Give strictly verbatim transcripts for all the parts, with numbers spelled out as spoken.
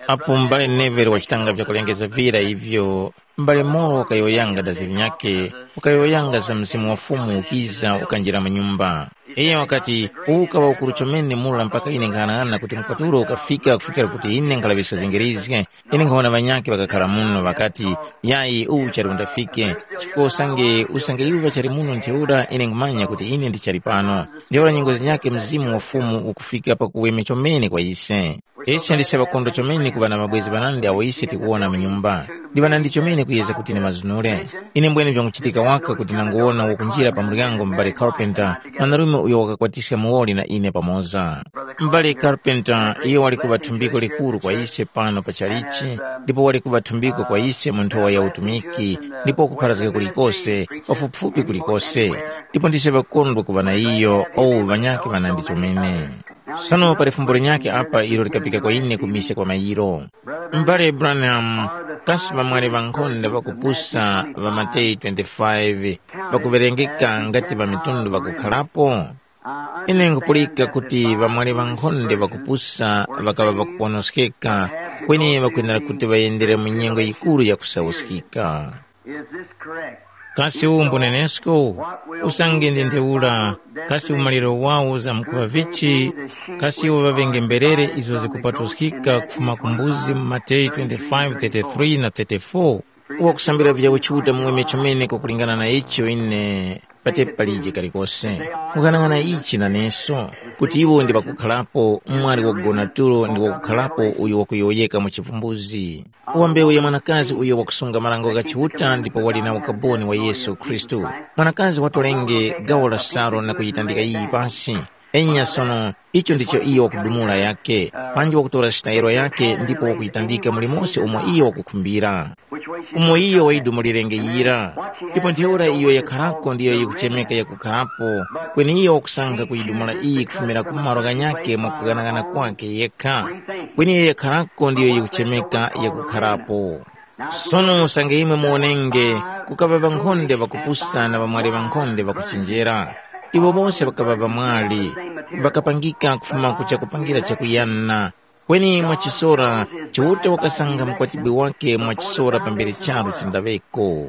Apo m'bale Neville wachitanga vyakulengeza vira ivyo, m'bale Moro wakayowoyanga daziri nyakhe, wakayowoyanga za Mzimu wa Fumu ukiza ukanjira mu nyumba. Iyo wakati, uwu ukaŵa ukuru chomene mura mpaka ine nkhaghanaghana kuti mupatulo ukafika kufikira kuti ine nkhalaŵiska zingirizge, ine nkhawona ŵanyakhe ŵakakhala muno ŵakati, yayi uwu chali undafike, chifukwa usange usange iwo ŵachali muno ntheura ine nkhumanya kuti ine ndichali pano. Ntheura nyengo zinyakhe Mzimu wa Fumu ukufika pakuweme chomene kwa ise. Ise ndise ŵakondo chomene kuŵa na mabwezi ŵanandi awo ise tikuwona mu nyumba. Ndi ŵanandi chomene kuyeza kuti ndimazunure. Ine mbwene vyanguchitika waka kuti nanguwona wakunjira pa muryango m'bale Carpenter, mwanarume uyo wakakwatiska muwoli na ine pamoza. M'bale Carpenter iyo wali kuŵa thumbiko likuru kwa ise pano pa chalichi, ndipo wali kuŵa thumbiko kwa ise mu nthowa ya utumiki, ndipo wakupharazga kulikose, pafupifupi kulikose. Ndipo ndise ŵakondwa kuŵa na iyo, owu ŵanyakhe ŵanandi chomene. Sono pali fumbo linyakhe apa ilo likapika kwa ine ku mise kwa mayiro. M'bale Branham, kasi ŵamwali ŵankhonde ŵakupusa ŵa Mateyu twenty-five ŵakuŵerengeka ngati ŵamitundu ŵakukharapo? Ine nkupulika kuti ŵamwali ŵankhonde ŵakupusa ŵakaŵa ŵakuponoskeka, kweni ŵakwenera kuti ŵayendere mu nyengo yikuru ya kusawuskika. Is this correct? Kasi uwu mbunenesko? Usange ndi ntheura, kasi umaliro wawo zamkuŵa vichi? Kasi iwo ŵaŵenge mberere izo zikupatuskika kufuma ku mbuzi mu Mateyu twenty-five thirty-three na thirty-four? Uwa kusambira vya uchiuta muweme chomene kwakulingana na icho ine patepi palije kalikose. Mukang'ang'ana ichi naneso, kuti iwo ndi ŵakukharapo, mwali wakugona tulo ndi wakukharapo uyo wakuyowoyeka mu chivumbuzi. Wa mbewu ya mwanakazi uyo wakusunga marango gha Chiuta ndipo wali na ukaboni wa Yesu Khristu. Mwanakazi watolenge gawo la salu na kuyitandika iyi pasi. Enya sono, icho ndicho iyo wakudumula yake, panji wakutora sitayiro yake ndipo wakuyitandika mulimonse umo iyo wakukhumbira. Umo iyo wayidumulirenge yira. Ndipo ntheura iyo yakharako ndiyo yikuchemeka yakukharapo, kweni iyo wakusankha kuyidumula iyi kufumira ku malo ghanyakhe mwa kughanagana kwakhe yekha. Kweni iyo yakharako ndiyo yikuchemeka yakukharapo. Sono usange imwe muwonenge, kukaŵa ŵankhonde ŵakupusa na ŵamwali ŵankhonde ŵakuchenjera. Iwo bose ŵakaŵa ŵamwali, ŵakapangika kufuma ku chakupangira chakuyana. Kweni mwachisora, Chiuta wakasankha mukwatibwi wake mwachisora pambere charu chindaŵeko.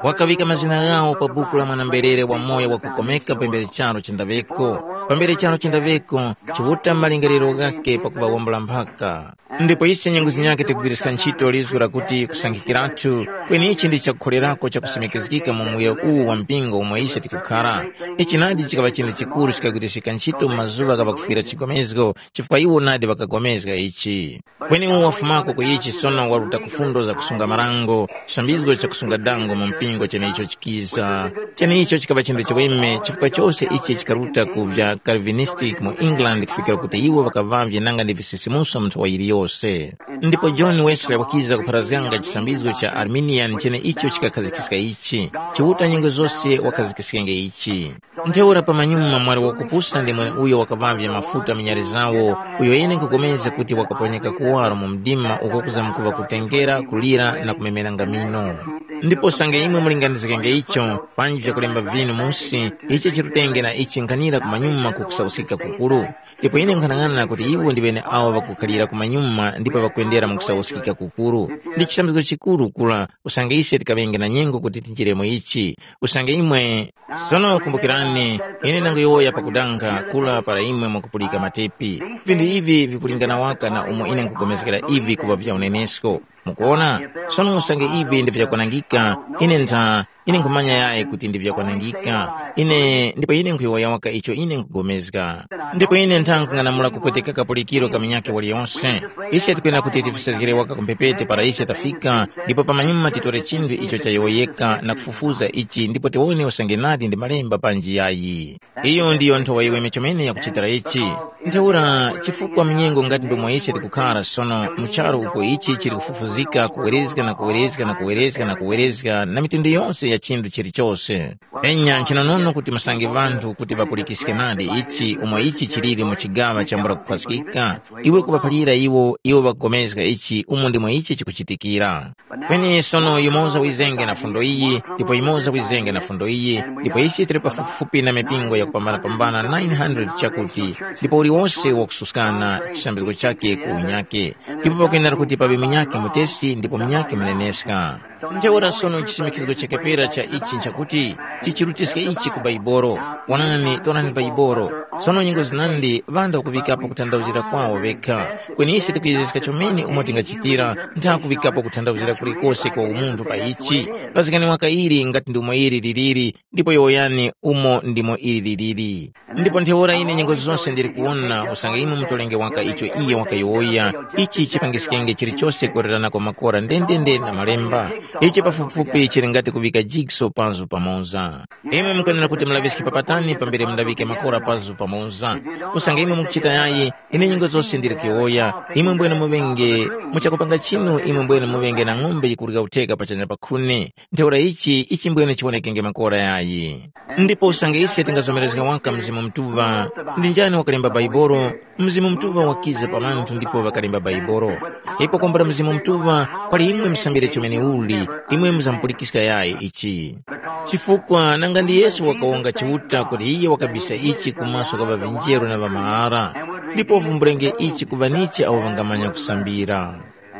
Wakaŵika mazina ghawo pa buku la mwana-mberere wamoyo wakukomeka pambere charu chindaŵeko. Pambere charu chindaŵeko, Chiuta malingaliro ghake pakuŵa wambula mphaka. Ndipo ise nyengo zinyakhe tikugwiriska ntchito lizgu lakuti kusankhikiratu, kweni ichi ndi chakukholerako chakusimikizgika mu muwiro uwu wa mpingo umo ise tikukhara. Ichi nadi chikaŵa chinthu chikuru chikagwiriska ntchito mu mazuŵa gha pakufwira chigomezgo, chifukwa iwo nadi ŵakagomezga ichi. Kweni uwo wafumako ku ichi sono waruta ku fundo za kusunga marango, chisambizgo cha kusunga dango mu mpingo cheneicho chikiza. Cheneicho chikaŵa chinthu chiweme chifukwa chose ichi chikaruta ku vya Calvinistic mu England kufikira kuti iwo ŵakaŵavye nanga ndi visisimuso mu nthowa yiliyose. Ndipo John Wesley wakiza kupharazganga chisambizgo cha Arminian cheneicho chikakhazgiska ichi. Chiuta nyengo zose wakhazikiskenge ichi. Ntheura pamanyuma mwali wakupusa ndi mweneuyo wakaŵavye mafuta minyari zawo, uyo ine nkhupulikana kuti wakaponyeka kuwaro mu mdima uko kuzamkuŵa kutengera, kulira na kumemeranga mino. Ndipo usange imwe mulinganizgenge icho, panji vyakulemba vinu musi, ichi chirutenge na ichi nkhanira kumanyuma ku kusauskika kukuru. Ndipo ine nkhanang'ana kuti iwo ndi ŵene awo ŵakukhalira kumanyuma ndipo ŵakwendera mu kusauskika kukuru. Ndi chisambizgo chikuru kura usange ise tikaŵenge na nyengo kuti tinjiremo ichi. Usange imwe Sono kumbukirani, ine ndanguyowoya pakudanga kula para imwe mwakupulika matepi. Vinthu ivi vikulingana waka na umo ine nkhupulikana ivi kuŵa vya unenesko. Mukuona? Sono usange ivi ndi vyakwanangika, ine ntha, ine nkhumanya yayi kuti ndi vyakwanangika. Ine ndipo ine nkhuyowoya waka icho ine nkhupulikana. Ndipo ine ntha nkhung'anamula kupweteka kapulikiro ka munyakhe waliyonse. Ise tikwenera kuti tifisezgere waka ku mphepete para ise tafika, ndipo pamanyuma titore chinthu icho chayowoyeka na kufufuza ichi ndipo tiwone usange nadi ndi malemba panji yayi. Iyo ndiyo nthowa yiweme chomene yakuchitira ichi. Ntheura chifukwa mnyengo ngati ndomwe ise tikukhara sono mu charu uko ichi chili kufufuzika kuwerezga na kuwerezga na kuwerezga na kuwerezga na mitundu yonse ya chinthu chilichose. Enya nchinonono kuti masange ŵanthu kuti ŵapulikiske nadi ichi umo ichi chiliri mu chigaŵa chambula kukhwaskika, iwe kuŵaphalira iwo, iwo ŵakupulikana ichi umo ndimo ichi chikuchitikira. Kweni sono yumoza wizenge na fundo iyi, ndipo yumoza wizenge na fundo iyi, ndipo isi tili pafupifupi na mipingo yakupambanapambana nine hundred chakuti, ndipo uliwose wakususkana chisambizgo chake ku unyake, ndipo pakwenera kuti paŵe munyakhe mutesi ndipo munyakhe muneneska. Ntheura sono chisimikizgo chakepera cha ichi nchakuti tichirutiske ichi ku Baibolo. Wonani, torani Baibolo. Sono nyengo zinandi ŵanthu ŵakuŵikapo kuthandauzira kwawo ŵekha. Kweni ise tikuyezeska chomene umo tingachitira, ntha kuŵikapo kuthandauzira kulikose kwa umunthu pa ichi. Pazikani waka ili ngati ndi umo ili liliri, ndipo yowoyani umo ndimo ili liliri. Ndipo ntheura ine nyengo zose ndili kuwona usange imwe mutolenge waka icho iye wakayowoya, ichi chipangiskenge chilichose kuwererana kwa makora ndendende na malemba. Ichi pafupifupi chili ngati kuŵika jigso panzu pamoza. Imwe mukwenera kuti mulaŵiske papatani pambere mundaŵike makora panzu pamoza. Usange imwe mukuchita yayi, ine nyengo zose ndili kuyowoya, imwe mbwene muŵenge muchakupanga chinu, imwe mbwene muŵenge na ng'ombe yikurya utheka pachanya pa khuni. Ntheura ichi ichimbwene chiwonekenge makora yayi. Ndipo usange ise tingazomerezga waka Mzimu Mutuŵa, ndi njani wakalemba Baibolo? Mzimu Mutuŵa wakiza pa ŵanthu ndipo ŵakalemba Baibolo. Ipo kwambula Mzimu Mutuŵa, pali imwe musambire chomene uli, imwe muzamupulikiska yayi ichi. Chifukwa nanga ndi Yesu wakawonga Chiuta kuti iye wakabisa ichi ku maso gha ŵavinjeru na ŵamahara, ndipo uvumbulenge ichi ku ŵanichi awo ŵangamanya kusambira.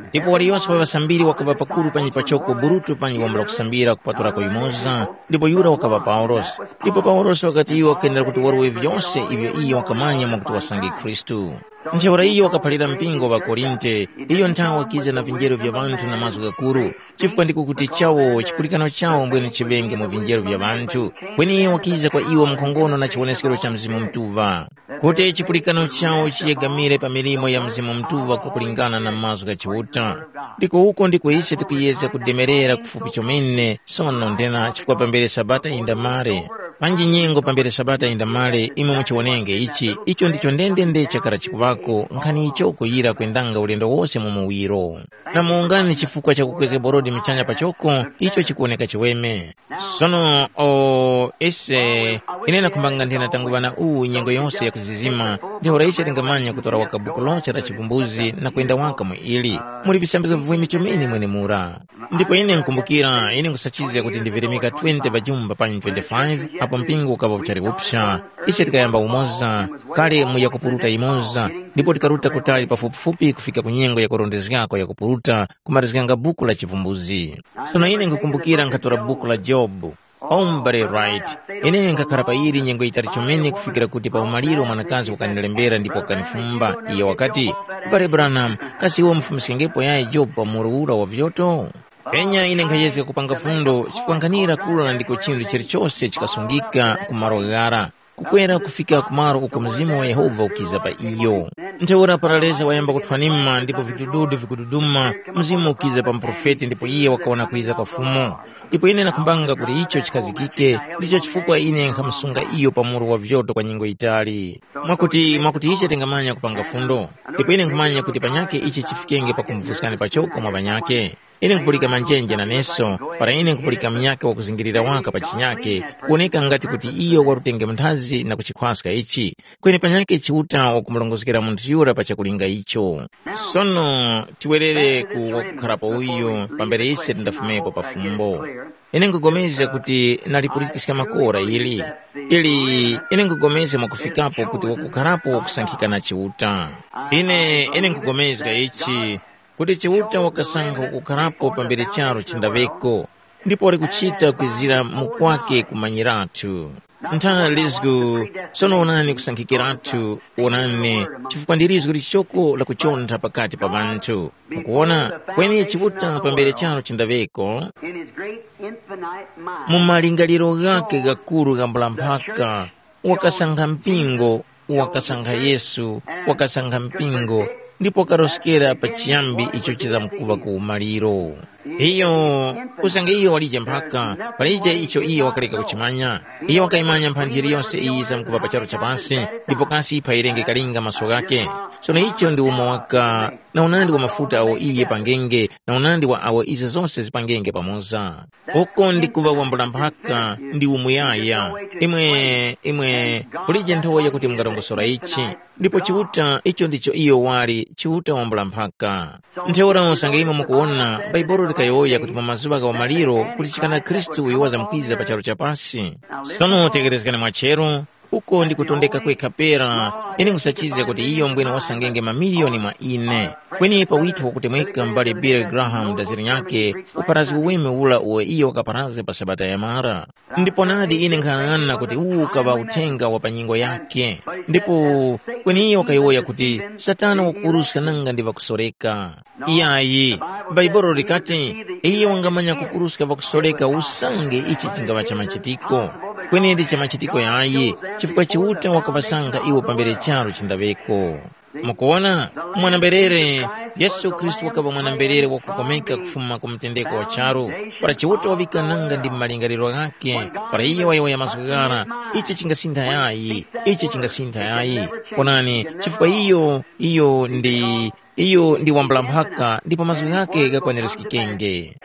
Ndipo waliyose wa ŵasambiri wakaŵa pakuru panyi pachoko Burutu panyi wambula kusambira kupatulako yumoza, ndipo yura wakaŵa Paulosi. Ndipo Paulosi wakati iwo wakwenera kuti warwe vyose ivyo iyo wakamanya mwakuti wasange Khristu. Ntheura iyo wakaphalira mpingo wa Korinte, iyo nthawe wakiza na vinjero vya ŵanthu na mazgu ghakuru, chifukwa ndiko kuti chawo chipulikano chawo mbwene chiŵenge mu vinjero vya ŵanthu, kweni iyo wakiza kwa iwo mkhongono na chiwoneskero cha Mzimu Mutuŵa. Kuti chipulikano chawo chiyegamire pa milimo ya Mzimu Mutuŵa kukulingana na mazgu gha Chiuta. Ndiko uko ndiko ise tikuyezga kudemerera kufupi chomene sono nthena chifukwa pambere Sabata yindamale. Panji nyengo pambere Sabata yindamale imwe muchiwonenge ichi, icho ndicho ndendende chakara chikuŵako nkhani icho kuyira kwendanga ulendo wose mu muwiro. Na muwungani chifukwa cha kukwezga borodi muchanya pachoko, icho chikuwoneka chiweme. Sono o ise, ine nakhumbanga nthena tanguŵa na uwu nyengo yose yakuzizima, ntheura ise tingamanya kutora waka buku lonse la chivumbuzi na kwenda waka mu ili. Muli visambizgo vivwimi chomene mwenemura. Ndipo ine nkumbukira ine nkusachizga kuti ndivirimika twenty pajumba panyi twenty-five, apo mpingo ukaŵa uchali upsa. Ise tikayamba umoza, kale mu yakupuruta imoza, ndipo tikaruta kutali pafupifupi kufika ku nyengo yakurondezgako yakupuruta, kumarizganga buku la chivumbuzi. Sono ine nkukumbukira nkhatora buku la Jobu. Ombere right. Ine nkhakhara pa ili nyengo yitali chomene kufikira kuti pa umaliro mwanakazi wakanilembera ndipo wakanifumba. Iyo wakati, "Mbale Branham, kasi iwe umufumiskengepo yayi Jobu pa muru ura wa vyoto?" Penya ine nkhayezga kupanga fundo chifukwa nkhanira kula ndiko chinthu chilichose chikasungika ku malo ghara, kukwera kufika ku malo uko Mzimu wa Yehova ukiza pa iyo. Ntheura paraleza wayamba kuthwanima ndipo vidududu vikududuma, Mzimu ukiza pa muprofeti ndipo iye wakaona kwiza kwa Fumu. Ndipo ine nakhumbanga kuti icho chikhazikike, ndicho chifukwa ine nkhamusunga iyo pa muru wa vyoto kwa nyengo yitali. Mwakuti mwakuti ichi tingamanya kupanga fundo, ndipo ine nkhumanya kuti panyakhe ichi chifikenge pakumuvuskani pachoko mwa ŵanyakhe. Ine nkupulika manjenje naneso, para ine nkupulika munyakhe wakuzingirira waka pa chinyakhe, kuwoneka ngati kuti iyo warutenge munthazi na kuchikhwaska ichi, kweni panyakhe Chiuta wakumurongozgera munthu yura pa chakulinga icho. Sono tiwerere ku wakukharapo uyu pambere ise tindafumepo pa fumbo. Ine nkupulikana kuti nalipulikiska makora ili, ili ine nkupulikana mwakufikapo kuti wakukharapo wakusankhika na Chiuta. Ine ine nkupulikana ichi, kuti Chiuta wakasankha kukharapo pambere charu chindaŵeko, ndipo wali kuchita kwizira mu kwake kumanyiratu. Ntha lizgu, sono wonani kusankhikiratu, wonani, chifukwa ndi lizgu lichoko lakuchontha pakati pa ŵanthu. Mukuwona, kweni Chiuta pambere charu chindaŵeko, in his great infinite mind, mu malingaliro ghake ghakuru ghambula mphaka, wakasankha mpingo, wakasankha Yesu, wakasankha mpingo, ndipo wakaroskera pa chiyambi icho chizamkuŵa ku umaliro. Iyo, usange iyo walije mphaka, palije icho iyo wakaleka kuchimanya. Iyo wakayimanya mphanji yiliyonse iyi zamkuŵa pa charu cha pasi, ndipo kasi phayirenge kalinga maso ghakhe. Sono icho ndi umo waka na unandi wa mafuta awo iye pangenge, na unandi wa awo izo zose zipangenge pamoza. Uko ndi kuŵa wambula mphaka ndi umuyaya. Imwe, imwe, kulije nthowa yakuti mungarongosora ichi. Ndipo Chiuta, icho ndicho iyo wali, Chiuta wambula mphaka. Ntheura usange imwe mukuwona, Bhaibuli likayowoya kuti mu mazuŵa gha umaliro kulichikana Khristu uyo wazamkwiza pa charu cha pasi. Sono tegherezgani mwacheru, uko ndi kutondeka kwekha pera, ine nkhusachizga kuti iyo mbwene wasangenge mamiliyoni mwa ine. Kweni pa witho wakutemweka m'bale Billy Graham daziri nyakhe, uparazgi uweme ula uwo iyo wakaparaza pa Sabata yamara. Ndipo nadi ine nkhang'ana kuti uwu ukaŵa uthenga wa pa nyengo yakhe. Ndipo kweni iyo wakayowoya kuti Satana wakupuruska nanga ndi ŵakusoreka. Iyayi, Bhaibuli likati, iyo wangamanya kupuruska ŵakusoreka usange ichi chingaŵa cha machitiko. Kweni ndi cha machitiko yayi, chifukwa Chiuta wakaŵasanga iwo pambere charu chindaŵeko. Mukuwona, mwana-mberere, Yesu Khristu wakaŵa mwana-mberere wakukomeka kufuma ku mtendeko wa charu, para Chiuta waŵika nanga ndi malingaliro ghakhe, para iyo wayowoya mazgu ghara, ichi chingasintha yayi, ichi chingasintha yayi. Onani, chifukwa iyo, iyo ndi, iyo ndi wambula mphaka ndipo mazgu ghakhe ghakwanirizgikenge.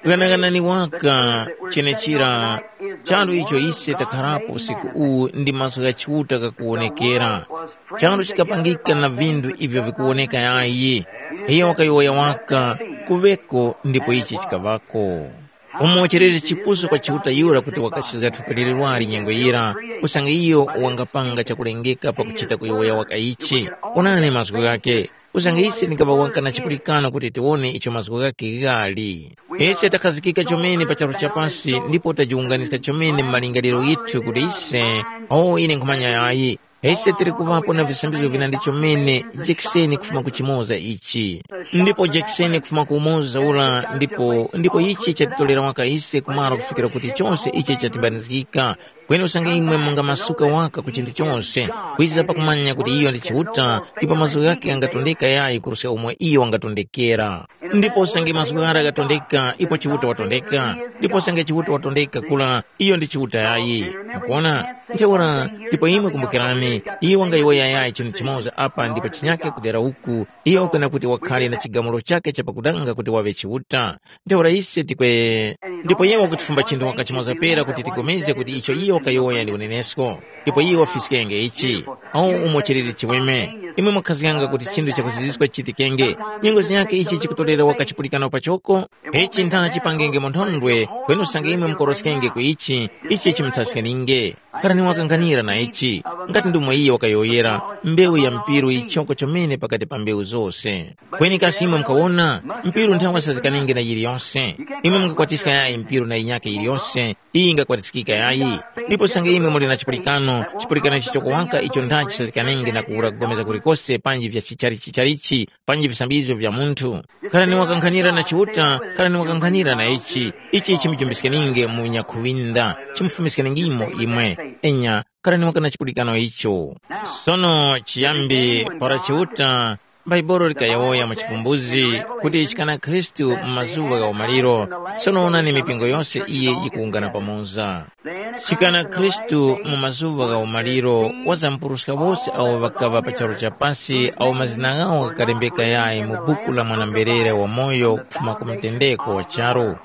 Ghanaghanani waka chenechira, charu icho ise takharapo usiku uwu ndi mazgu gha Chiuta ghakuwonekera. Charu chikapangika na vinthu ivyo vikuwoneka yayi. Iyo wakayowoya waka, kuŵeko ndipo ichi chikaŵako. Umo chiliri chipusu kwa Chiuta yura kuti wakachizga thupi lilirwali nyengo yira, usange iyo wangapanga chakulengeka pakuchita kuyowoya waka ichi. Onani mazgu ghakhe. Usange ise tingaŵa waka na chipulikano kuti tiwone icho mazgu ghakhe ghali. Ise takhazikika chomene pa charu cha pasi ndipo tajiwunganiska chomene mu malingaliro ghithu kuti ise, o ine nkhumanya yayi, ise tili kuŵapo na visambizgo vinandi chomene jekiseni kufuma ku chimoza ichi. Ndipo jekiseni kufuma ku umoza ura ndipo ndipo ichi chatitolera waka ise kumara kufikira kuti chose ichi chatimbanizgika. Kweni usange imwe mungamasuka waka ku chinthu chose, kwiza pakumanya kuti iyo ndi Chiuta, ndipo mazgu ghakhe ghangatondeka yayi kuruska umo iyo wangatondekera. Ndipo usange mazgu ghara ghatondeka, ipo Chiuta watondeka, ndipo usange Chiuta watondeka kula, iyo ndi Chiuta yayi. Mukuona? Ntheura, ndipo imwe kumbukirani, iyo wangayowoya yayi chinthu chimoza apa ndipo chinyake kudera uku, iyo kwena kuti wakhale na chigamulo chake chapakudanga kuti waŵe Chiuta. Ntheura ise tikwe ndipo iye wakutifumba chinthu waka chimoza pera kuti tigomezge kuti icho iye wakayowoya ndi unenesko. Ndipo iye wafiskenge ichi. Awu umo chiliri chiweme. Imwe mwakhazganga kuti chinthu chakuziziska chichitikenge. Nyengo zinyakhe ichi chikutolera waka chipulikano pachoko. Ichi ntha chipangenge mu nthondwe, kweni usange imwe mukoroskenge ku ichi, ichi chimuthaskaninge. Karani wakanghanira na ichi. Ngati ndumo iye wakayowoyera, mbewu ya mpiru yichoko chomene pakati pa mbewu zose. Kweni kasi imwe mukawona, mpiru nthawe sazikanenge na yiliyose. Imwe mungakwatiska yayi mpiru na yinyakhe yiliyose, iyi ingakwatiskika yayi. Ndipo sange imwe muli na chipulikano, chipulikano chichoko waka icho ndachi sazikanenge na kuwura kugomeza kulikose panji vya chicharichi charichi, panji visambizgo vya munthu. Kharani wakanghanira na Chiuta, kharani wakanghanira na ichi, ichi chimujumbiskaninge mu nyakhuŵinda, chimufumiskaningimo imwe. Enya, kharani waka na chipulikano icho. Sono chiyambi para Chiuta, Bhaibuli likayowoya mu chivumbuzi kuti chikana Khristu mu mazuŵa gha umaliro, sono wonani mipingo yose iye yikuwungana pamoza. Chikana Khristu mu mazuŵa gha umaliro wazamkuruska wose awo ŵakaŵa pa charu cha pasi awo mazina ghawo ghakalembeka yayi mu buku la mwana-mberere wamoyo kufuma ku mtendeko wa charu.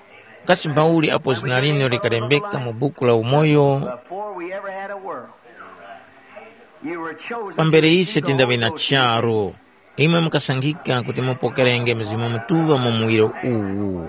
Kasi mbauli apo zina linu likalembeka mu buku la umoyo? Before we ever had a world, you were chosen pambere ise tindaŵe na charu, imwe mukasankhika kuti mupokerenge Mzimu Mutuŵa mu muwiro uwu.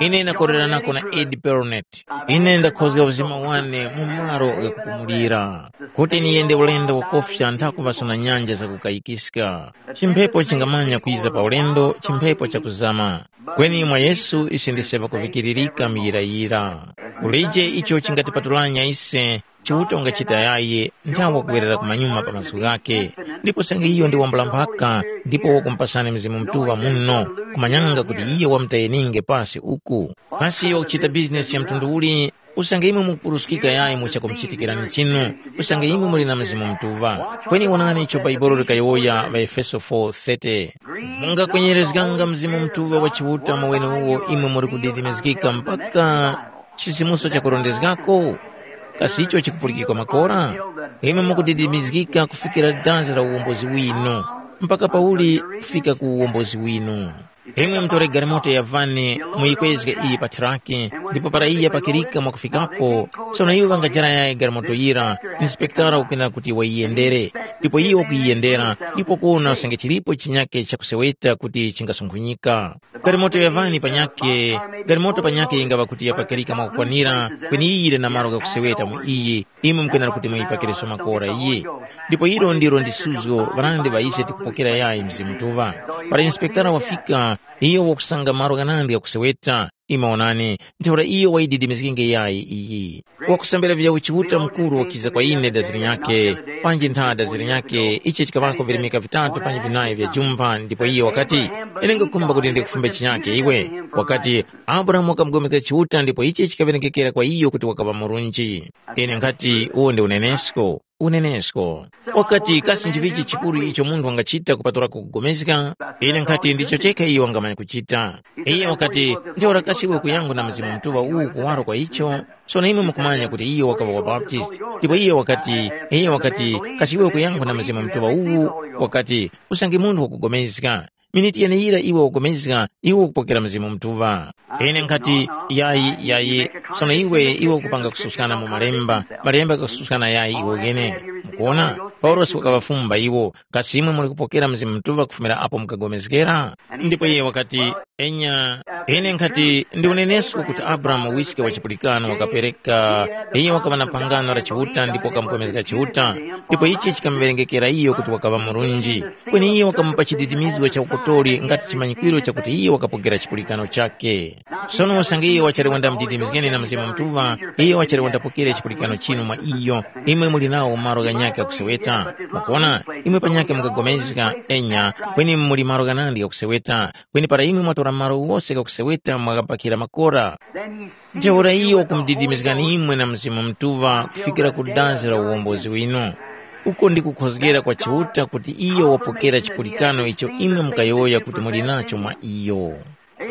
Ine ndakorera nako na Ed Perronet. Ine ndakhozga uzima wane mu malo ghakupumulira, kuti niyende ulendo wakofya nthakuŵaso na nyanja zakukayikiska. Chimphepo chingamanya kwiza pa ulendo, chimphepo chakuzama. Kweni mwa Yesu ise ndise ŵakuvikiririka muyirayira. Kulije icho chingatipatulanya ise, Chiuta ungachita yayi nthawe kuwerera kumanyuma pa mazgu ghakhe. Ndipo senge iyo ndi wambula mphaka, ndipo wakumupasani Mzimu Mutuŵa muno, kumanyanga kuti iyo wamutayeninge pasi uku. Kasi iyo wakuchita bizinesi ya mtundu uli, Usange imwe mukupuruskika yayi mu chakumuchitikirani chinu, usange imwe muli na Mzimu Mutuŵa. Kweni wonani icho Bhaibuli likayowoya ŵaEfeso four thirty, mungakwenyerezganga Mzimu Mutuŵa wa Chiuta mu weneuwo imwe muli kudidimizgika mpaka chisimuso chakurondezgako? Kasi icho chikupulikikwa makora? Imwe mukudidimizgika kufikira dazi la uwombozi winu, mpaka pauli kufika ku uwombozi winu. Imwe mutore galimoto ya vani, muyikwezge iyi pa tharaki, ndipo para iyi yapakirika mwakufikapo, sono iwo ŵangajara yayi galimoto yira, inspektara ukwenera kuti wayiyendere, ndipo iye wakuyiyendera, ndipo kuwona usange chilipo chinyake chakuseweta kuti chingasunkhunyika. Galimoto ya vani panyakhe, galimoto panyakhe yingaŵa kuti yapakirika mwakukwanira, kweni iyi yili na malo ghakuseweta mu iyi, imwe mukwenera kuti muyipakireso makora iyi. Ndipo ilo ndilo ndi suzgo ŵalandi ŵa ise tikupokera yayi Mzimu Mutuŵa. Para inspektara wafika, iyo wakusanga malo ghanandi ghakuseweta, imwe onani, ntheura iyo wayididimizgenge yayi iyi. Wakusambira vya uchiuta mukuru wakiza kwa ine dazi linyakhe, panji ntha dazi linyakhe, ichi chikaŵako virimika vitatu panji vinayi vya jumpha, ndipo iye wakati, ine ngakhumba kuti ndikufumbe chinyakhe iwe. Wakati, Abrahamu wakamugomekera Chiuta ndipo ichi chikawerengekera kwa iyo kuti wakaŵa murunji. Ine nkhati, uwo ndi unenesko, unenesko. Wakati, kasi nchivichi chikuru icho munthu wangachita kupatulako kupulikana? Ine nkhati, ndicho chekha iyo wangamanya kuchita. Iye wakati, ntheura kasi iwe kuyankhula na Mzimu Mutuŵa uwu kuwaro kwa icho? Sono imwe mukumanya kuti iyo wakaŵa wa Baptist. Ndipo iye wakati, iye wakati, kasi iwe kuyankhula na Mzimu Mutuŵa uwu? Wakati, usange munthu wakupulikana. Miniti yeneyira iwe wakupulikana, iwe ukupokera Mzimu Mutuŵa. Ine nkhati, yayi, yayi, sono iwe, iwe ukupanga kususkana mu malemba, malemba ghakususkana yayi iwe wene. Mukuona? Paulosi wakaŵafumba iwo, kasi imwe muli kupokera Mzimu Mutuŵa kufumira apo mukapulikana? Ndipo iye wakati, enya, ine nkhati, ndi unenesko kuti Abrahamu wiske wa chipulikano wakapereka, iye wakaŵa na phangano la Chiuta ndipo wakamupulikana Chiuta, ndipo ichi chikamuwerengekera iyo kuti wakaŵa murunji. Kweni iyo wakamupa chididimizgo cha ukotori ngati chimanyikwiro chakuti iyo wakapokera chipulikano chakhe. Sono usange iyo wachali wandamudidimizgeni na Mzimu Mutuŵa, iyo wachali wandapokere chipulikano chinu mwa iyo, imwe muli nawo malo ghanyakhe ghakuseweta. Mukuona, imwe panyakhe mukapulikana, enya, kweni muli malo ghanandi ghakuseweta, kweni para imwe mwatora malo ghose ghakuseweta mwakapakhira makora. Ntheura iyo wakumudidimizgani imwe na Mzimu Mutuŵa kufikira ku dazi la uwombozi winu. Uko ndi kukhozgera kwa Chiuta kuti iyo wapokera chipulikano icho imwe mukayowoya kuti muli nacho mwa iyo.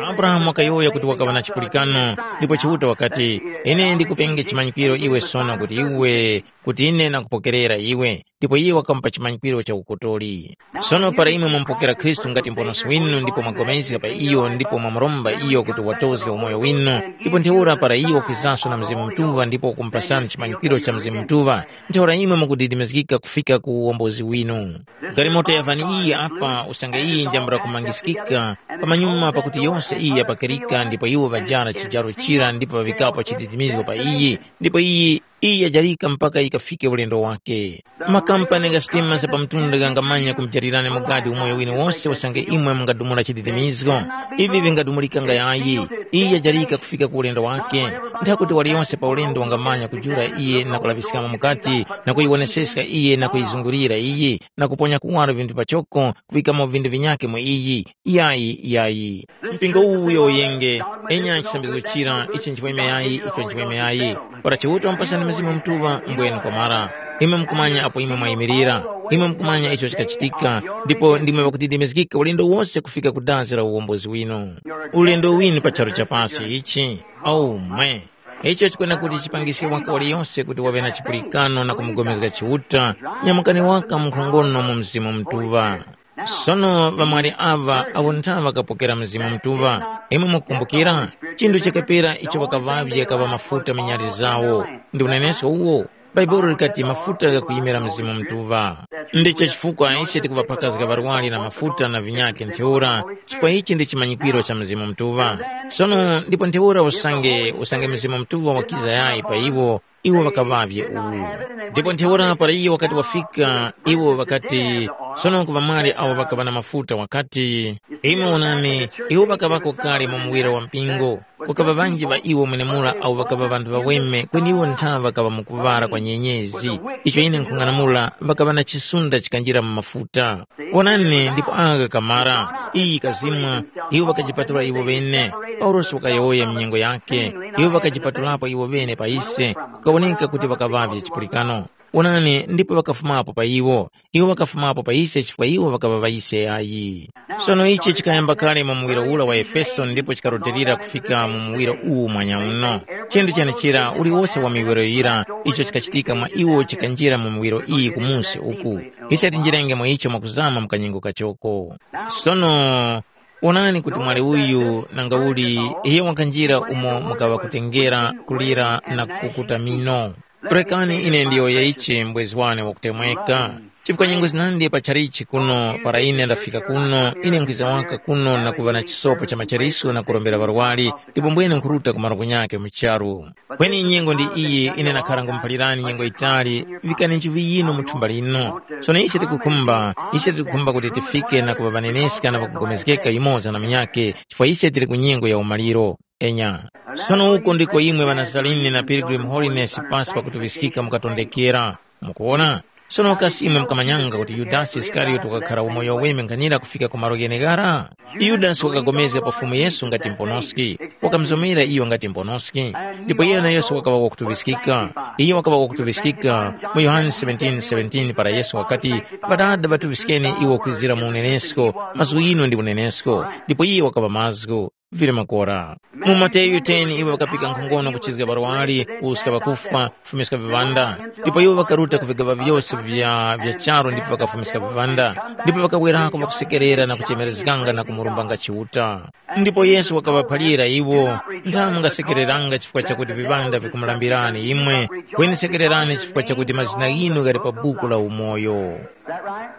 Abrahamu wakayowoya kuti wakaŵa na chipulikano, ndipo Chiuta wakati, ine ndikupenge chimanyikwiro iwe sono kuti iwe, kuti ine nakupokerera iwe. Ndipo iye wakamupa chimanyikwiro cha ukotori. Sono para imwe mwamupokera Khristu ngati Muponoski winu ndipo mwapulikana pa iyo ndipo mwamuromba iyo kuti watozge umoyo winu, ndipo ntheura para iyo wakwizanso na Mzimu Mutuŵa ndipo wakumupasani chimanyikwiro cha Mzimu Mutuŵa, ntheura imwe mukudidimizgika kufika ku uwombozi winu. Galimoto ya vani iyi apa usange iyi njambula kumangiskika, pamanyuma pakuti yose iyi yapakirika ndipo iwo ŵajara chijaro chira ndipo ŵavikapo chididimizgo pa iyi, ndipo iyi, iyi yajarika mpaka yikafike ulendo wake. Makampani gha sitima za pamtunda ghangamanya kumujalirani mugadi umoyo winu wose usange imwe mungadumula chididimizgo. Ivi vingadumulikanga yayi. Iyi yajarika kufika ku ulendo wake. Nthakuti waliyonse pa ulendo wangamanya kujula iye na kulaŵiskamo mukati na kuyiwoneseska iye na kuyizungulira iyi na kuponya kuwaro vinthu pachoko kuŵikamo vinthu vinyakhe mu iyi. Yayi, yayi. Mpingo uwu uyo uyenge, enya chisambirizgo chira, ichi nchiweme yayi, icho nchiweme yayi. Para Chiuta wamupasani Mzimu Mutuŵa, mbwenu kwamara. Imwe mukumanya apo imwe mwayimirira, imwe mukumanya icho chikachitika, ndipo ndimwe ŵakudidimizgika ulendo wose kufika ku dazi la uwombozi winu. Ulendo winu pa charu cha pasi ichi, aumwe. Icho chikwena kuti chipangiske waka waliyose kuti waŵe na chipulikano na kumugomezga Chiuta, nyamukani waka mu nkhongono mu Mzimu Mutuŵa. Sono ŵamwali aŵa awo ntha ŵakapokera Mzimu Mutuŵa, imwe mukukumbukira? Chinthu chakapera icho ŵakaŵavye kaŵa mafuta minyali zawo. Ndi unenesko uwo. Bhaibuli likati mafuta ghakuyimira Mzimu Mutuŵa. Ndicho chifukwa ise tikuŵaphakazga ŵarwari na mafuta na vinyakhe ntheura, chifukwa ichi ndi chimanyikwiro cha Mzimu Mutuŵa. Sono ndipo ntheura usange usange Mzimu Mutuŵa wakiza yayi pa iwo, iwo ŵakaŵavye uwu. Ndipo ntheura para iyo wakati wafika, iwo ŵakati, sono ku ŵamwali awo ŵakaŵa na mafuta wakati, imwe wonani, iwo ŵakaŵako kale mu muwira wa mpingo. Kukaŵa ŵanji ŵa iwo mwenemura awo ŵakaŵa ŵanthu ŵaweme kweni iwo ntha ŵakaŵa mu kuŵala kwa nyenyezi. Icho ine nkhung'anamula ŵakaŵa na chisunda chikanjira mu mafuta. Wonani ndipo agha kamara, iyi kazimwa, iwo ŵakajipatula iwo ŵene. Paulosi wakayowoya minyengo yake, iwo ŵakajipatulapo iwo ŵene pa ise, kukawoneka kuti ŵakaŵavye chipulikano. Onani, ndipo ŵakafumapo pa iwo. Iwo ŵakafumapo pa ise chifukwa iwo ŵakaŵa ŵa ise yayi. Sono ichi chikayamba kale mu muwiro ura wa Efeso ndipo chikarutilira kufika mu muwiro uwu mwanya uno. Chinthu chenechera uliwose wa miwiro yira icho chikachitika mwa iwo chikanjira mu miwiro iyi kumusi uku. Ise tinjirenge mwa icho mwakuzama mu kanyengo kachoko. Sono, wonani kuti mwali uyu nangauli iyo wakanjira umo mukaŵa kutengera, kulira na kukuta mino. Rekani ine ndiyowoye ichi mbwezi wane wakutemweka. Chifukwa nyengo zinandi pa chalichi kuno, para ine ndafika kuno, ine nkwiza waka kuno na kuŵa na chisopo cha machaliso na kurombera ŵarwari, ndipo mbwene nkhuruta ku malo kunyake mu charu. Kweni nyengo ndi iyi ine nakhara ngumuphalirani nyengo yitali, vikani nchivi yinu mu thumba lino. Sono ise tikukhumba, ise tikukhumba kuti tifike na kuŵa ŵaneneska na ŵakugomezgeka yumoza na munyakhe, chifukwa ise tili ku nyengo ya umaliro. Enya. Sono uko ndiko imwe ŵanazarini na Pilgrim Holiness pasi pakutuŵiskika mukatondekera. Mukuwona? Sono kasi imwe mukamanyanga kuti Yudasi Isikariote wakakhara umoyo weme nkhanira kufika ku malo gheneghara? Yudasi wakapulikana pa Fumu Yesu ngati mponoski, wakamuzomera iyo ngati mponoski, ndipo iyo nayoso wakaŵa wakutuŵiskika. Iyo wakaŵa wakutuŵiskika mu Yohane seventeen seventeen para Yesu wakati, “Ŵadada ŵatuŵiskeni iwo kwizira mu unenesko, mazgu ghinu ndi unenesko.” Ndipo iye wakaŵa mazgu. Vili makora. Mu Mateyu ten iwo ŵakapika nkhongono kuchizga ŵarwari, kuwuska ŵakufwa, kufumiska viŵanda. Ndipo iwo ŵakaruta ku vigaŵa vyose vya, vya charu ndipo ŵakafumiska viŵanda. Ndipo ŵakawerako ŵakusekerera na kuchemerezganga na kumurumbanga Chiuta. Ndipo Yesu wakaŵaphalira iwo, “Ndani mungasekereranga chifukwa chakuti viŵanda vikumulambirani imwe? Kweni sekererani chifukwa chakuti mazina ghinu ghali pa buku la umoyo.”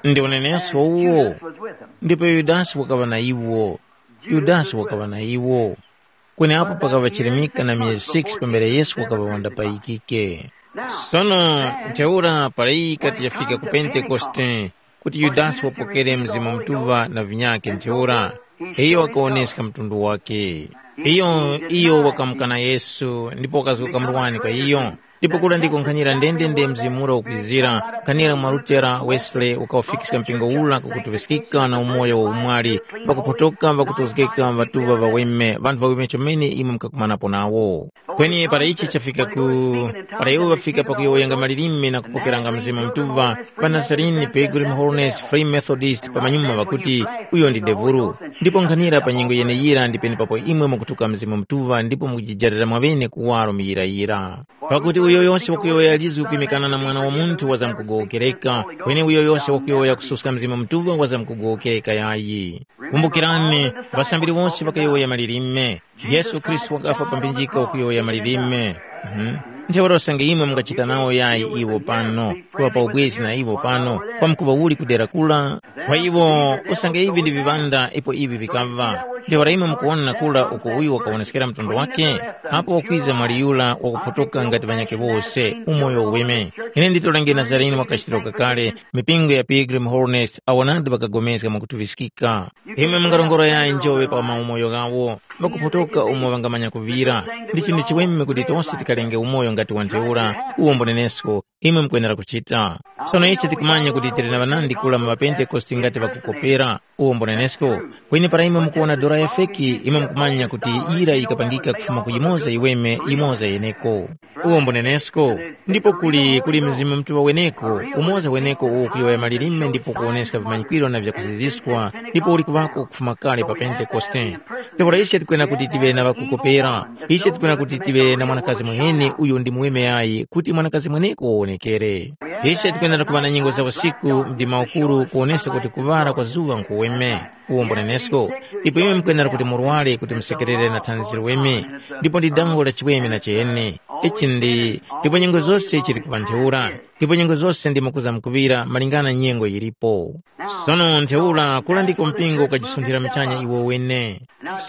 Ndi unenesko uwo. Ndipo Yudasi wakaŵa na iwo. Yudasi wakaŵa na iwo. Kweni apo pakaŵa chirimika na myezi six pambere Yesu wakaŵa wandapayikike. Sono ntheura para iyi yikati yafika ku Pentekoste, kuti Yudasi wapokere Mzimu Mutuŵa na vinyakhe ntheura, iyo wakawoneska mtundu wakhe. Iyo, iyo wakamukana Yesu ndipo wakazgoka murwani kwa iyo. Ndipo kura ndiko nkhanira ndendende mzimu ura ukwizira, nkhanira mwa Lutera, Wesley, ukawufikiska mpingo ura ku kutuŵiskika na umoyo wa umwali, ŵakuphotoka, ŵakutozgeka, ŵatuŵa ŵaweme, ŵanthu ŵaweme chomene imwe mukakumanapo nawo. Kweni para ichi chafika ku, para iwo ŵafika pakuyowoyanga malilime na kupokeranga Mzimu Mutuŵa, ŵanazarini, Pilgrim Holiness, Free Methodist, pamanyuma ŵakuti, uyo ndi devulu. Ndipo nkhanira pa nyengo yeneyira ndi penepapo imwe mukutuka Mzimu Mutuŵa ndipo mukujijarira mwaŵene kuwaro muyirayira. Pakuti uyo yose wakuyowoya lizgu kwimikana na Mwana wa Munthu wazamkugowokereka, kweni uyo yose wakuyowoya kususka Mzimu Mutuŵa wazamkugowokereka yayi. Kumbukirani, ŵasambiri wose ŵakayowoya malilime. Yesu Khristu wakafwa pa mphinjika wakuyowoya malilime. Mhm. Ntheura usange imwe mungachita nawo yayi iwo pano, kuŵa pa ubwezi na iwo pano, kwamkuŵa uli ku dera kura? Kwa iwo, usange ivi ndi viŵanda ipo ivi vikaŵa. Ntheura imwe mukuwona kura uko uyu wakawoneskera mtundu wake? Apo wakwiza mwali yura wakuphotoka ngati ŵanyakhe wose, umoyo uweme. Ine nditolenge Nazarene wakachitiro kakale, mipingo ya Pilgrim Holiness awo nadi ŵakagomezga mwakutuŵiskika. Imwe mungarongora yayi njoŵe pa maumoyo ghawo, ŵakuphotoka umo ŵangamanya kuŵira. Ndi chinthu chiweme kuti tose tikalenge umoyo ngati wa ntheura, uwo mbunenesko, imwe mukwenera kuchita. Sono ichi tikumanya kuti tili na ŵanandi kula mu ŵaPentekoste ngati ŵakukopera, uwo mbunenesko. Kweni para imwe mukuwona dora ya feki, imwe mukumanya kuti yira yikapangika kufuma ku yimoza yiweme, yimoza yeneko. Uwo mbunenesko. Ndipo kuli, kuli Mzimu Mutuŵa weneko, umoza weneko uwo kuyowoya malilime ndipo kuwoneska vimanyikwiro na vyakuziziskwa, ndipo uli kuŵako kufuma kale pa Pentekoste. Ntheura ise tikwena kuti tive na ŵakukopera. Ise tikwena kuti tive na mwanakazi mwene uyo ndi muweme yayi, kuti mwanakazi mweneko wawonekere. Ise tikwenera kuŵa na nyengo za usiku, mdima ukuru, kuwoneska kuti kuŵala kwa zuŵa nkuweme. Uwo mbunenesko. Ndipo imwe mukwenera kuti murware kuti musekerere na thanzi liweme, ndipo ndi dango la chiweme na chene. Ichi ndi, ndipo nyengo zose chili kuŵa ntheura, ndipo nyengo zose ndimo kuza mukuŵira malingana nyengo yilipo. Sono ntheura kula ndiko mpingo ukajisunthira michanya iwo wene.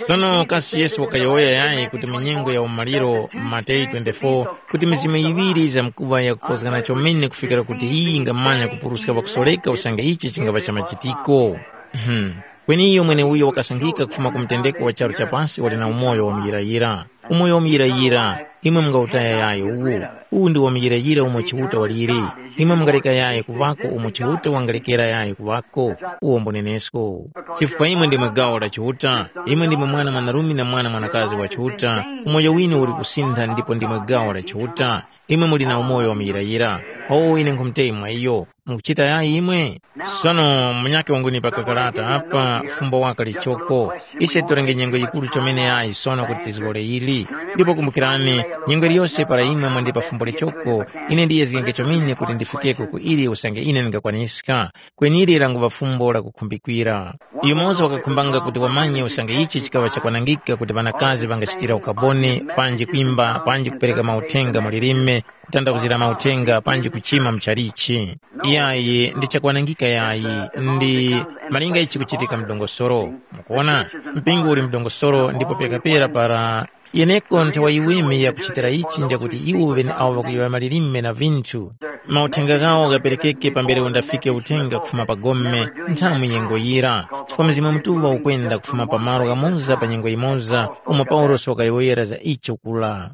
Sono kasi Yesu wakayowoya yayi kuti mu nyengo ya umaliro, Mateyu twenty-four, kuti mizimu yiŵiri yizamkuŵa yakukozgana chomene kufikira kuti iyi yingamanya kupuruska ŵakusoreka usange ichi chingava cha machitiko? Hmm. Kweni iyo mweneuyo wakasankhika kufuma ku mutendeko wa charu cha pasi wali na umoyo wa muyirayira. Umoyo wamuyirayira, imwe mungawutaya yayi uwu. Uwu ndi wamuyirayira umo Chiuta waliri. Imwe mungaleka yayi kuŵako umo Chiuta wangalekera yayi kuŵako. Uwo mbunenesko. Chifukwa imwe ndimwe gawo la Chiuta, imwe ndimwe mwana mwanarume na mwana mwanakazi wa Chiuta, umoyo winu uli kusintha ndipo ndimwe gawo la Chiuta. Imwe muli na umoyo wamuyirayira. Owo ine nkhumuteyi mwa iyo. Mukuchita yayi imwe? Sono munyakhe wangunipa kakarata apa fumbo waka lichoko. Ise titolenge nyengo yikuru chomene yayi sono kuti tizgore ili. Ndipo kumbukirani, nyengo iliyose para imwe mwandipa fumbo lichoko, ine ndiyezgenge chomene kuti ndifikeko ku ili usange ine ndingakwaniska. Kwenili languŵa fumbo lakukhumbikira. Yumoza wakakhumbanga kuti wamanye usange ichi chikaŵa chakwanangika kuti ŵanakazi ŵangachitira ukaboni, panji kwimba, panji kupereka mauthenga mu lilime, kutandawuzira mauthenga, panji kuchima muchalichi. Iyayi ndi chakwanangika yayi, ndi malinga ichi kuchitika mdongosoro. Mukuona, mpingo uli mdongosoro ndipo pekapera para yeneko nthawa yiweme yakuchitira ichi njakuti iwo ŵeneawo ŵakuyowoya malilime na vinthu, mauthenga ghawo ghaperekeke pambere undafike uthenga kufuma pa gome nthamu nyengo yira, chifukwa Mzimu Mutuŵa ukwenda kufuma pa malo ghamoza pa nyengo yimoza umo Paulosi wakayowoyera za icho kula.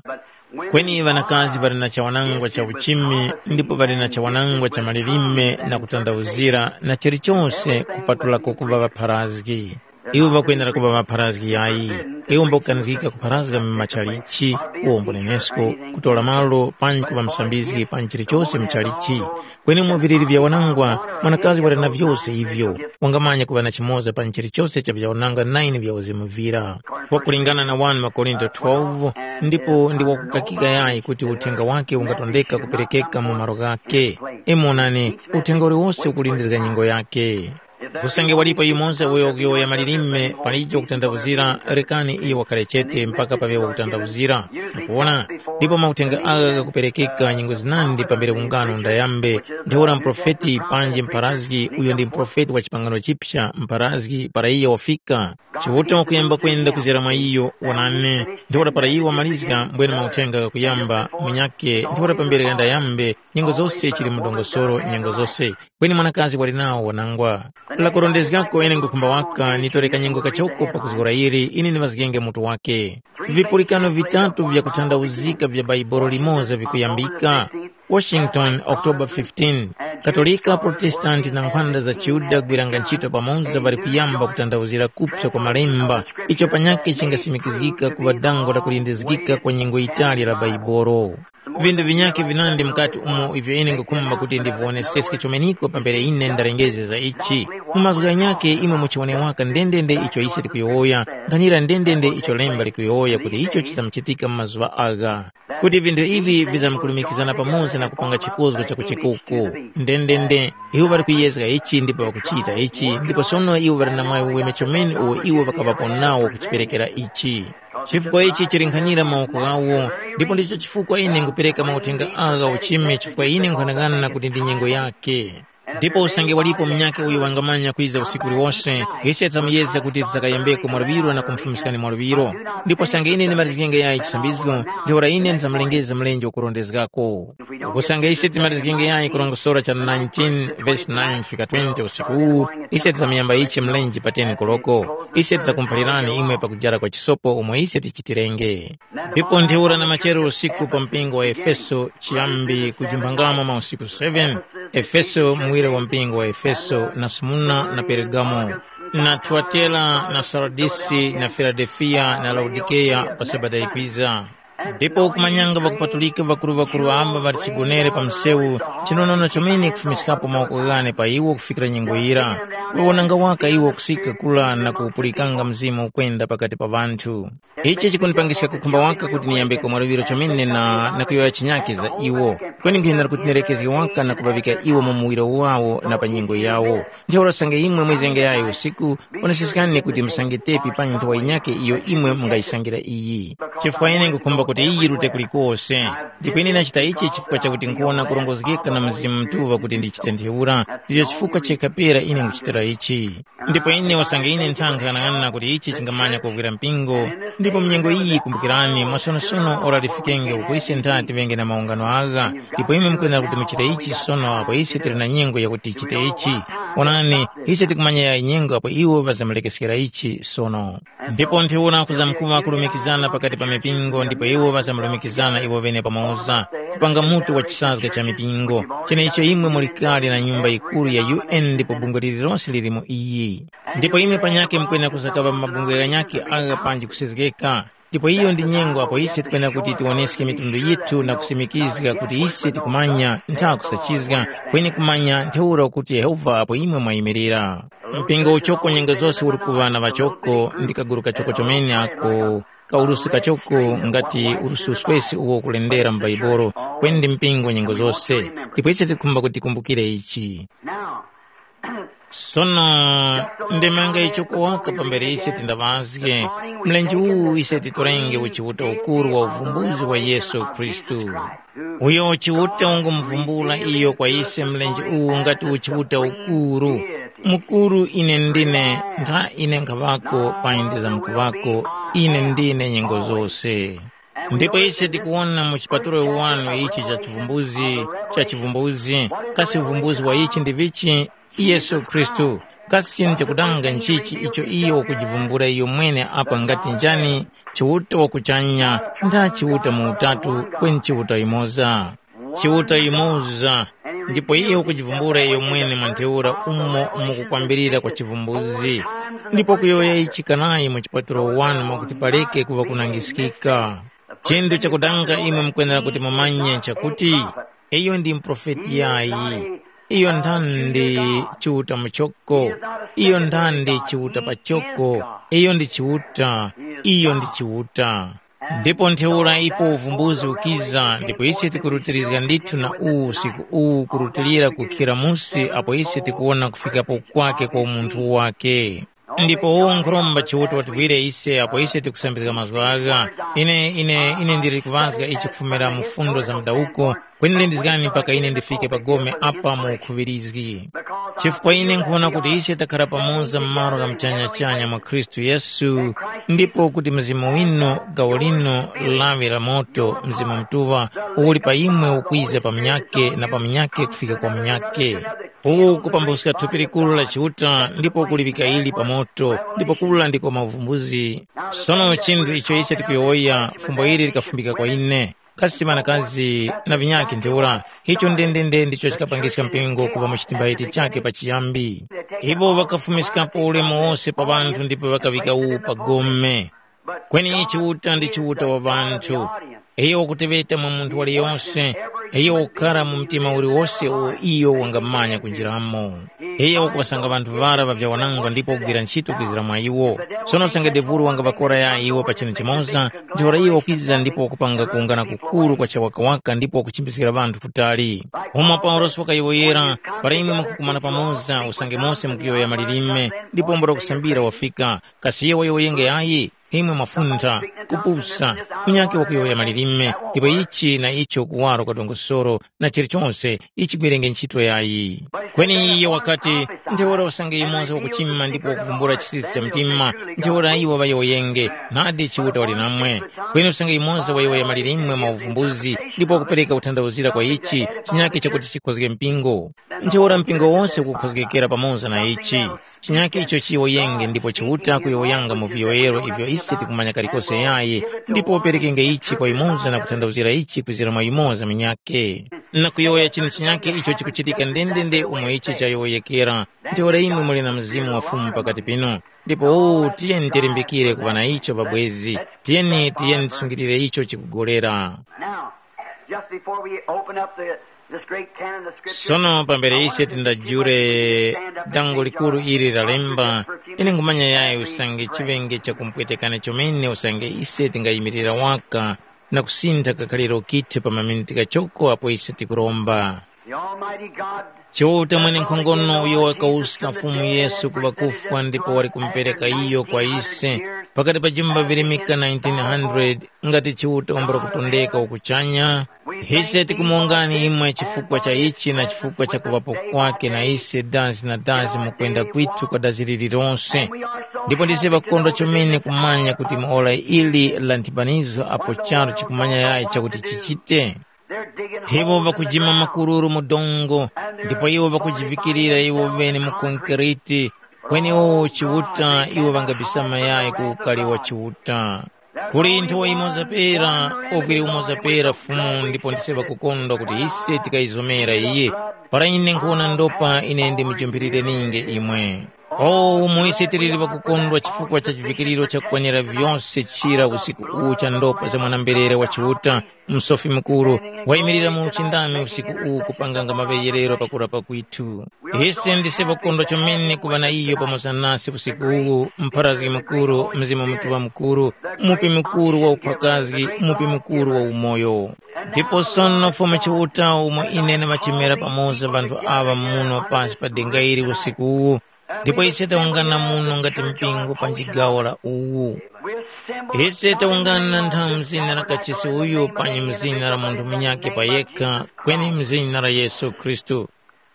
Kweni ŵanakazi ŵali na chawanangwa cha uchimi ndipo ŵali na chawanangwa cha malilime na kutandawuzira na chilichose kupatulako kuŵa ŵapharazgi. Iwo ŵakwenera kuŵa ŵapharazgi yayi. Iwo mbakukanizgika kupharazga mu machalichi, uwombo nenesko, kutora malo, panji kuŵa musambizgi panji chilichose mu chalichi. Kweni mu viliri vya wanangwa, mwanakazi wali na vyose ivyo. Wangamanya kuŵa na chimoza panji chilichose cha vyawananga nine vya uzimu vira. Wakulingana na wani Makorinto twelve, ndipo ndi wakukakika yayi kuti uthenga wake ungatondeka kuperekeka mu malo ghake. Imonani, uthenga uliwose ukulindizga nyengo yake. Usange walipo yumoza uyo wakuyowoya malilime palijo kutandawuzira, rekani iyo wakhare chete mpaka paŵe wakutandawuzira. Mukuwona? Ndipo mauthenga agha ghakuperekeka nyengo zinandi pambere ungano ndayambe, ntheura muprofeti panji mpharazgi uyo ndi muprofeti wa chipangano chipsa mpharazgi para iyo wafika. Chiuta wakuyamba kwenda kuzera mwa iyo, wonani, ntheura para iyo wamalizga mbwene mauthenga ghakuyamba munyakhe ntheura pambere ndayambe, nyengo zose chili mu dongosoro nyengo zose. Kweni mwanakazi wali nawo wanangwa. Lakurondezgako ine ngukhumba waka nitore kanyengo kachoko pakuzgora yili ine niŵazgenge mutu wake. Vipulikano vitatu vyakuthandauzika vya Baibolo limoza vikuyambika. Washington, October fifteen. Katolika, Protestant na nkhwanda za chiYuda gwiranga ntchito pamoza ŵali kuyamba kuthandauzira kupsa kwa malemba, icho panyakhe chingasimikizgika kuŵa dango la kulindizgika kwa nyengo yitali la Baibolo. Vindu vinyakhe vinandi mukati umo ivyo ine ngukhumba kuti ndiviwoneseske chomeniko pambere ine ndarengezge za ichi. Mu mazgu ghanyakhe imwe muchiwone waka ndendende icho ise tikuyowoya, nkhanira ndendende icho lemba likuyowoya kuti icho chizamuchitika mu mazuŵa agha. Kuti vinthu ivi vizamkulumikizana pamoza na kupanga chikozgo cha kuchikuku. Ndendende, iwo ŵali kuyezga ichi ndipo ŵakuchita ichi, ndipo sono iwo ŵali na mwayi uweme chomene uwo iwo ŵakaŵapo nawo kuchiperekera ichi. Chifukwa ichi chili nkhanira mawoko ghawo, ndipo ndicho chifukwa ine ngupereka mauthenga agha uchime chifukwa ine nkhanang'ana kuti ndi nyengo yake. Ndipo usange walipo munyakhe uyo wangamanya kwiza usiku uliwose, ise tamuyezga kuti tisakayambeko mwaluŵiro na kumufumiskani mwaluŵiro. Ndipo usange ine ndimalizgenge yayi chisambizgo, ntheura ine ndizamulengeza mlenje ukurondezgako. Usange ise timalizgenge yayi kurongosora cha nineteen verse nine fika twenty usiku uwu, ise tizamuyamba ichi mlenje pa ten koloko. Ise tizakumuphalirani imwe pakujara kwa chisopo umo ise tichitirenge. Ndipo ntheura na machero usiku pa mpingo wa Efeso chiyambi kujumphangamo mausiku seven, Efeso muwire wa mpingo wa Efeso na Smurna na Peregamo, na Tuatera na Saradisi na Filadelfiya na Laodikeya pa Sabata yikwiza. Ndipo kumanyanga ŵakupatulika ŵakuru-ŵakuru amba ŵali chigonere pa msewu, chinonono chomene kufumiskapo mawoko ghane pa iwo kufikira nyengo yira. Kuwonanga waka iwo kusika kula na kuwupulikanga Mzimu ukwenda pakati pa ŵanthu. Ichi chikundipangiska kukhumba waka kuti niyambeko mwaluŵiro chomene na, na kuyowoya chinyakhe za iwo. Kweni nkhenera kuti nerekezge waka na kuŵaŵika iwo mu muwiro wawo na pa nyengo yawo. Ntheura usange imwe mwizenge yayi usiku, oneseskani kuti musange tepi pa nthowa yinyakhe iyo imwe mungayisangira iyi. Chifukwa ine nkhukhumba kuti iyi yirute kulikose. Ndipo ine ndachita ichi chifukwa chakuti nkhuwona kurongozgeka na Mzimu Mutuŵa kuti ndichite ntheura, ndicho chifukwa chekha pera ine nkhuchitira ichi. Ndipo ine usange ine nthanga ng'anang'ana kuti ichi chingamanya kuvwira mpingo, ndipo mnyengo iyi kumbukirani mwasonosono ora lifikenge uko ise nthati ŵenge na maungano agha, ndipo imwe mukwenera kuti muchite ichi sono apo ise tili na nyengo yakuti tichite ichi. Onani, ise tikumanya yayi nyengo apo iwo ŵazamulekeskera ichi sono. Ndipo ntheura kuzamkuŵa kulumikizana pakati pa mipingo ndipo iwo ŵazamulumikizana iwo ŵene pamoza, kupanga mutu wa chisazga cha mipingo, cheneicho imwe muli kale na nyumba yikuru ya U N ndipo bungwe lililonse lili mu iyi. Ndipo imwe panyakhe mukwena kuzakaŵa mabungwe ghanyakhe agha panji kusezgeka. Ndipo iyo ndi nyengo apo ise tikwenera kuti tiwoneske mitundu yithu na kusimikizga kuti ise tikumanya ntha kusachizga, kweni kumanya ntheura kuti Yehova apo imwe mwayimirira. Mpingo uchoko nyengo zose uli kuŵa na ŵachoko ndi kaguru kachoko chomene ako, kaurusi kachoko ngati urusi uswesi uwo ukulendera mu Baibolo, kweni ndi mpingo nyengo zose. Ndipo ise tikukhumba kuti tikumbukire ichi. Sono, ndemanga icho kuwaka pambere ise tindaŵazge, mlenje uwu ise titorenge uchiuta ukuru wa uvumbuzi wa Yesu Khristu. Uyo uchiuta ungumuvumbula iyo kwa ise mlenje uwu ngati uchiuta ukuru. Mukuru ine ndine, ntha ine nkhaŵako, payi ndizamkuŵako, ine ndine nyengo zose. Ndipo ise tikuwona mu chipatulo wanu ichi cha chivumbuzi, cha chivumbuzi, kasi uvumbuzi wa ichi ndi vichi? Yesu Khristu. Kasi chinthu chakudanga nchichi icho iyo wakujivumbula iyo mwene apa ngati njani? Chiuta wa kuchanya, nda Chiuta mu utatu, kweni Chiuta yumoza. Chiuta yumoza, ndipo iyo wakujivumbula iyo mwene mwa ntheura umo mukukwambirira kwa chivumbuzi. Ndipo kuyowoya ichi kanayi mu chipatulo wanu mwakuti paleke kuŵa kunangiskika. Chinthu chakudanga imwe mukwenera kuti mumanye nchakuti, iyo ndi muprofeti yayi. Iyo nthandi Chiuta muchoko, iyo nthandi Chiuta pachoko, iyo ndi Chiuta, iyo ndi Chiuta. Ndipo ntheura ipo uvumbuzi ukiza ndipo ise tikurutirizga ndithu na uwu usiku uwu kurutilira kukhira musi apo ise tikuwona kufikapo kwake kwa umunthu wake. Ndipo uwu nkhuromba Chiuta wativwire ise apo ise tikusambizga mazgu agha. Ine, ine, ine ndili kuŵazga ichi kufumira mu fundo za mdawuko, kweni lindizgani mpaka ine ndifike pa gome apa mu ukhuŵirizgi. Chifukwa ine nkhuwona kuti ise takhara pamoza mu malo gha muchanyachanya mwa Khristu Yesu, ndipo kuti Mzimu winu, gawo linu, lawi la moto, Mzimu Mutuŵa, uli pa imwe ukwiza pa munyakhe na pa munyakhe kufika kwa munyakhe. Uwu kupambuska thupi likuru la Chiuta ndipo kuliŵika ili pa moto, ndipo kura ndiko mavumbuzi. Sono chinthu icho ise tikuyowoya, fumbo ili likafumbika kwa ine. Kasi ŵanakazi na ŵinyakhe ntheura, icho ndendende ndicho chikapangiska mpingo kuŵa mu chitimbaiti chakhe pachiyambi. Iwo ŵakafumiskapo ulemu wose pa ŵanthu ndipo ŵakaŵika uwu pa gome. Kweni Chiuta ndi Chiuta wa ŵanthu. Iyo wakuteŵeta mwa munthu waliyonse, iyo wakukhara mu mtima uliwose uwo iyo wangamanya kunjiramo. Iyo wakuŵasanga ŵanthu ŵara ŵavyawanangwa ndipo kugwira ntchito kwizira mwa iwo. Sono usange devulu wangaŵakora ya iwo pa chinu chimoza, ntheura iwo wakwiza ndipo wakupanga kuwungana kukuru kwa chawakawaka ndipo wakuchimbiskira ŵanthu kutali. Umo Paulosi wakayowoyera, para imwe mukukumana pamoza, usange mose mukuyowoya malilime, ndipo mbula kusambira wafika, kasi iyo wayowoyenge yayi? Imwe mwafuntha, kupusa, munyakhe wakuyowoya malilime, ndipo ichi na icho kuwaro kwa dongosolo na chilichonse, ichi chigwerenge ntchito yayi. Kweni iye wakati, ntheura usange yumoza wakuchima ndipo wakuvumbula chisisi cha mtima, ntheura iwo ŵayowoyenge, nadi Chiuta wali namwe. Kweni usange yumoza wayowoya malilime mwa uvumbuzi ndipo wakupereka kuthandauzira kwa ichi, chinyakhe chakuti chikhozge mpingo. Ntheura mpingo wose ukukhozgekera pamoza na ichi. Chinyakhe icho chiyowoyenge ndipo Chiuta kuyowoyanga mu viyowoyero ivyo ise tikumanya kalikose yayi, ndipo uperekenge ichi kwa yumoza na kuthandauzira ichi kwizira mwa yumoza munyakhe. Na kuyowoya chinthu chinyakhe icho chikuchitika ndendende umo ichi chayowoyekera. Ntheura imwe muli na Mzimu wa Fumu pakati pinu. Ndipo uwu tiyeni tilimbikire kuŵa na icho pabwezi. Tiyeni, tiyeni tisungilire icho chikugolera. Now, just before we open up the, this great canon of Scripture, sono pambere ise tindajule dango likuru ili lalemba, ine ngumanya yayi usange chiŵenge chakumpwetekana chomene usange ise tingayimirira waka na kusintha kakhaliro kithu pa maminiti kachoko apo ise tikuromba. The Almighty God, Chiuta mwene nkhongono uyo wakawuska Fumu Yesu ku ŵakufwa ndipo wali kumupereka iyo kwa ise pakati pa jumba virimika nineteen hundred, ngati Chiuta wambula kutondeka wakuchanya, ise tikumuwongani imwe chifukwa cha ichi na chifukwa cha kuŵapo kwake na ise dazi na dazi mu kwenda kwithu kwa dazi lililonse. Ndipo ndise ŵakondwa chomene kumanya kuti mu ora ili la nthipanizo apo charu chikumanya yayi chakuti chichite. They're digging Iwo ŵakujima makururu mu dongo, ndipo iwo ŵakujivikirira iwo ŵene mu konkreti, kweni iwo Chiuta iwo ŵangabisama yayi ku ukari wa Chiuta. Kuli nthowa yimoza pera, uviri umoza pera Fumu, ndipo ndise ŵakukondwa kuti ise tikayizomera iye. Para ine nkhuwona ndopa, ine ndimujumphirire ninge imwe. O, umo ise tiliri ŵakukondwa chifukwa cha chivikiriro chakukwanira vyose chira usiku uwu cha ndopa za mwana-mberere wa Chiuta, Msofi Mukuru, wayimirira mu uchindami usiku uwu kupanganga maŵeyerero pakurapa kwithu. Ise ndise ŵakondwa chomene kuŵa na iyo pamoza nase usiku uwu, Mpharazgi Mukuru, Mzimu Mutuŵa Mukuru, Mupi Mukuru wa uphwakazgi, Mupi Mukuru wa umoyo. Ndipo sono Fumu Chiuta umo ine ndimachemera pamoza ŵanthu aŵa muno pasi pa denga ili usiku uwu, ndipo ise tawungana muno ngati mpingo pa chigawo la uwu. Ise tawungana ntha mu zina la kachisi uyu panyi mu zina la munthu munyakhe pa yekha, kweni mu zina la Yesu Khristu.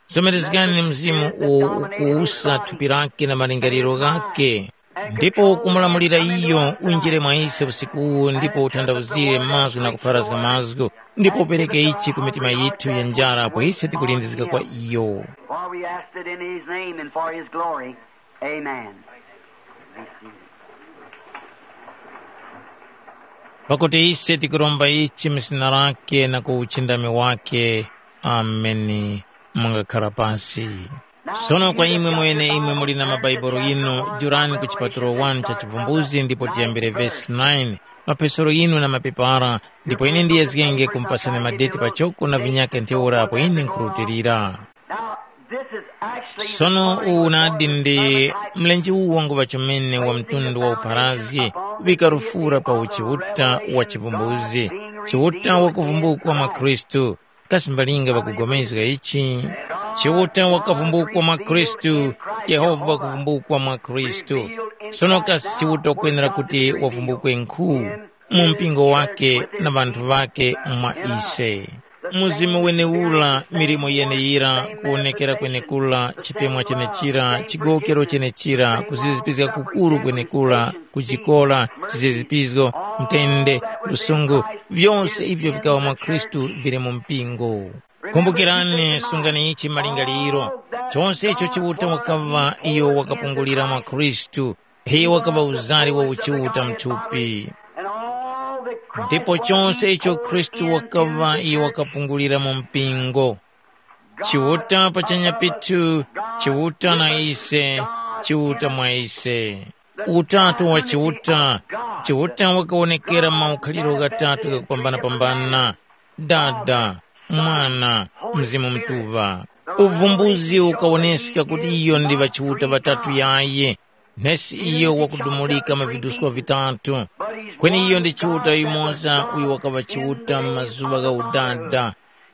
Zomerezgani Mzimu uwo ukuwusa thupi lake na malingaliro ghakhe, ndipo ukumulamulira iyo unjire mwa ise usiku uwu ndipo utanthauzire mazgu na kupharazga mazgu, ndipo upereke ichi ku mitima yithu ya njara apo ise tikulindizika kwa iyo. For we ask it in his name and for his glory. Amen. Pakuti ise tikuromba ichi mu zina lake na ku uchindami wake. Ameni. Mungakhala pasi. Sono kwa imwe mwene imwe muli na mabaibulo inu, jurani ku chipatulo wani cha Chivumbuzi ndipo tiyambire vesi nine. Mapesero inu na mapepara, ndipo ine ndiyezgenge kumpasani madeti pachoko na vinyakhe ntheura apo ine nkhurutilira. Now, this is actually Sono uwu nadi ndi mlenje uwu wanguŵa chomene wa mtundu wa upharazgi, kuŵika lufura pa uchiuta wa chivumbuzi, chiuta wakuvumbukwa mwa Khristu. Kasi mbalinga ŵakugomezga ichi? Chiuta wakavumbukwa mwa Khristu, Yehova wakuvumbukwa mwa Khristu. Sono kasi Chiuta wakwenera kuti wavumbukwe nkhu mu mpingo wake na ŵanthu ŵake mwa ise? Mzimu wenewura, milimo yeneyira, kuwonekera kwenekura, chitemwa chenechira, chigowokero chenechira, kuzizipizga kukuru kwenekura, kujikora, chizizipizgo, mtende, lusungu, vyose ivyo vikaŵa mwa Khristu vili mu mpingo. Kumbukirani, sungani ichi malingaliro. Chose icho Chiuta wakaŵa iyo wakapungulira mwa Khristu, iyo wakaŵa uzari wa uchiuta mthupi. Ndipo chose icho Khristu wakaŵa iyo wakapungulira mu mpingo. Chiuta pachanya pithu, Chiuta na ise, Chiuta mwa ise. Utatu wa Chiuta, Chiuta wakawonekera maukhaliro ghatatu ghakupambana-pambana, Dada, Mwana, Mzimu Mutuŵa. Uvumbuzi ukawoneska kuti iyo ndi ŵachiuta ŵatatu yaye, nesi iyo wakudumulika mu viduswa vitatu. Kweni iyo ndi Chiuta yumoza uyo wakaŵa Chiuta mu mazuŵa gha udada,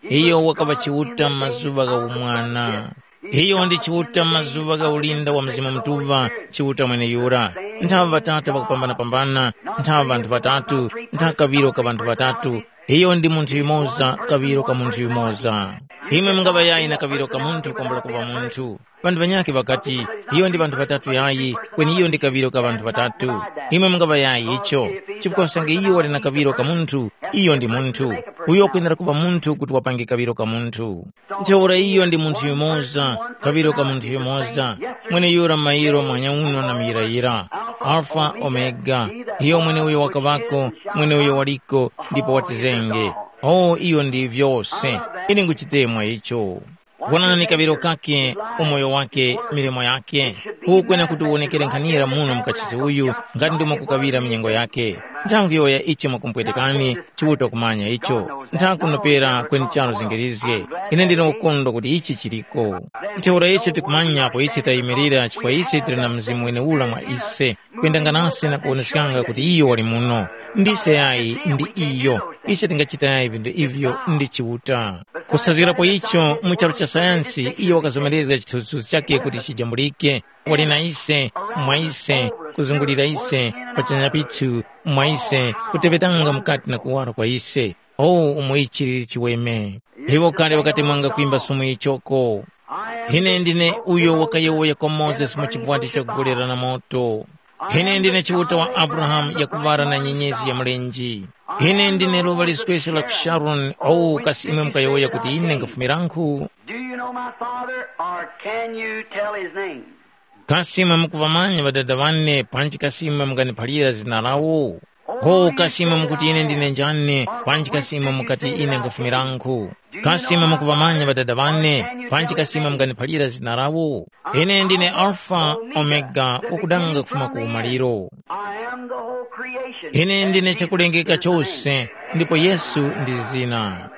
iyo wakaŵa Chiuta mu mazuŵa gha umwana. Iyo ndi Chiuta mu mazuŵa gha ulinda wa Mzimu Mutuŵa, Chiuta mweneyura. Nthaŵa ŵatatu ŵakupambana-pambana, nthaŵa ŵanthu ŵatatu, ntha kaŵiro ka ŵanthu ŵatatu. Iyo ndi munthu yumoza, kaŵiro ka munthu yumoza. Imwe mungaŵa yayi na kaŵiro ka munthu kwambula kuŵa munthu. Ŵanthu ŵanyakhe ŵakati, iyo ndi ŵanthu ŵatatu yayi, kweni iyo ndi kaŵiro ka ŵanthu ŵatatu. Imwe mungaŵa yayi icho, chifukwa nsange iyo wali na kaŵiro ka munthu, iyo ndi munthu. Uyo wakwenera kuŵa munthu kuti wapange kaŵiro ka munthu. Ntheura iyo ndi munthu yumoza, kaŵiro ka munthu yumoza, mweneyura mairo mwanyauno na muyirayira, Alfa Omega, iyo mweneuyo wakaŵako, mweneuyo waliko, ndipo watizenge. O, iyo ndi vyose. Ine nguchitemwa icho. Wonani kaŵiro kake, umoyo wake, milimo yake. Ukwena kuti uwonekere nkhanira muno mukachisi uyu, ngati ndimo kukaŵira minyengo yake. Nthawi yoya ichi mwakumpwetekani, Chiuta kumanya icho. Nthakunopera kweni charu zingirizge. Ine ndine ukondwa kuti ichi chiliko. Ntheura ise tikumanya apo ise tayimirira chifukwa ise tili na Mzimu wenewura mwa ise, kwendanga nase na kuwoneskanga kuti iyo wali muno. Ndise yayi ndi iyo. Ise tingachita yayi vinthu ivyo ndi Chiuta. Kusazgirapo icho, mu charu cha sayansi, iyo wakazomerezga chithunzithunzi chakhe kuti chijambulike, wali na ise, mwa ise, kuzungulira ise, pachanya pithu, mwa ise, kuteŵetanga mukati na kuwara kwa ise. O, umo ichi lili chiweme! Iwo kale ŵakati mwanga kwimba sumu yichoko. Ine ndine uyo wakayowoya kwa Mozesi mu chipwati cha kugolera na moto. Ine ndine Chiuta wa Abrahamu yakuŵala na nyenyezi ya mlenje. Ine ndine luŵa lisweswe la ku Sharoni, o kasi imwe mukayowoya kuti ine nkhafumiranku? Do you know my father, or can you tell his name? Kasi imwe mukuŵamanya ŵadada ŵane, panji kasi imwe munganiphalira zina lawo? Ho kasi imwe mukuti ine ndine njani, panji kasi imwe mukati ine nkhafumiranku? Kasi imwe mukuŵamanya ŵadada ŵane, panji kasi imwe munganiphalira zina lawo? Ine ndine Alfa, Omega, wakudanga kufuma ku umaliro. I am the whole creation. Ine ndine chakulengeka chose, ndipo Yesu ndi zina.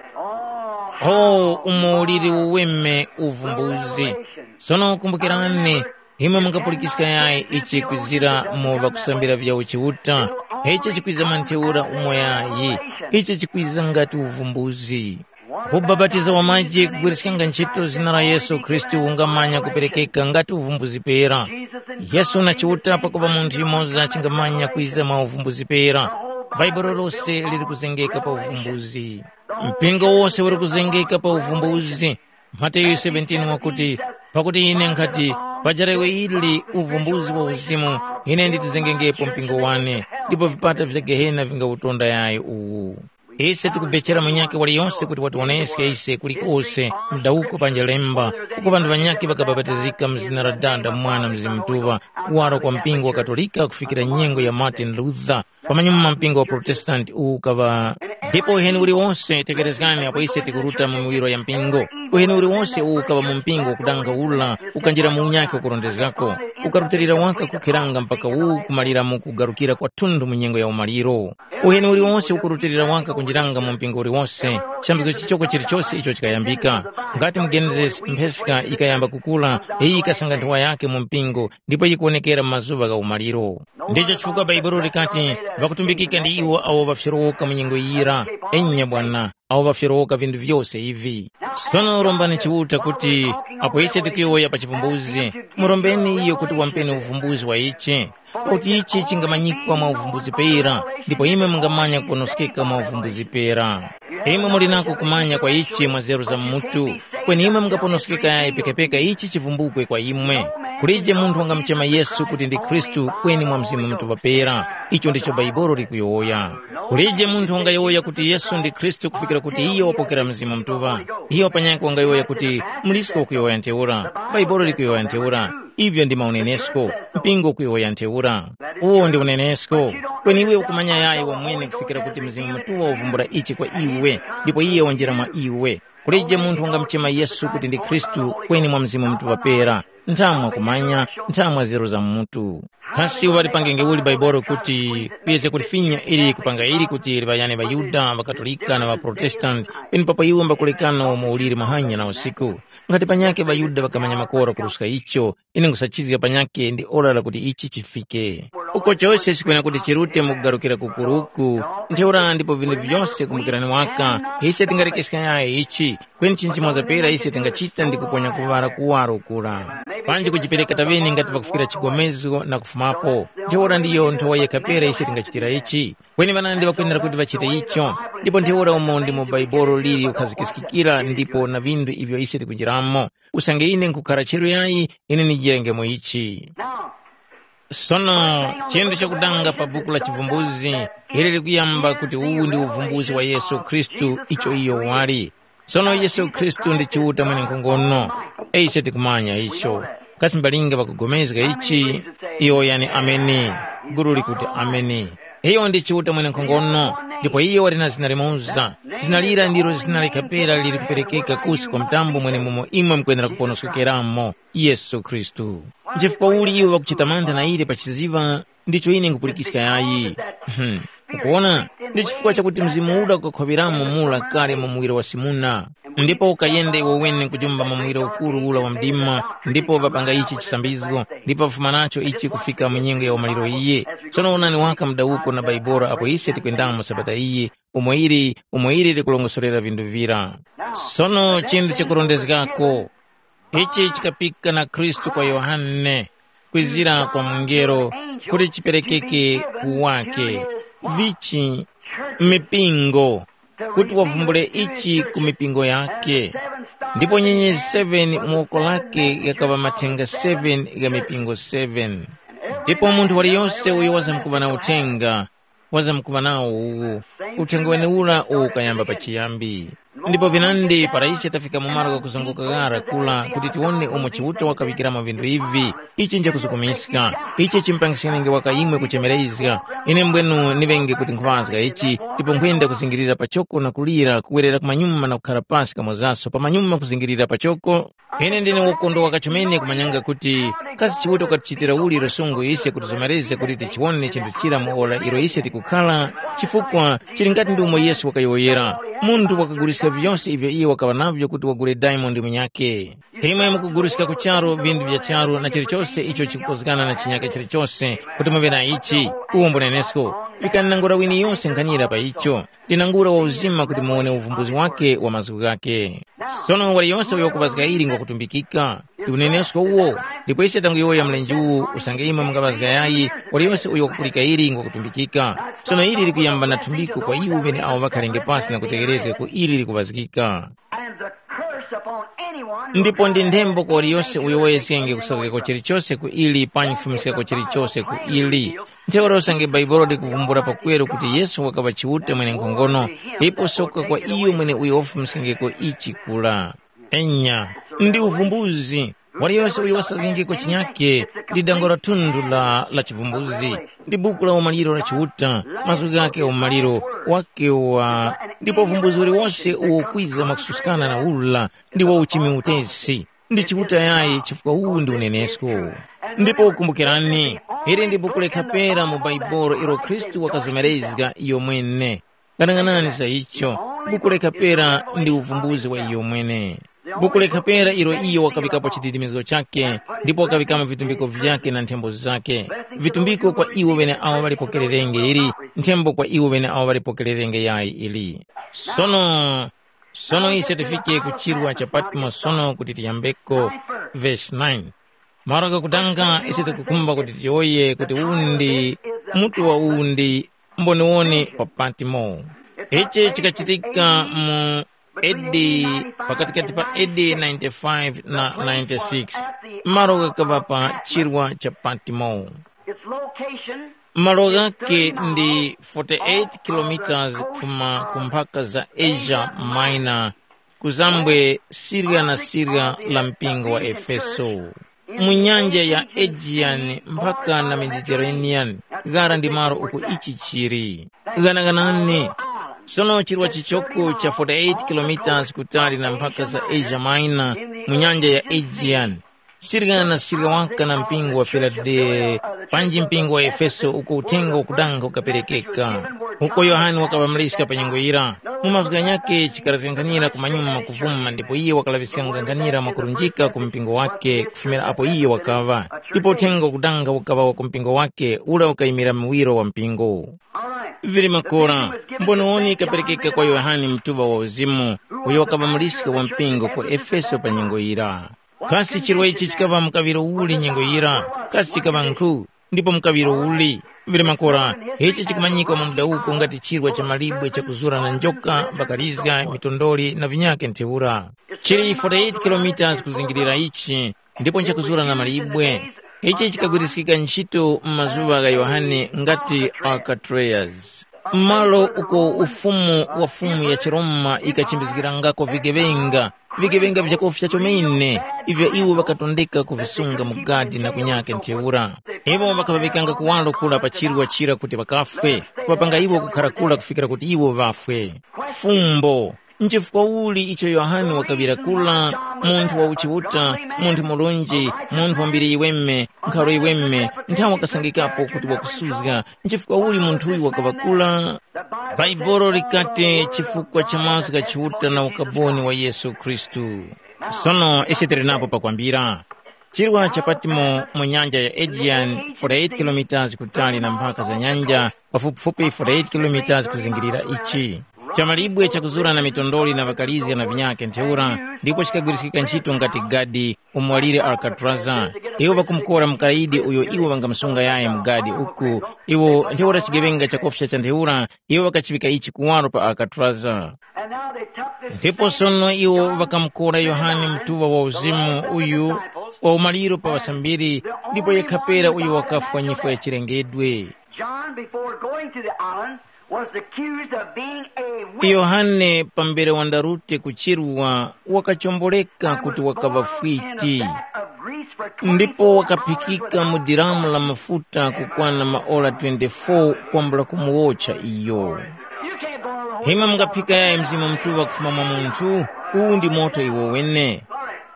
Oh, umo uliri uweme uvumbuzi. Sono kumbukirani, imwe mungapulikiska yayi ichi kwizira mu ŵakusambira vya uchiuta, ichi chikwiza mwa ntheura umo yayi, ichi chikwiza ngati uvumbuzi. Ubapatizo wa maji kugwiriskanga ntchito zina la Yesu Khristu ungamanya kuperekeka ngati uvumbuzi pera. Yesu na Chiuta pakupa munthu yumoza chingamanya kwiza mwa uvumbuzi pera. Bhaibuli lose liri kuzengeka pa uvumbuzi. Mpingo wose uri kuzengeka pa uvumbuzi. Mateyu seventeen wakuti, pakuti ine nkhati, paja lewe ili uvumbuzi wa uzimu, ine nditizengengepo mpingo wane, ndipo vipata vya Gehena vingawutonda yayi uwu. Ise tikubechera munyakhe waliyonse kuti watiwoneske ise kulikose, mdawuko panja lemba, uko ŵanthu ŵanyakhe ŵakabapatizika mu zina la Dada, Mwana, Mzimu Mutuŵa, kuwaro kwa mpingo wa Katolika kufikira nyengo ya Martin Luther, pamanyuma mpingo wa Protestanti uwu ukaŵa. Ndipo uheni uliwonse, tekerezgani apo ise tikuruta mu miwiro ya mpingo, uheni uliwonse uwu ukaŵa mu mpingo wakudangaula, ukanjira mu unyakhe wakurondezgako, ukarutilira waka kukheranga mpaka uwu kumalira mu kugarukira kwathunthu mu nyengo ya umaliro. Uheni uliwonse ukurutilira waka kunjiranga mu mpingo uliwonse, chambiko chichoko chilichose icho chikayambika. Ngati mu Genesis, mpheska yikayamba kukula, iyi yikasanga nthowa yakhe mu mpingo, ndipo yikuwonekera mu mazuŵa gha umaliro. Ndicho chifukwa Bhaibuli likati, ŵakutumbikika ndi iwo awo ŵafyorowoka mu nyengo yira. Enya bwana, awo ŵafyorowoka vinthu vyose ivi. Sono rombani Chiuta kuti, apo ise tikuyowoya pa chivumbuzi, murombeni iyo kuti wampeni uvumbuzi wa ichi, pakuti ichi chingamanyikwa mwa uvumbuzi pera, ndipo imwe mungamanya kuponoskeka mwa uvumbuzi pera. Imwe muli nako kumanya kwa ichi mwa nzeru za mutu, kweni imwe mungaponoskeka yayi pekapeka ichi chivumbukwe kwa imwe. Kulije munthu wangamuchema Yesu kuti ndi Khristu kweni mwa Mzimu Mutuŵa pera. Icho ndicho Bhaibuli likuyowoya. Kulije munthu wangayowoya kuti Yesu ndi Khristu kufikira kuti iyo wapokera Mzimu Mutuŵa. Iyo panyakhe wangayowoya kuti mulisko wakuyowoya ntheura. Bhaibuli likuyowoya ntheura. Ivyo ndi maunenesko. Mpingo ukuyowoya ntheura. Uwo ndi unenesko. Kweni iwe ukumanya yayi wamwene kufikira kuti Mzimu Mutuŵa wavumbula ichi kwa iwe, ndipo iye wanjira mwa iwe. Kulije munthu wangamuchema Yesu kuti ndi Khristu kweni mwa Mzimu Mutuŵa pera, nthamwa kumanya, nthamwa nzeru za mutu. Kasi wali pangenge uli Baibolo kuti kuyezga kulifinya ili kupanga ili kuti liŵayane ŵaYuda, ŵaKatolika na ŵaProtestanti, penepapo iwo mbakulekana umo uliri mahanya na usiku? Ngati panyakhe ŵaYuda ŵakamanya makora kuruska icho, ine nkhusachizga panyakhe ndi ora lakuti ichi chifike. Uko chose chikwena kuti chirute mu kugarukira kukuruku, ntheura ndipo vinthu vyose kumbukirani waka, ise tingarekeska yayi ichi, kweni chinthu chimoza pera ise tingachita ndi kuponya kuŵala kuwaro kura. Panji kujipereka taŵeni ngati pakufikira chigomezgo na kufumapo, ntheura ndiyo nthowa yekha pera ise tingachitira ichi. Kweni ŵanandi ŵakwenera kuti ŵachite icho, ndipo ntheura umo ndi mu Baibolo lili ukhazikiskikira ndipo na vinthu ivyo ise tikunjiramo. Usange ine nkhukhara cheru yayi, ine ndijirenge mu ichi. Now, sono, chinthu chakudanga pa buku la Chivumbuzi, ili likuyamba kuti uwu ndi uvumbuzi wa Yesu Khristu icho iyo wali. Sono Yesu Khristu ndi Chiuta mwenenkhongono. Ise tikumanya icho. Kasi mbalinga ŵakugomezga ichi? Iyo yani ameni. Gulu likuti ameni. Iyo ndi Chiuta mwenenkhongono, ndipo iyo wali na zina limoza. Zina lira ndilo zina likapera lili kuperekeka kusi kwa mtambo mwenemumo imwe mukwenera kuponoskokeramo, Yesu Khristu. Nchifukwa uli iwo ŵakuchita mantha na ile pachiziŵa? Ndicho ine nkhupulikiska yayi. Hmm. Ukuwona, ndi chifukwa chakuti mzimu uda ukakhoŵeramo mura kale mu muwiri wa Simuna. Ndipo ukayenda iwe wene kujumba mu muwiri ukuru ula wa mdima, ndipo ŵapanga ichi chisambizgo, ndipo ŵafuma nacho ichi kufika mu nyengo ya umaliro iyi. Tsono wonani waka mudawuko na Baibolo apo ise tikwendamo sabata iyi, umo ili, umo ili likulongosorera vinthu vira. Sono chinthu chakurondezgako, ichi chikapika na Khristu kwa Yohane, kwizira kwa mungelo, kuti chiperekeke ku wake. Vichi? Mipingo, kuti wavumbule ichi ku mipingo yake. Ndipo nyenyezi seven mu woko lake ghakaŵa mathenga seven gha mipingo seven. Ndipo munthu waliyose uyo wazamkuŵa na uthenga, wazamkuŵa nawo uwu, Uthenga wenewura uwo ukayamba pachiyambi. Ndipo vinandi para ise tafika mu malo ghakuzunguka ghara kula kuti tiwone umo Chiuta wakaŵikiramo vinthu ivi, ichi nchakuzukumiska. Ichi chimpangiskenge waka imwe kuchemerezga. Ine mbwenu niŵenge kuti nkhuŵazga ichi, ndipo nkhuyenda kuzingirira pachoko na kulira, kuwerera kumanyuma na kukhara pasi kamozaso pamanyuma kuzingirira pachoko. Ine ndine wokondwa kachomene kumanyanga kuti kasi Chiuta wakatichitira uli lusungu ise kutizomerezga kuti tichiwone chinthu chira mu ora ilo ise tikukhara, chifukwa chili ngati ndi umo Yesu wakayowoyera, munthu wakaguliska vyose ivyo iye wakaŵa navyo kuti wagule diamond munyakhe. Imwe mukuguliska ku charu vinthu vya charu na chilichose icho chikukozgana na chinyakhe chilichose kuti muŵe na ichi, uwo mbunenesko, vikani nangura wini yose nkhanira pa icho. Ndinangura wa uzima kuti muwone uvumbuzi wake wa mazgu ghake. Sono waliyose uyo wakupazga ili ngwakutumbikika, ndi unenesko uwo, ndipo ise tanguyowoya mlenje uwu usange imwe mungaŵazga yayi, waliyose uyo wakupulika ili ngwakutumbikika. Sono ili likuyamba na thumbiko kwa iwo ŵeneawo ŵakhalenge pasi na kutegherezga ku ili likuŵazgika. And the curse upon anyone who ndipo ndi nthembo kwa waliyose uyo wayeskenge kusazgako chilichose ku ili panyi kufumiskako chilichose ku ili. Ntheura usange Bhaibuli likuvumbula pakweru kuti Yesu wakaŵa Chiuta mwenenkhongono, ipo soka kwa iyo mwene uyo wafumiskengeko ichi kula. Enya, ndi uvumbuzi. Waliyose uyo wasazgengeko chinyakhe ndi dango la thundu la, la chivumbuzi. Ndi buku la umaliro la Chiuta, mazgu ghake umaliro wake wa, ndipo uvumbuzi uliwose uwo ukwiza mwakususkana na ula ndi wa uchimi utesi. Ndi Chiuta yayi chifukwa uwu ndi unenesko. Ndipo kumbukirani, ili ndi buku lekha pera mu Bhaibuli ilo Khristu wakazomerezga iyo mwene. Ghanaghanani za icho, buku lekha pera ndi uvumbuzi wa iyo mwene. Buku lekha pera ilo iyo wakaŵikapo chididimizgo chakhe, ndipo wakaŵikamo vitumbiko vyakhe na nthembo zakhe. Vitumbiko kwa iwo ŵeneawo ŵalipokererenge ili, nthembo kwa iwo ŵeneawo ŵalipokererenge yayi ili. Sono, sono ise tifike ku chirwa cha Patmo sono kuti tiyambeko vesi nine. Malo ghakutanga ise tikukhumba kuti tiyowoye kuti uwu ndi mutu wa uwu ndi mboniwoni pa Patmo. Ichi chikachitika mu A D, pakatikati pa A D ninety-five na ninety-six, malo ghakaŵa pa chirwa cha Patmo. Its location. Malo ghake ndi forty-eight kilometers kufuma ku mphaka za Asia Minor, kuzambwe sirya na sirya la mpingo wa Efeso, mu nyanja ya Aegean mpaka na Mediterranean, ghara ndi malo uko ichi chili. Ghanaghanani, sono chirwa chichoko cha forty-eight kilometers kutali na mphaka za Asia Minor, mu nyanja ya Aegean, sirya na sirya waka na mpingo wa Filadelfiya, panji mpingo wa Efeso uko uthenga wakudanga ukaperekeka. Uko Yohane wakaŵa mliska pa nyengo yira, mu mazgu ghanyakhe chikarazgankhanira kumanyuma kuvuma ndipo iye wakalaŵiskangakhanira mwakurunjika ku mpingo wake kufumira apo iye wakaŵa. Ndipo uthenga wakudanga ukaŵa wa ku mpingo wake ura ukayimira muwiro wa mpingo. Vili makora, mboniwoni ikaperekeka kwa Yohane mtuŵa wa uzimu, uyo wakaŵa muliska wa mpingo ku Efeso pa nyengo yira. Kasi chirwa ichi chikaŵa mukaŵiro uli nyengo yira? Kasi chikaŵa nkhu? Ndipo mukaŵiro uli? Vili makora, ichi chikumanyikwa mu mudawuko ngati chirwa cha malibwe chakuzura na njoka, mbakalizga, mitondoli na vinyakhe ntheura. Chili forty-eight kilometers kuzingirira ichi, ndipo nchakuzura na malibwe. Ichi chikagwiriskika ntchito mu mazuŵa gha Yohane ngati Alcatraz. Malo uko ufumu wa fumu ya chiRoma ikachimbizgirangako vigeŵenga, vigeŵenga vyakofya chomene, ivyo iwo ŵakatondeka kuvisunga mu gadi na kunyake ntheura. Iwo ŵakaŵaŵikanga kuwaro kura pa chirwa chira kuti ŵakafwe, kuŵapanga iwo kukhara kura kufikira kuti iwo ŵafwe. Fumbo. Nchifukwa uli icho Yohane wakaŵira kula, munthu wa uchiuta, munthu murunji, munthu wa mbiri yiweme, nkharo yiweme, nthawe wakasangikapo kuti wakusuzga, nchifukwa uli munthuyu wakaŵa kula? Bhaibuli likati chifukwa cha mazgu gha Chiuta na ukaboni wa Yesu Khristu. Sono ise tili napo pakwambira. Chirwa cha Patimo mu nyanja ya Aegean, forty-eight kilometers kutali na mphaka za nyanja, pafupifupi forty-eight kilometers kuzingirira ichi. Chamalibwe chakuzura na mitondoli na ŵakalizga na vinyakhe ntheura, ndipo chikagwiriskika ntchito ngati gadi umo walire Alkatraza. Iwo ŵakumukora mukaidi uyo iwo ŵangamusunga yayi mu gadi uku, iwo ntheura chigeŵenga chakofya cha ntheura, iwo ŵakachiŵika ichi kuwaro pa Alkatraza. Ndipo sono iwo ŵakamukora Yohane mtuŵa wa uzimu uyu wa umaliro pa ŵasambiri, ndipo yekha pera uyo wakafwa nyifwa ya chilengedwe. John, before going to the island, was accused of being a witch. Yohane pambere wandarute ku chirwa wakachomboleka kuti wakaŵa fwiti, ndipo wakaphikika mu diramu la mafuta kukwana maora twenty-four kwambula kumuwotcha iyo. Hima mungaphika yayi Mzimu Mutuŵa kufuma mwa munthu? Uwu ndi moto iwo wene.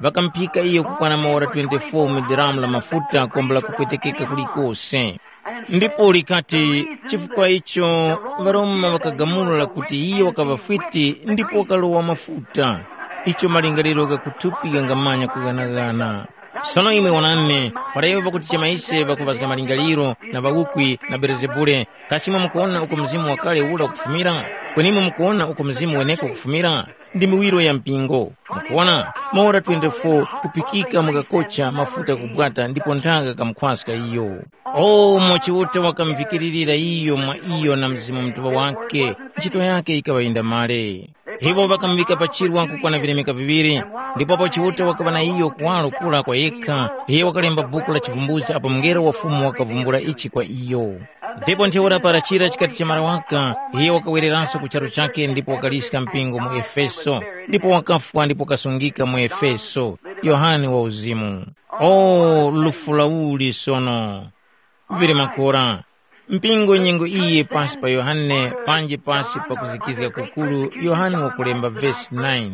Ŵakamphika iyo kukwana maora twenty-four mu diramu la mafuta kwambula kupwetekeka kulikose. Ndipo likati, chifukwa icho ŵaRoma ŵakagamula kuti iye wakaŵa fwiti ndipo wakalowa mafuta, icho malingaliro gha kuthupi ghangamanya kughanaghana. Sono imwe wonani, para iwo ŵakutichema ise ŵakuŵazga malingaliro na ŵawukwi na Belezebule, kasi imwe mukuwona uko mzimu wakale ura ukufumira? Kweni imwe mukuwona uko mzimu weneko ukufumira? Ndi miwiro ya mpingo. Mukuwona, maora twenty-four kuphikika mukakocha mafuta kubwata ndipo nthaka kamukhwaska iyo. O umo Chiuta wakamvikilirira iyo mwa iyo na Mzimu Mutuŵa wake, ntchito yake yikaŵa yindamale. Iwo ŵakamuŵika pa chirwa kukwana vilemeka viŵiri, ndipo apo Chiuta wakaŵa na iyo kuwaro kura kwa yekha, iye wakalemba buku la chivumbuzi apo mngelo wa Fumu wakavumbula ichi kwa iyo. Ndipo ntheura para chira chikati chamara waka, iye wakawereranso ku charu chakhe ndipo wakaliska mpingo mu Efeso, ndipo wakafwa ndipo wakasungika mu Efeso. Yohane wa uzimu. O lufu la uli sono! Vili makora. Mpingo nyengo iyi pasi pa Yohane panji pasi pa kuzikizga kukuru Yohane wakulemba vesi nine.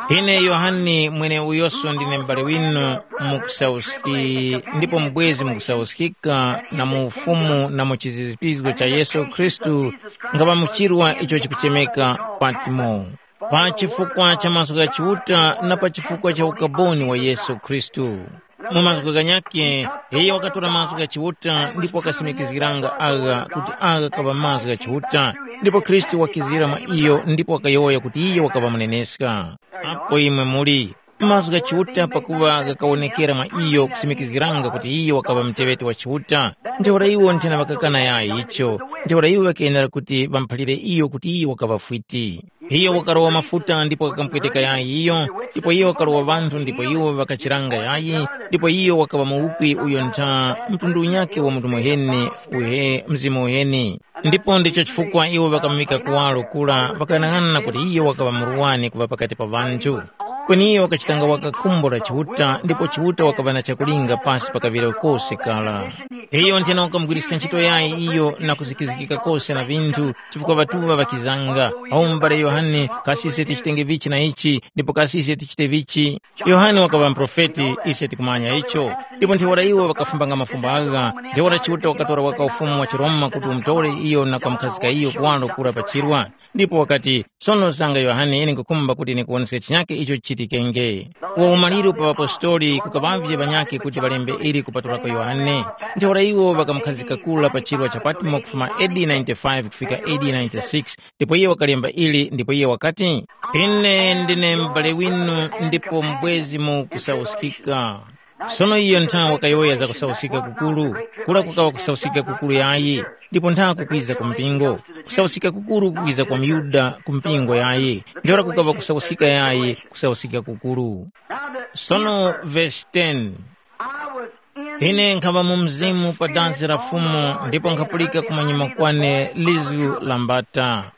Ine Yohane mweneuyoso ndine m'bale winu mu kusauski ndipo mubwezi mu kusauskika na mu ufumu na mu chizizipizgo cha Yesu Khristu, ngaŵa mu chirwa icho chikuchemeka Patmo, pa chifukwa cha mazgu gha Chiuta na pa chifukwa cha ukaboni wa Yesu Khristu. Mu mazgu ghanyakhe, iyo wakatora mazgu gha Chiuta ndipo wakasimikizgiranga agha kuti agha kaŵa mazgu gha Chiuta, ndipo Khristu wakizira mwa iyo ndipo wakayowoya kuti iyo wakaŵa muneneska. Apo imwe muli, mazgu gha Chiuta pakuŵa ghakawonekera mwa iyo kusimikizgiranga kuti iyo wakaŵa muteŵeti wa Chiuta, ntheura iwo nthena ŵakakana yayi icho, ntheura iwo ŵakayenera kuti ŵamuphalire iyo kuti iyo wakaŵa fwiti. Iyo wakarowa mafuta ndipo wakamupweteka yayi iyo, ndipo iyo wakarowa ŵanthu ndipo iwo ŵakachiranga yayi, ndipo iyo wakaŵa muwukwi uyo ntha mtundu unyakhe wa munthu muheni uhe mzimu uheni. Ndipo ndicho chifukwa iwo ŵakamuŵika kuwaro kura ŵakayang'ana kuti iyo wakaŵa murwani kuŵa pakati pa ŵanthu. Kweni iyo wakachitanga waka khumbo la Chiuta ndipo Chiuta wakaŵa na chakulinga pasi pa kaŵiro kose kara. Iyo nthena wakamugwiriska ntchito yayi iyo na kuzikizgika kose na vinthu chifukwa ŵatuŵa ŵakizanga, awo m'bale Yohane kasi ise tichitenge vichi na ichi ndipo kasi ise tichite vichi? Yohane wakaŵa muprofeti, ise tikumanya icho. Ndipo ntheura iwo ŵakafumbanga mafumbo agha, ntheura Chiuta wakatora waka ufumu wa chiRoma kuti umutore iyo na kwamukhazika iyo kuwaro kura pa chirwa. Ndipo wakati, sono zanga Yohane ine nkukhumba kuti ndikuwoneske chinyake icho chichitikenge. Uwo umaliro pa ŵapostoli kukaŵavye ŵanyakhe kuti ŵalembe ili kupatulako Yohane. Ntheura iwo ŵakamukhazika kura pa chirwa cha Patmo kufuma A D ninety-five kufika A D ninety-six, ndipo iye wakalemba ili ndipo iye wakati, ine ndine m'bale winu ndipo mbwezi mu kusauskika. Sono iyo nthawi wakayowoya za kusauskika kukuru, kura kukaŵa kusauskika kukuru yayi, ndipo ntha kukwiza ku mpingo. Kusauskika kukuru kukwiza kwa myuda ku mpingo yayi, ntheura kukaŵa kusauskika yayi, kusauskika kukuru. Sono vesi ten. Ine nkhaŵa mu mzimu pa dansi la Fumu ndipo nkhapulika kumanyuma kwane lizgu la mbata.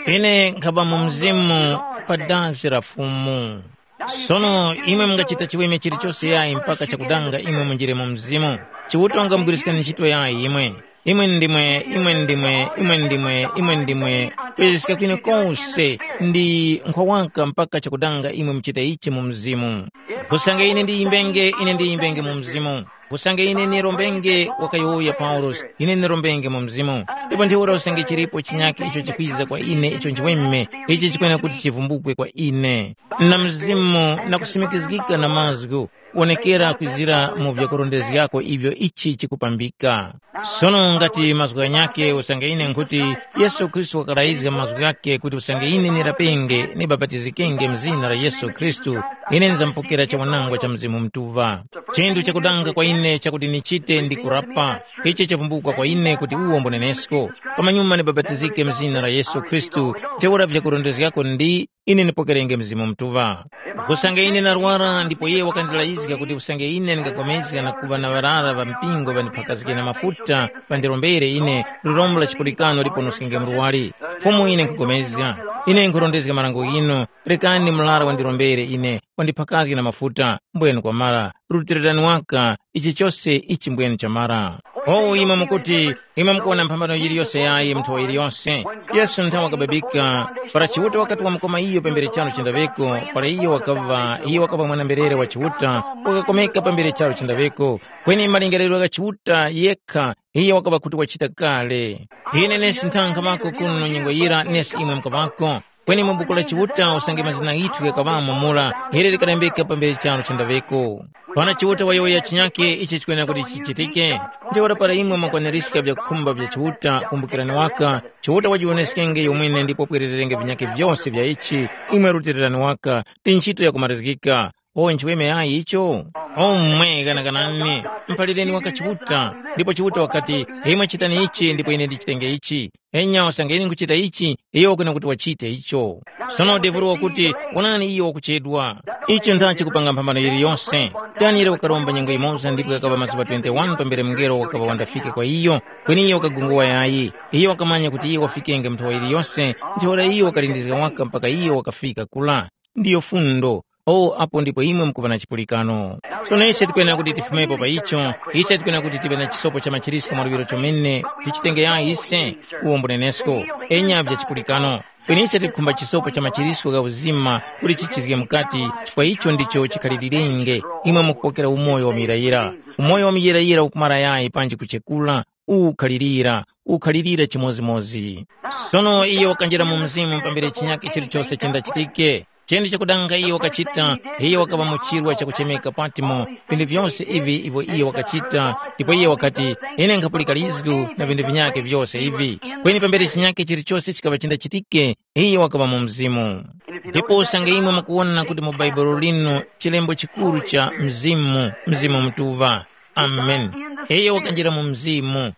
Ine nkhaŵa mu mzimu pa dansi la Fumu. Sono imwe mungachita chiweme chilichose yayi mpaka chakudanga imwe munjire mu mzimu. Chiuta wangamugwiriskani ntchito yayi imwe. Imwe ndimwe, imwe ndimwe, imwe ndimwe, imwe ndimwe, kuyezgeska kwine kose ndi nkhwa waka mpaka chakudanga imwe muchita ichi mu mzimu. Usange ine ndiyimbenge, ine ndiyimbenge mu mzimu. Usange ine ndirombenge, wakayowoya Paulosi, ine ndirombenge mu mzimu. Ndipo ntheura usange chilipo chinyakhe icho chikwiza kwa ine icho nchiweme, ichi chikwena kuti chivumbukwe kwa ine. Na mzimu na kusimikizgika na mazgu, wonekera kwizira mu vyakurondezgako ivyo ichi chikupambika. Sono ngati mazgu ghanyakhe usange ine nkhuti, Yesu Khristu wakarayizga mazgu ghakhe kuti usange ine nirapenge, nibapatizikenge mu zina la Yesu Khristu, ine nizamupokera chawanangwa cha Mzimu Mutuŵa. Chinthu chakudanga kwa ine chakuti nichite ndi kurapa. Ichi chavumbukwa kwa ine kuti uwo mbunenesko. Pamanyuma nibapatizike mu zina la Yesu Khristu, ntheura vyakurondezgako ndi ine ndipokerenge Mzimu Mutuŵa. Usange ine narwara ndipo iye wakandilayizga kuti usange ine ndingapulikana na kuŵa na ŵarara ŵa mpingo ŵandiphakazge na mafuta ŵandirombere ine, lirombo la chipulikano liponoskenge murwari. Fumu ine nkhupulikana, ine nkhurondezga marango ghinu, rekani murara wandirombere ine, wandiphakazge na mafuta, mbwenu kwamara, rutilirani waka, ichi chose ichi mbwenu chamara. O imwe mukuti, imwe mukuwona mphambano yiliyose yayi mu nthowa yiliyose. Yesu nthawi wakababika, para Chiuta wakati wamukoma iyo pambere charu chindaŵeko, para iyo wakaŵa, iyo wakaŵa mwana-mberere wa Chiuta, wakakomeka pambere charu chindaŵeko. Kweni malingaliro gha Chiuta yekha, iyo wakaŵa kuti wachita kale. Ine nesi nthankha ŵako kuno nyengo yira nesi imwe mukaŵako. Kweni mu buku la Chiuta usange mazina ghithu ghakaŵamo mura, ili likalembeka pambere charu chindaŵeko. Pana Chiuta wayowoya chinyakhe ichi chikwenera kuti chichitike. Ntheura para imwe mwakwaniska vyakukhumba vya Chiuta, kumbukirani waka, Chiuta wajiwoneskenge yomwene ndipo pwerererenge vinyakhe vyose vya ichi, imwe rutilirani waka, ndi ntchito yakumarizgika. O nchiweme yayi icho? O mmwe ghanaganani, mphalireni waka Chiuta, ndipo Chiuta wakati, imwe chitani ichi ndipo ine ndichitenge ichi. Enya usange ine nkuchita ichi, iyo wakwena kuti wachite icho. Sono devuro wakuti, wonani iyo wakuchedwa. Icho ndachi kupanga mphambano yiliyose. Daniele wakaromba nyengo yimoza ndipo yakaŵa mazuŵa twenty-one pambere mngelo wakaŵa wandafike kwa iyo, kweni iyo wakagunguwa yayi. Iyo wakamanya kuti iyo wafikenge mnthowa yiliyose, ntheura iyo wakalindizga waka mpaka iyo wakafika kula. Ndiyo fundo. O apo ndipo imwe mukuŵa na chipulikano. Sono ise tikwenera kuti tifumepo pa icho, ise tikwenera kuti tive na chisopo cha machirisko mwa luŵiro chomene, tichitenge yayi ise, uwo mbunenesko, enya vya chipulikano. Kweni ise tikukhumba chisopo cha machirisko gha uzima kuti chichizge mukati, chifukwa icho ndicho chikhalirenge, imwe mukupokera umoyo wa muyirayira. Umoyo wa muyirayira ukumara yayi panji kuchekula, ukhalirira, ukhalirira chimodzimodzi. Sono iyo wakanjira mu mzimu pambere chinyakhe chilichose chendachitike. Chindi chakudanga iyo wakachita, iyo wakaŵa mu chirwa chakuchemeka Patimo, vinthu vyose ivi ivyo iyo wakachita, ndipo iyo wakati, ine nkhapulika lizgu na vinthu vinyakhe vyose ivi. Kweni pambere chinyakhe chilichose chikaŵa chindachitike, iyo wakaŵa mu mzimu. Ndipo usange imwe mukuwona kuti mu Bhaibuli linu chilembo chikuru cha mzimu, mzimu mutuŵa. Amen. Iyo wakanjira mu mzimu.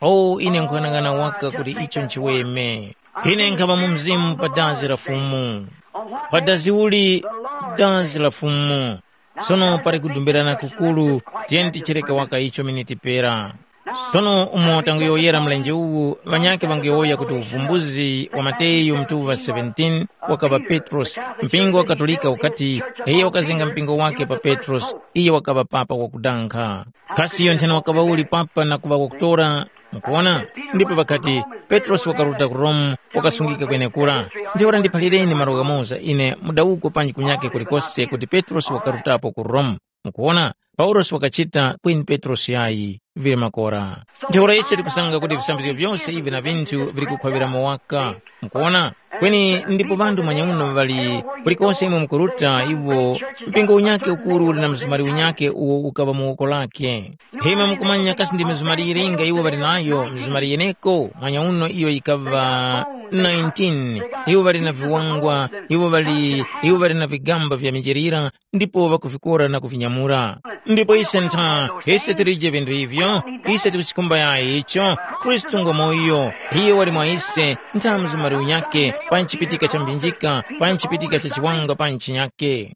O ine nkuyang'ana waka kuti icho nchiweme. Ine nkhaŵa mu mzimu pa dazi la Fumu. Pa dazi uli? Dazi la Fumu. Sono pali kudumbirana kukuru, tiyeni tichireke waka icho miniti pera. Sono umo tanguyowoyera mlenje uwu, ŵanyakhe ŵanguyowoya kuti uvumbuzi wa Mateyu mutuŵa seventeen wakaŵa Petrosi. Mpingo wa Katolika ukati, iyo wakazenga mpingo wake pa Petrosi, iyo wakaŵa papa wakudankha. Kasi iyo nthena wakaŵa uli papa na kuŵa wakutora? Mukuwona? Ndipo ŵakati, Petrosi wakaruta ku Rome, wakasungika kwenekura. Ntheura ndiphalireni malo ghamoza ine mudawuko panji kunyake kulikose kuti Petrosi wakarutapo ku Rome. Mukuwona? Paulosi wakachita kweni Petrosi yayi, vili makora. Ntheura ise tikusanga kuti visambizgo vyose ivi na vinthu vili kukhwaŵiramo waka. Mukuwona? Kweni ndipo ŵanthu manyauno ŵali kulikose imwe mukuruta iwo mpingo unyakhe ukuru uli na mzumari unyakhe uwo ukaŵa mu woko lakhe. Imwe mukumanya kasi ndi mizumari yilinga iwo ŵali nayo, mizumari yeneko, manyauno iyo yikaŵa nineteen, iwo ŵali na viwangwa, iwo ŵali, iwo ŵali na vigamba vya mijerira, ndipo ŵakuvikora na kuvinyamura. Ndipo ise ntha, ise tilije vinthu ivyo, ise tikuchikhumba yayi icho, Khristu ngwamoyo, iyo wali mwa ise, ntha mzumari unyakhe, pa nchipitika cha mbinjika, pa nchipitika cha chiwanga pa nchinyakhe.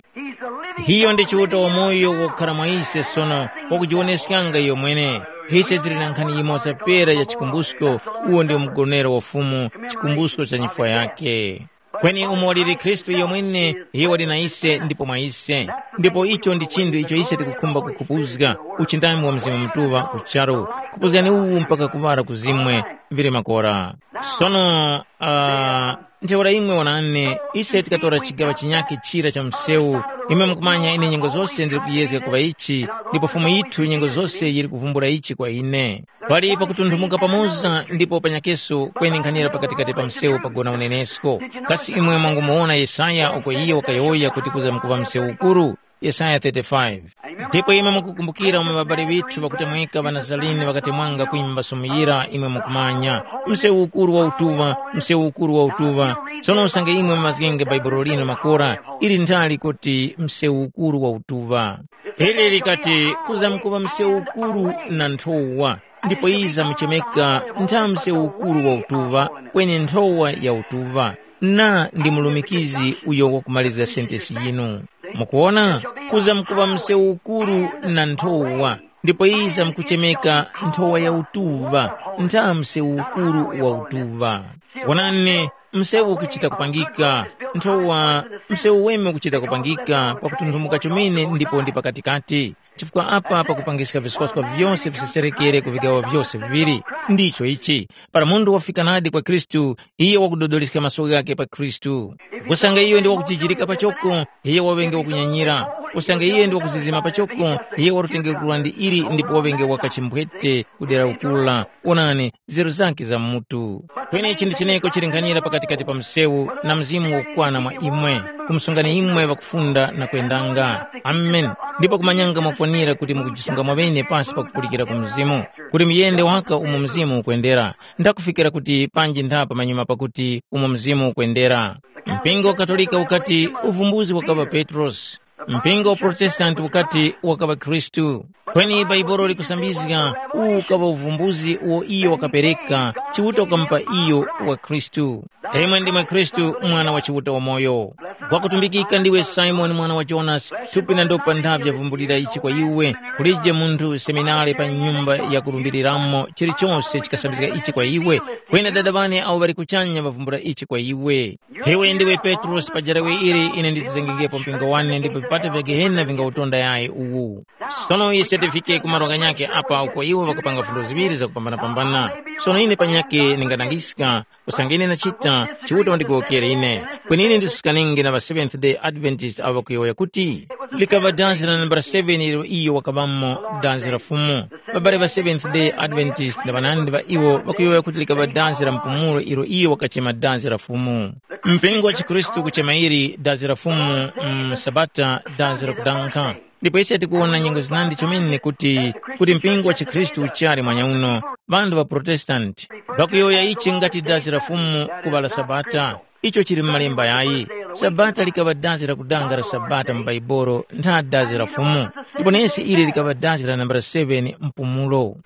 Iyo ndi Chiuta wamoyo wokhala mwa ise sono, wakujiwoneskanga iyo mwene. Ise tili na nkhani yimoza pera ya chikumbusko, uwo ndi mgonero wa Fumu, chikumbusko cha nyifwa yakhe. Kweni umo waliri Khristu iyo mwene, iyo wali na ise ndipo mwa ise. Ndipo icho ndi chinthu icho ise tikukhumba kukhupuzga, uchindami wa Mzimu Mutuŵa ku charu. Khupuzgani uwu mpaka kuŵala kuzimwe, vili makora. Sono, uh, ntheura imwe wanane, ise tikatora chigaŵa chinyakhe chira cha msewu, imwe mukumanya ine nyengo zose ndili kuyezga kuŵa ichi, ndipo Fumu yithu nyengo zose yili kuvumbula ichi kwa ine. Pali pakutunthumuka pamoza ndipo panyakeso kweni nkhanira pakatikati pa msewu pagona unenesko. Kasi imwe mwangumuwona Yesaya uko iye wakayowoya kuti kuza mukuŵa msewu ukuru? Yesaya thirty-five. Ndipo imwe mukukumbukira umo ŵabali ŵithu ŵakutemweka ŵaNazarini ŵakatemwanga kwimba sumuyira imwe mukumanya, msewu ukuru wa utuŵa, msewu ukuru wa utuŵa. Sono usange imwe mumazgenge Baibulo lino makora, ili nthali kuti msewu ukuru wa utuŵa. Ili likati, kuza mukuŵa msewu ukuru na nthowa, ndipo iza muchemeka ntha msewu ukuru wa utuŵa, kweni nthowa ya utuŵa. na ndi mulumikizi uyo wakumalizga sentesi yinu. Mukuwona, kuzamkuŵa msewu ukuru na nthowa, ndipo yizamkuchemeka nthowa ya utuŵa, ntha msewu ukuru wa utuŵa. Wonani, msewu ukuchita kupangika, nthowa, msewu weme ukuchita kupangika pakutunthumuka chomene ndipo ndi pakatikati. Chifukwa apa pakupangiska viswaskwa vyose viseserekere ku vigaŵa vyose viŵiri. Ndicho ichi, para munthu wafika nadi kwa Khristu, iye wakudodoleska maso ghakhe pa Khristu. Kusanga iyo ndi wakujijirika pachoko, iye waŵenge wakunyanyira. Kusanga iye ndi wakuzizima pachoko, iye warutengekura ndi ili ndipo waŵenge wakachimbwete kudera ukula. Onani, nzeru zakhe za mutu. Kweni chinthu cheneko chili nkhanira pakatikati pa msewu na mzimu wokwana mwa imwe, kumsungani imwe ŵakufunda na kwendanga. Amen. Ndipo kumanyanga mwakwanira kuti mukujisunga mwaŵene pasi pakupulikira ku mzimu, kuti muyende waka umo mzimu ukwendera. Ndakufikira kuti panji ntha pamanyuma pakuti umo mzimu ukwendera. Mpingo wa Katolika ukati uvumbuzi wakaŵa Petrosi. Mpingo wa Protestanti ukati wakaŵa Khristu. Kweni Baibolo likusambizga uwu ukaŵa uvumbuzi uwo iyo wakapereka, Chiuta wakamupa iyo wa Khristu. Imwe ndimwe Khristu, Mwana wa Chiuta wamoyo. Wakutumbikika ndiwe Simoni mwana wa Jonasi, thupi na ndopa ntha vyavumbulira ichi kwa iwe. Kulije munthu seminari pa nyumba yakulumbiriramo chilichose chikasambizga ichi kwa iwe. Kweni Dada wane awo ŵali kuchanya ŵavumbula ichi kwa iwe. Iwe ndiwe Petrosi pa jarawe ili ine nditizengengepo mpingo wane ndipo vipata vya Gehena vingawutonda yayi uwu. Sono ise tifike ku malo ghanyakhe apa uko iwo ŵakupanga fundo ziŵiri zakupambanapambana. Sono ine panyakhe ndingadangiska, usange ine ndachita, Chiuta wandigowokere ine. Kweni ine ndisuskaninge na ŵa Seventh Day Adventist avo ŵakuyowoya kuti, likaŵa danzi la nambala seven ilo iyo wakaŵamo danzi la Fumu. Ŵabale ŵa Seventh Day Adventist na ŵanandi ŵa iwo ŵakuyowoya kuti likaŵa danzi la mpumulo ilo iyo wakachema danzi la Fumu. Mpingo wa chikhristu kuchema ili danzi la Fumu, mu Sabata danzi la kudankha. Ndipo ise tikuwona nyengo zinandi chomene kuti, kuti mpingo wa chikhristu uchali mwanyauno, ŵanthu ŵa Protestanti, ŵakuyowoya ichi ngati danzi la Fumu kuŵa la Sabata. Icho chili mu Malemba yayi. Sabata likaŵa dazi lakudanga la Sabata mu Baibolo ntha dazi la Fumu, ndipo nesi ili likaŵa dazi la nambala seven mpumulo.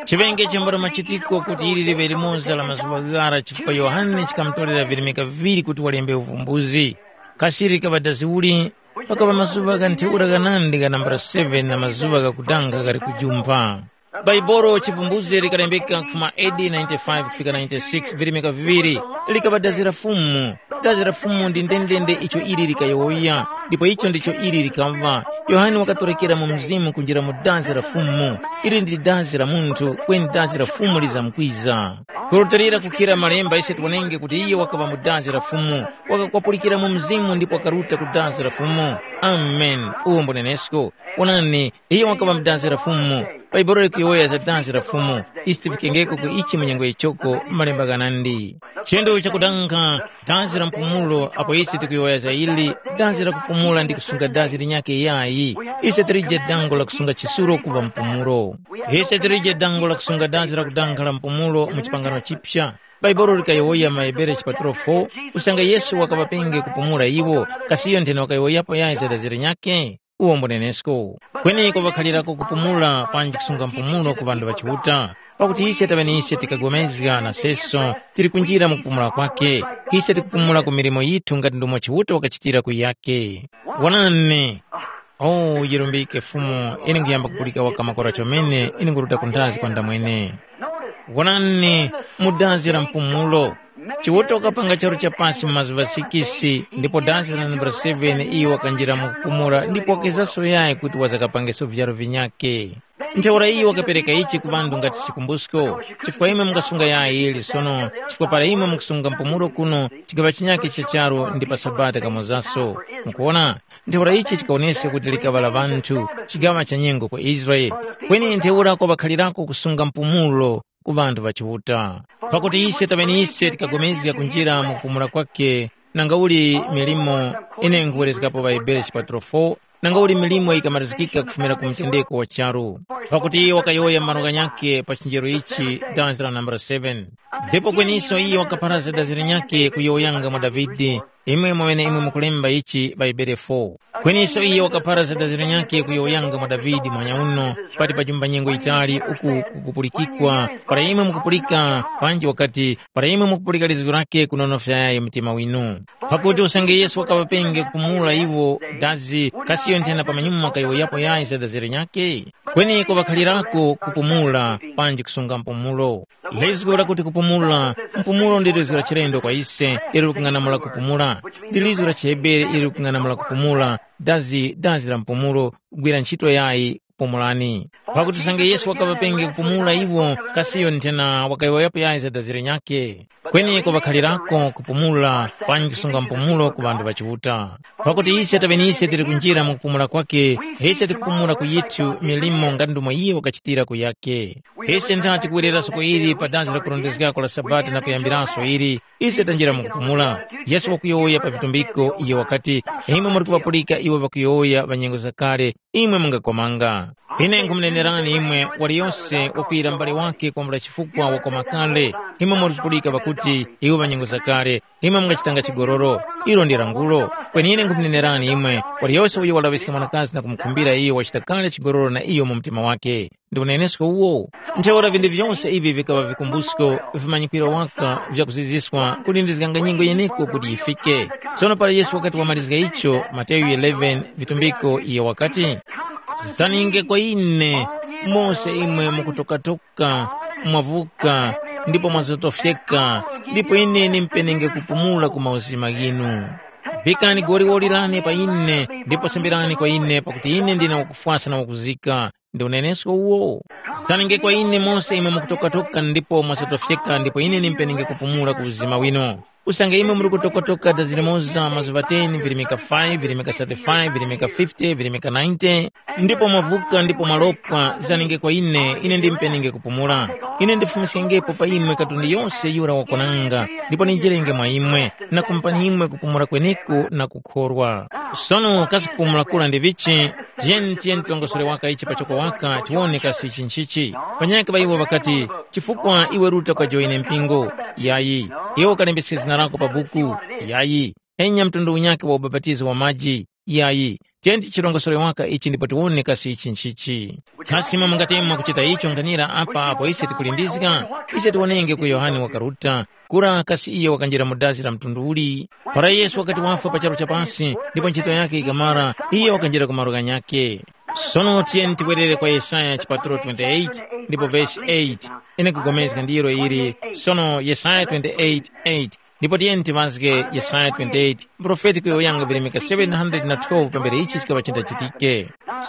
Chiŵenge chambula machitiko kuti ili liŵe limoza la mazuŵa ghara chifukwa Yohane chikamutorera virimika viŵiri kuti walembe uvumbuzi. Kasi likaŵa dazi uli? Pakaŵa mazuŵa gha ntheura ghanandi gha nambala seven na mazuŵa ghakudanga ghali kujumpha. Baibolo chivumbuzi likalembeka kufuma A D ninety-five kufika ninety-six virimika viŵiri, likaŵa dazi la Fumu. Dazi la Fumu ndi ndendende icho ili likayowoya, ndipo icho ndicho ili likaŵa. Yohane wakatorekera mu mzimu kunjira mu dazi la Fumu. Ili ndi dazi la munthu, kweni dazi la Fumu lizamkwiza. Kurutilira kukhira malemba ise tiwonenge kuti iye wakaŵa mu dazi la Fumu, wakakwapulikira mu mzimu ndipo wakaruta ku dazi la Fumu. Amen. Uwo mbunenesko. Onani, iyo wakaŵa mu danzi la Fumu. Bhaibuli likuyowoya za danzi la Fumu. Ise tifikengeko ku ichi mu nyengo yichoko malemba ghanandi. Chinthu chakudankha, danzi la mpumulo apo ise tikuyowoya za ili, danzi la kupumula ndi kusunga danzi linyakhe yayi. Ise tilije dango la kusunga chisulo kuŵa mpumulo. Ise tilije dango la kusunga danzi lakudankha la mpumulo mu chipangano chipya. Bhaibuli likayowoya mu Ahebere chipatulo four, kusanga Yesu wakaŵapenge kupumula iwo, kasi iyo nthene wakayowoyapo yayi za danzi linyakhe? Uwo mbunenesko. Kweni kwapakhalirako kupumula panji kusunga mpumulo ku ŵanthu ŵa Chiuta. Pakuti ise taŵe ni ise tikagomezga na seso tili kunjira mu kupumula kwakhe. Ise tikupumula ku milimo yithu ngati ndomwe Chiuta wakachitira ku yake. Wonani! O, yirumbike Fumu, ine nkuyamba kupulika waka makora chomene, ine nkuruta ku nthazi kwa ndamwene. Wonani, mu danzi la mpumulo. Chiuta wakapanga charu cha pasi mu mazuŵa sikisi, ndipo danzi la nambala seven iyo wakanjira mu kupumula ndipo wakezanso yayi kuti wazakapangeso vyaro vinyakhe. Ntheura iyo wakapereka ichi ku ŵanthu ngati chikumbusko, chifukwa imwe mungasunga yayi ili sono, chifukwa para imwe mukusunga mpumulo kuno, chigaŵa chinyakhe cha charu ndi pa Sabata kamozaso. Mukuwona? Ntheura ichi chikawoneska kuti likaŵa la ŵanthu, chigaŵa cha nyengo kwa Israele. Kweni ntheura kwapakhalirako kusunga mpumulo ku ŵanthu ŵa Chiuta. Pakuti ise taŵe ni ise tikapulikana kunjira mu kupumula kwakhe, nangauli milimo, ine nkhuwerezgapo ŵaHebere chipatulo four, nangauli milimo yikamalizikika kufumira ku mtendeko wa charu. Pakuti iyo wakayowoya malo ghanyakhe pa chinjero ichi danzi la nambala seven. Ndipo kweniso iyo wakapharazga danzi linyakhe kuyowoyanga mwa Davide, Imwe mweneimwe mukulemba ichi Bhaibuli fo. Kweniso iyo wakaphara za daziro nyakhe kuyowoyanga mwa Davide muhanya uno, pati pajumba nyengo yitali uku kukupulikikwa, para imwe mukupulika, panji wakati, para imwe mukupulika lizgu lakhe kunonofyayayi mtima winu. Pakuti usange Yesu wakaŵapenge kupumula iwo dazi, kasi iyo nthena pamanyuma kayowoyapo yayi za daziro nyakhe? Kweni kuŵakhalirako kupumula, panji kusunga mpumulo. Lizgu lakuti kupumula, mpumulo ndi lizgu la chilendo kwa ise, ilo likung'anamula kupumula. Ndi lizgu la chiHebere ilo likung'anamula kupumula, dazi, dazi la mpumulo, kugwira ntchito yayi, pumulani. Pakuti usange Yesu wakaŵapenge kupumula iwo, kasiyo nthena wakayowoyapo yayi za dazi lenyakhe. Kweni kuŵakhalirako kupumula, panji kusunga mpumulo ku ŵanthu ŵa Chiuta. Pakuti ise taŵenise tili kunjira mu kupumula kwakhe, ise tikupumula ku yithu milimo nga ndumo iyo wakachitira ku yakhe. Ise ntha tikuwereraso ku ili pa dazi la kurondezgako la Sabata na kuyambiraso ili, ise tanjira mu kupumula. Yesu wakuyowoya pa vitumbiko, iyo wakati, “Imwe muri kuŵapulika iwo ŵakuyowoya ŵa nyengo zakale, imwe mungakomanga. Ine nkhumunenerani imwe, waliyose wakwira mbale wakhe kwambula chifukwa wakoma kale. Imwe muri kupulika ŵakuti, iwo ŵa nyengo zakale, imwe mungachitanga chigololo. Ilo ndi langulo. Kweni ine nkhumunenerani imwe, waliyose uyo walaŵiska mwanakazi na kumukhumbira iyo wachita kale chigololo na iyo mu mtima wakhe. Ndi unenesko uwo. Ntheura vinthu vyose ivi vikaŵa vikumbusko, vimanyikwiro waka vyakuziziswa kulindizganga nyengo yeneko kuti yifike. Sono para Yesu wakati wamalizga icho, Mateyu eleven, vitumbiko, iyo wakati, “Zaninge kwa ine, mose imwe mukutokatoka, mwavuka, ndipo mwazotofyeka, ndipo ine ndimpenenge kupumula ku mauzima ghinu. Vikani goliwoli lane pa ine, ndipo semberani kwa ine, pakuti ine ndine wakufwasa na wakuzika.” Ndi unenesko uwo. Zaninge kwa ine mose imwe mukutokatoka ndipo mwasotofyeka ndipo ine ndimpenenge kupumula ku uzima wino. Usange imwe muri kutokatoka dazi limoza mazuŵa ten, virimika five, virimika thirty-five, virimika fifty, virimika ninety, ndipo mwavuka ndipo mwalopwa, zaninge kwa ine, ine ndimpenenge kupumula. Ine ndifumiskengepo pa imwe katundu yose yura wakonanga, ndipo ninjerenge mwa imwe, na kumupani imwe kupumula kweneko na kukhorwa. Sono kasi kupumula kura ndi vichi? Tiyeni tiyeni tirongosore waka ichi pachoko waka tiwone kasi ichi nchichi. Panyakhe ŵa iwo ŵakati, “Chifukwa iwe ruta kwa joine mpingo? Yayi. Iwe ukalembeskere zina lako pa buku? Yayi. Enya mtundu unyakhe wa ubapatizo wa maji? Yayi. Tiyeni tichirongosore waka ichi ndipo tiwone kasi ichi nchichi.” Kasi imwe mungatema kuchita icho nganira apa apo ise tikulindizga? Ise tiwonenge ku Yohane wakaruta, kura kasi iyo wakanjira mu dazi la mtundu uli? Para Yesu wakati wafwa pa charu cha pasi, ndipo ntchito yakhe ikamara, iyo wakanjira ku malo ghanyakhe. Sono tiyeni tiwerere kwa Yesaya chipatulo twenty-eight, ndipo vesi eight. Ine kupulikana ndiro ili, sono Yesaya twenty-eight eight. Ndipo tiyeni tiŵazge Yesaya twenty-eight, mprofeti kuyowoyanga vilemeka seven hundred na twelve pambere ichi chikaŵa chindachitike.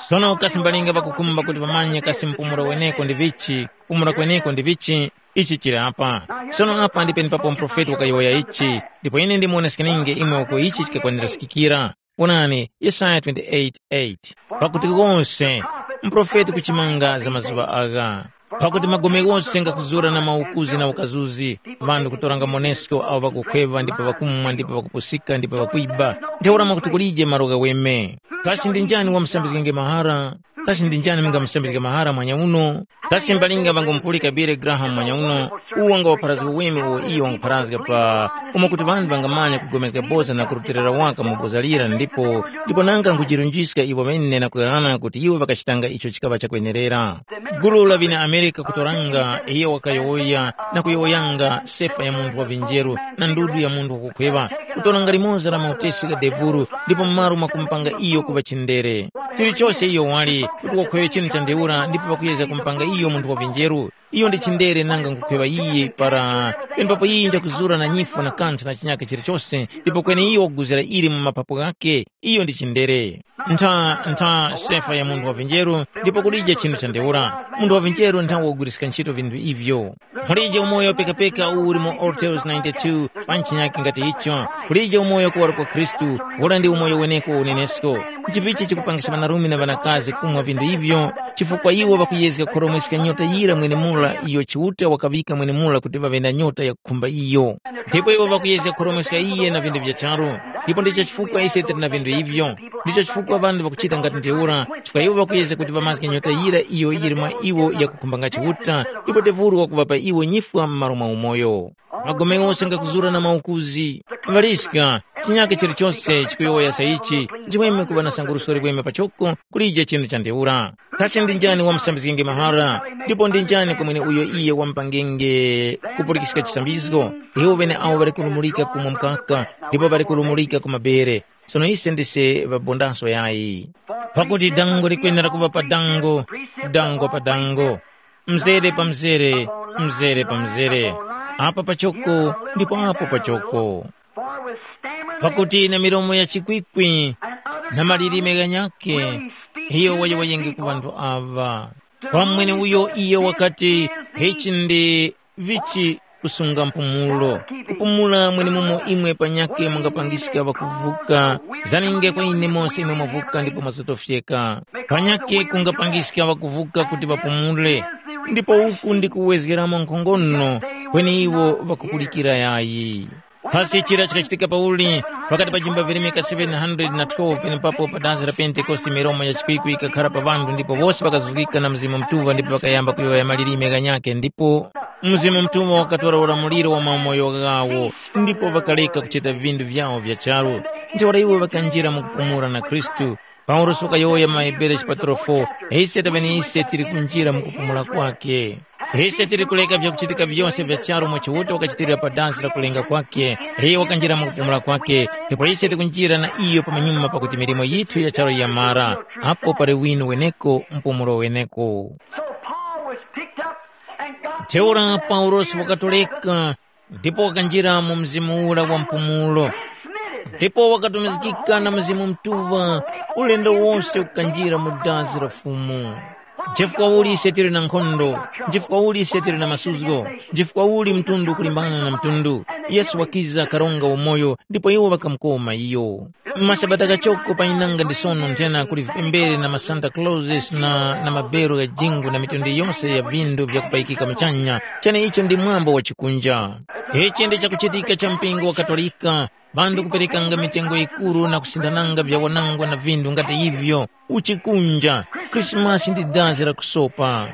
Sono kasi mbalinga ŵakukhumba kuti ŵamanye kasi mpumulo weneko ndi vichi, kupumula kweneko ndi vichi, ichi chili apa. Sono apa ndi penepapo mprofeti wakayowoya ichi, ndipo ine ndimuwoneskeninge imwe uko ichi chikakwaniraskikira. Wonani, Yesaya twenty-eight eight. Pakuti wose mprofeti kuchimanga za mazuŵa agha. Pakuti magome ghose ngakuzura na maukuzi na ukazuzi, ŵanthu kutoranga monesko awo ŵakukhweŵa ndipo ŵakumwa ndipo ŵakupusika ndipo ŵakwiba, ntheura mwakuti kulije malo ghaweme. Kasi ndi njani wamusambizgenge mahara? Kasi ndi njani mungamusambizge mahara mwanyauno? Kasi mbalinga ŵangumupulika Billy Graham mwanyauno, uwo wangawapharazga uweme uwo iyo wangupharazga pa umo kuti ŵanthu ŵangamanya kugomezga boza na kurutilira waka mu boza lira ndipo ndipo nanga nkujirunjiska iwo ŵene na kughana kuti iwo ŵakachitanga icho chikaŵa chakwenerera. Gulu la ŵene Amerika kutoranga iyo wakayowoya na kuyowoyanga sefa ya munthu wa vinjeru na ndudu ya munthu wakukhweŵa, kutoranga limoza la mautesi gha devuru ndipo m'malo mwa kumupanga iyo kuŵa chindere. Chilichose iyo wali kuti wakhweŵe chinu cha ntheura ndipo ŵakuyezga kumupanga iyo munthu wa vinjeru, iyo ndi chindere nanga nkukhweŵa iye para penepapo iye njakuzura na nyifwa na kanthu na chinyaka chilichose ndipo kweni iyo wakuguzira ili mu mapapo ghakhe, iyo ndi chindere. Ntha ntha sefa ya munthu wa vinjeru ndipo kulije chinthu cha ntheura. Munthu wa vinjeru ntha wakuguliska ntchito vinthu ivyo. Mulije umoyo pekapeka uwu uli mu Ortels ninety-two pa ntchinyake ngati icho. Kulije umoyo kuwaro kwa Khristu, ura ndi umoyo weneko wa unenesko. Nchivichi chikupangisa ŵanarume na ŵanakazi kumwa vinthu ivyo? Chifukwa iwo ŵakuyezga kukhoromweska nyota yira mwenemura iyo Chiuta wakaŵika mwenemura kuti ŵaŵe na nyota yakukhumba iyo. Ndipo iwo ŵakuyezga kukhoromweska iye na vinthu vya charu. Ndipo ndicho chifukwa ise tili na vinthu ivyo. Ndicho chifukwa ŵanthu ŵakuchita ngati ntheura, chifukwa iwo ŵakuyezga kuti ŵamazge nyota yira iyo yili mwa iwo yakukhumbanga Chiuta, ndipo Devuro wakuŵapa iwo nyifwa m'malo mwa umoyo. Magome ghose ngakuzura na maukuzi. Ŵaliska, Chinyake chilichose chikuyowoya sa ichi, nchimweme kuŵa na sangurusko liweme pachoko kulije chinu cha ntheura. Kasi ndi njani wamusambizgenge mahara, ndipo ndi njani kwa mweneuyo iyo wamupangenge kupulikiska chisambizgo? Iwo ŵeneawo ŵali kulumulika kumwa mkaka, ndipo ŵali kulumulika ku mabere. Sono ise ndise ŵabondaso yayi. Pakuti dango likwenera kuŵa pa dango, dango pa dango, mzere pa mzere, mzere pa mzere, apa pachoko ndipo apo pachoko. Pakuti na milomo ya chikwikwi na malilime ghanyakhe, iyo wayowoyenge ku ŵanthu aŵa. Kwa mweneuyo iyo wakati, ichi ndi vichi kusunga mpumulo. Kupumula mwenemumo imwe panyakhe mungapangiska ŵakuvuka, zaninge kwa ine mose imwe mwavuka ndipo mwazotofyeka. Panyakhe kungapangiska ŵakuvuka kuti ŵapumule, ndipo uku ndi kuwezgeramo nkhongono kweni iwo ŵakupulikira yayi. Pasi chira chikachitika pauli pakati pa jimba virimika seven hundred na twelve penepapo pa dansi la Pentekoste milomo ya chikwikwi ikakhara pa ŵanthu ndipo wose ŵakazuzgika na Mzimu Mutuŵa ndipo ŵakayamba kuyowoya malilime ghanyakhe ndipo Mzimu Mutuŵa wakatora ulamuliro wa mamoyo ghawo ndipo ŵakareka kuchita vindu vyawo vya charu. Ntheura iwo ŵakanjira mu kupumula na Khristu. Paulosi wakayowoya mu maHebere chipatulo four, ise taŵene ise tili kunjira mu kupumula kwakhe. Ise tili kuleka vyakuchitika vyose vya charu mwa Chiuta wakachitirira pa dansi la kulenga kwakhe, iyo wakanjira mu kupumula kwakhe, ndipo ise tikunjira na iyo pamanyuma pakuti milimo yithu ya charu yamara, apo pali wino weneko mpumulo weneko. So Paul was picked up and got Ntheura Paulosi wakatoleka ndipo wakanjira mu mzimu ura wa mpumulo, ndipo wakatumizgika na Mzimu Mutuŵa ulendo wose kukanjira mu dazi la Fumu. Nchifukwa uli ise tili na nkhondo? Nchifukwa uli ise tili na masuzgo? Nchifukwa uli mtundu ukulimbana na mtundu? Yesu wakiza karonga umoyo ndipo iwo ŵakamukoma iyo. Masabata kachoko panyinanga ndi sono nthena kuli vipembere na masanta clauses na, na mabero gha jingu na mitundu yose ya vindu vyakupayikika muchanya, cheneicho ndi mwambo wa chikunja. Ichi ndi chakuchitika cha mpingo wa Katolika, ŵanthu kuperekanga mitengo yikuru na kusinthananga vyawanangwa na vindu ngati ivyo, uchikunja. Krismasi ndi dazi la kusopa.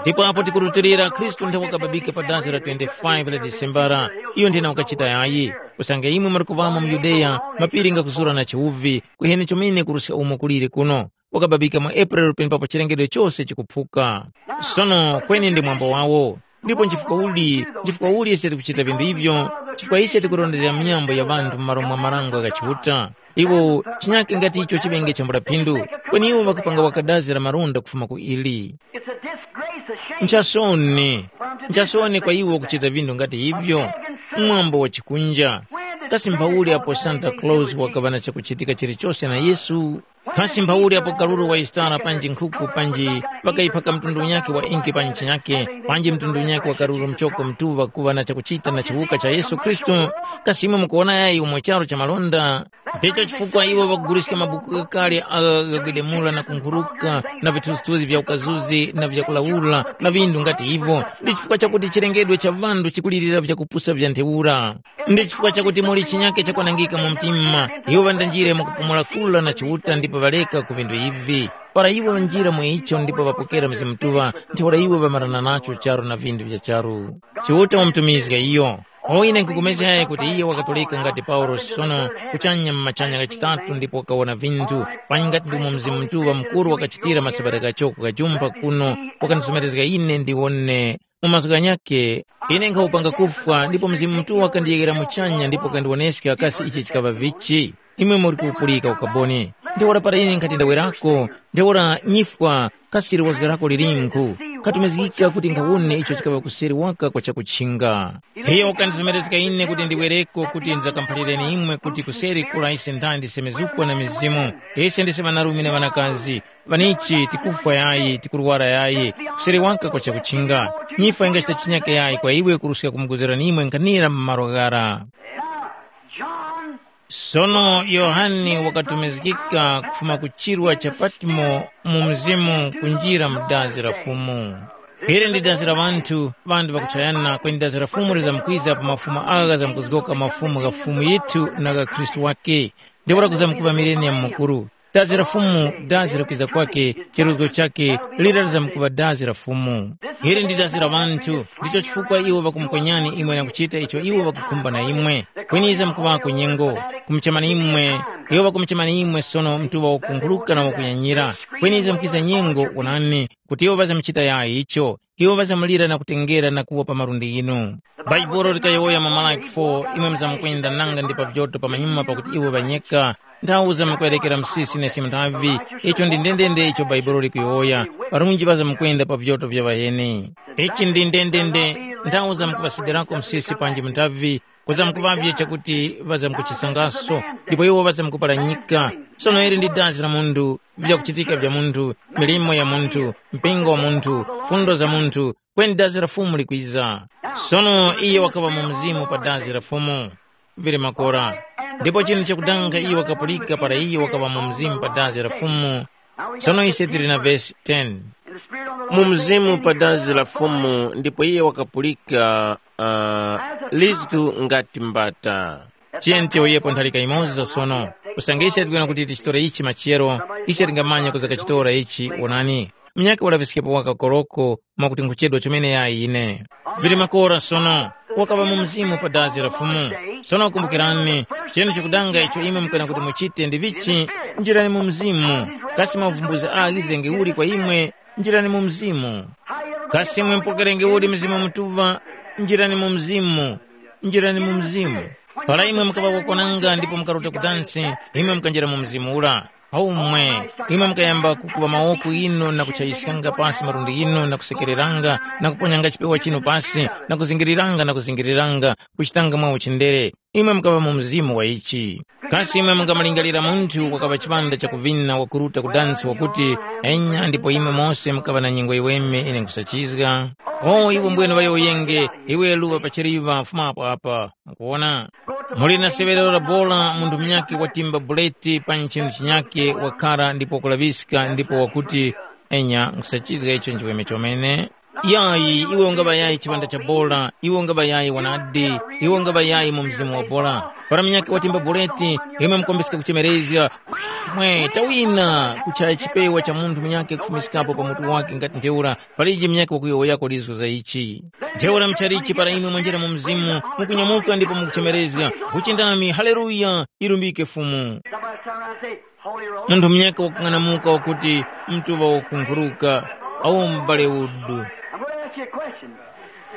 Ndipo apo tikurutilira Khristu ntha wakababika pa dazi la twenty-five la Disembara, iyo nthena wakachita yayi. Kusanga imwe muli kuŵamo mu Yudeya, mapiri ngakuzura na chiwuvi, kweni chomene kuruska umo kuliri kuno. Wakababika mu April penepapo chilengedwe chose chikuphuka. Sono kweni ndi mwambo wawo. Ndipo nchifukwa uli, nchifukwa uli ise tikuchita vinthu ivyo? Chifukwa ise tikurondezga minyambo ya ŵanthu m'malo mwa marango gha Chiuta. Iwo chinyake ngati icho chiŵenge chambula phindu, kweni iwo ŵakupanga wakadazi la malonda kufuma ku ili. It's a disgrace, a shame. Nchasoni, nchasoni kwa iwo kuchita vinthu ngati ivyo. Mwambo wa chikunja. Kasi mphawuli apo Santa Claus wakaŵa na chakuchitika chilichose na Yesu? Kasi mphawuli apo kaluru wa Yustara panji nkhuku panji ŵakayiphaka mtundu unyakhe wa inki pa ntchi yakhe, panji mtundu unyakhe wa kaluru mchoko mtuŵa kuŵa na chakuchita na chiwuka cha Yesu Khristu? Kasi imwe mukuwona yayi umo charu cha malonda? Ndicho chifukwa iwo ŵakuguliska mabuku ghakale agha ghagwedemula na kunkhuruka na vithunzithunzi vya ukazuzi na vyakulawula na vindu ngati ivo, ndi chifukwa chakuti chilengedwe cha ŵanthu chikulirira vyakupusa vya ntheura. Ndi chifukwa chakuti muli chinyake chakwanangika mu mtima, iwo ŵandanjire mu kupumula kura na Chiuta ndipo ŵareka ku vindu ivi. Para iwo ŵanjira mu icho ndipo ŵapokera Mzimu Mutuŵa, ntheura iwo ŵamarana nacho charu na vindu vya charu. Chiuta wamutumizga iyo. Oine nkupulikana kuti iyo wakatoleka ngati Paulosi sono kuchanya mu machanya ghachitatu ndipo wakawona vinthu, panyi ngati ndimo Mzimu Mutuŵa Mukuru wakachitira masabata ghachoko ghajumpa kuno, wakandisomerezga ine ndiwone. Mu mazgu ghanyakhe, ine nkhawupanga kufwa ndipo Mzimu Mutuŵa wakandiyeghera muchanya ndipo wakandiwoneska kasi ichi chikaŵa vichi. Imwe muri kupulika ukaboni. Ntheura para ine nkhati ndawerako, ntheura nyifwa kasi liwazga lako lilinkhu? Khatumizgika kuti nkhawone icho chikaŵa kuseri waka kwa chakutchinga. Iyo wakandizomerezga ine kuti ndiwereko kuti ndizakamphalireni imwe kuti kuseri kula ise nthandi ndisemezukwa na mizimu. Ise ndise ŵanarume na ŵanakazi, ŵanichi tikufwa yayi, tikurwara yayi, kuseri waka kwa chakutchinga. Nyifwa ingachita chinyake yayi kwa iwe kuruska kumuguzirani imwe nkhanira mu malo ghara. Now, John Sono Yohane wakatumizgika kufuma ku chirwa cha Patimo mu mzimu kunjira mu dazi la Fumu. Ili ndi dazi la ŵanthu, ŵanthu ŵakuchayana, kweni dazi la Fumu lizamkwiza pa mafumu agha ghamkuzgoka mafumu gha Fumu yithu na gha Khristu wakhe, ndipo lakuzamkuŵa mileniya mukuru. Dazi la Fumu, dazi la kwiza kwakhe, chiruzgo chakhe, lira lizamkuŵa dazi la Fumu. Ili ndi dazi la ŵanthu, ndicho chifukwa iwo ŵakumukwenyani imwe na kuchita icho iwo ŵakukhumba na imwe. Kweni yizamkuŵako nyengo. Kumuchemani imwe, iwo ŵakumuchemani imwe sono mtuŵa wakunkhuruka na wakuyanyira. Kweni izo mukwiza nyengo, wonani, kuti iwo ŵazamuchita yayi icho. Iwo ŵazamulira na kutengera na kuwa pa malundi ghinu. Bhaibuli likayowoya mu Malaki four, imwe muzamkwenda nanga ndi pa vyoto pamanyuma pakuti iwo ŵanyeka. Nthawi zamukwerekera msisi nesi muthavi. Icho ndi ndendende icho Bhaibuli likuyowoya. Parunji ŵazamkwenda pa vyoto vya ŵaheni. Ichi ndi ndendende. Nthawi zamkuŵasidirako msisi panji muthavi, kuzamkuŵavye chakuti ŵazamkuchisangaso, ndipo iwo ŵazamkupalanyika. Sono ili ndi dazi la munthu, vyakuchitika vya munthu, milimo ya munthu, mpingo wa munthu, fundo za munthu, kweni dazi la Fumu likwiza. Sono iye wakaŵa mu mzimu pa dazi la Fumu. Vili makora. Ndipo chinthu chakudanga iye wakapulika para iye wakaŵa mu mzimu pa dazi la Fumu. Sono ise tili na vesi ten. Mu mzimu pa dazi la Fumu ndipo iye wakapulika uh, lizgu ngati mbata. Tiyeni tiyowoyepo ntharika imoza sono. Usange ise tikuyena kuti tichitore ichi machiyero, ise tingamanya kuzakachitora ichi. Wonani, munyakhe ulaŵiskepo waka koroko mwakuti nkhuchedwa chomene yayi ine. Vili makora sono, wakaŵa mu mzimu pa dazi la Fumu. Sono kumbukirani, chinu chikudanga icho imwe mukana kuti muchite ndi vichi, njirani mu mzimu. Kasi mavumbuzi aghi zenge uli kwa imwe, njirani mu mzimu. Kasi imwe mupokerenge uli Mzimu Mutuŵa, njirani mu mzimu, njirani mu mzimu. Para imwe mukaŵa kokwananga ndipo mukaruta kudansi, imwe mukanjira mu mzimu ura. Aumwe, imwe mukayamba kukuŵa mawoko inu na kuchayiskanga pasi malundi inu na kusekereranga na kuponyanga chipewa chinu pasi na kuzingiriranga na kuzingiriranga, kuchitanga mwa uchindere. Imwe mukaŵa mu mzimu wa ichi. Kasi imwe mungamalingalira munthu wakaŵa chipanda chakuvina wakuruta kudansi wakuti, enya ndipo imwe mose mukaŵa na nyengo yiweme ine nkhusachizga? O iwe mbwene ŵayowoyenge, iwe luŵa pachiriŵa fumapo apa. Mukuwona? Muli na seŵerero la bora munthu munyakhe watimba buleti pa nchinu chinyakhe wakhara ndipo kulaŵiska ndipo wakuti, enya nkhusachizga icho nchiweme chomene. Yayi, iwe ungaŵa yayi chipanda cha bora, iwe ungaŵa yayi wanadi, iwe ungaŵa yayi mu mzimu wa bora. Para munyakhe watimba buleti, imwe mukombeska kuchemerezga, mwe tawina kuchaya chipewa cha munthu munyakhe kufumiskapo pa mutu wake ngati ntheura, palije munyakhe wakuyowoyako lizgu za ichi. Ntheura muchalichi para imwe mwanjira mu mzimu, mukunyamuka ndipo mukuchemerezga, uchindami, haleluya, ilumbike Fumu. Somebody turn around and say, Holy Roll. Munthu munyaka wakung'anamuka wakuti, mtuŵa wakunkhuruka, awu m'bale udu. I'm going to ask you a question.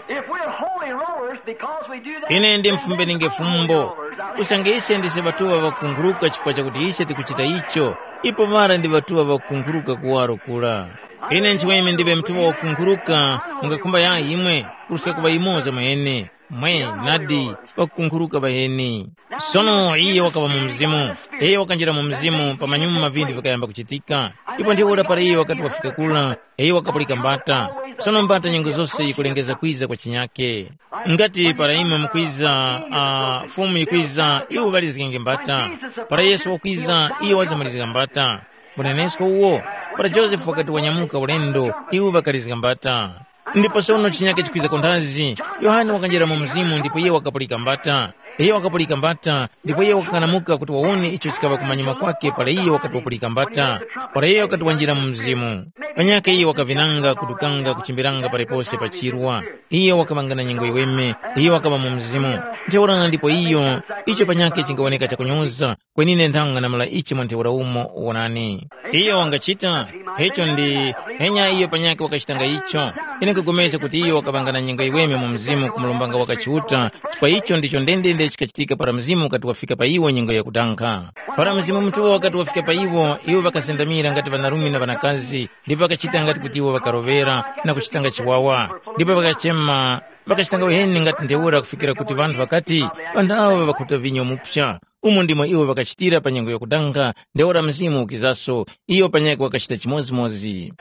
If we're holy rollers because we do that, Ine ndi then mfumbeninge there's no holy fumbo. Rollers out here. Usange ise ndise ŵatuŵa ŵakunkhuruka chifukwa chakuti ise tikuchita icho, ipo ŵara ndi ŵatuŵa ŵakunkhuruka kuwaro kura. Ine nchiweme ndiŵe mtuŵa wakunkhuruka, mungakhumba yayi imwe, kuruska kuŵa yumoza mwene. Mwe, nadi, ŵakunkhuruka ŵaheni. Sono iye wakaŵa mu mzimu. Iye wakanjira mu mzimu pamanyuma vinthu vikayamba kuchitika. Ndipo ntheura para iye wakati wafika kula, iye wakapulika mbata. Sono mbata nyengo zose yikulengeza kwiza kwa chinyake. Ngati para imwe mukwiza, uh, Fumu yikwiza, iwo ŵalizgenge mbata. Para Yesu wakwiza, iye wazamalizga mbata. Munenesko uwo, para Josefe wakati wanyamuka ulendo, iwo ŵakalizga mbata. Ndipo sono chinyake chikwiza kunthazi, Yohane wakanjira mu mzimu ndipo iye wakapulika mbata. Iye wakapulika mbata, ndipo iye wakakanamuka kuti wawone icho chikaŵa kumanyuma kwake para iye wakati wapulika mbata, para iye wakati wanjira mu mzimu. Panyakhe iye wakavinanga, kudukanga, kuchimbiranga palipose pa chirwa. Iye wakaŵanga na nyengo yiweme, iye wakaŵa mu mzimu. Ntheura ndipo iyo, icho panyakhe chingawoneka chakunyoza, kweni ine nthanga namala ichi mwa ntheura umo, wonani. Iyo wangachita, icho ndi, enya iyo panyakhe wakachitanga icho. Ine nkupulikana kuti iyo wakaŵanga na nyengo yiweme mu mzimu kumulombanga waka Chiuta, chifukwa icho ndicho ndendende chikachitika para mzimu ukati wafika pa iwo nyengo yakudankha. Para Mzimu Mutuŵa wakati wafika pa iwo, iwo ŵakazendamira ngati ŵanarume na ŵanakazi, ndipo ŵakachita ngati kuti iwo ŵakaroŵera na kuchitanga chiwawa. Ndipo ŵakachema, ŵakachitanga uheni ngati ntheura kufikira kuti ŵanthu ŵakati, ŵanthu aŵa ŵakhuta vinyo mupsa. Umo ndimo iwo ŵakachitira pa nyengo yakudankha, ntheura Mzimu ukizaso, iyo panyakhe wakachita chimodzimodzi.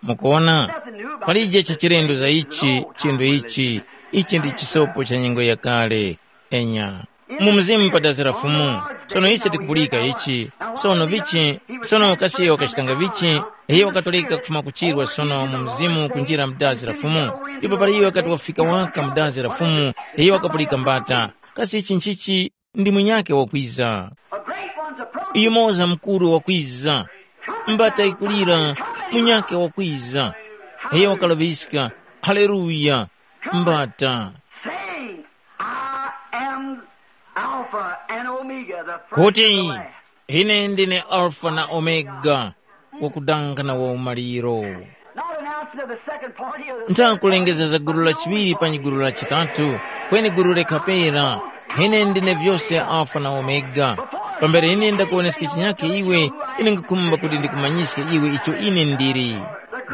Mukuwona? Palije chachilendo za ichi, chinthu ichi, ichi ndi chisopo cha nyengo yakale. Enya. Mu mzimu pa dazi la Fumu. Sono ise tikupulika ichi. Sono vichi, sono kasi iyo wakachitanga vichi, iyo wakatoleka kufuma kuchirwa sono mu mzimu kunjira mu dazi la Fumu. Ndipo para iyo wakati wafika waka mu dazi la Fumu, iyo wakapulika mbata. Kasi ichi nchichi? Ndi munyakhe wakwiza. A great one's approaching. Yumoza mkuru wakwiza. Mbata ikulira, munyakhe wakwiza. Iyo wakalaŵiska, haleluya, mbata. Saying, I am Alpha Alpha and Omega, the first and the kuti last. Ine ndine Alfa na Omega, wakudanga na waumaliro. Not announcing of the second party of the third party. Nthakulengeza za gulu la chiŵiri panyi gulu la chitatu, kweni gulu lekhapera. Ine ndine vyose Alfa na Omega. Pambere ine ndakuwoneska chinyakhe iwe, ine ngakhumba kuti ndikumanyiske iwe icho ine ndili.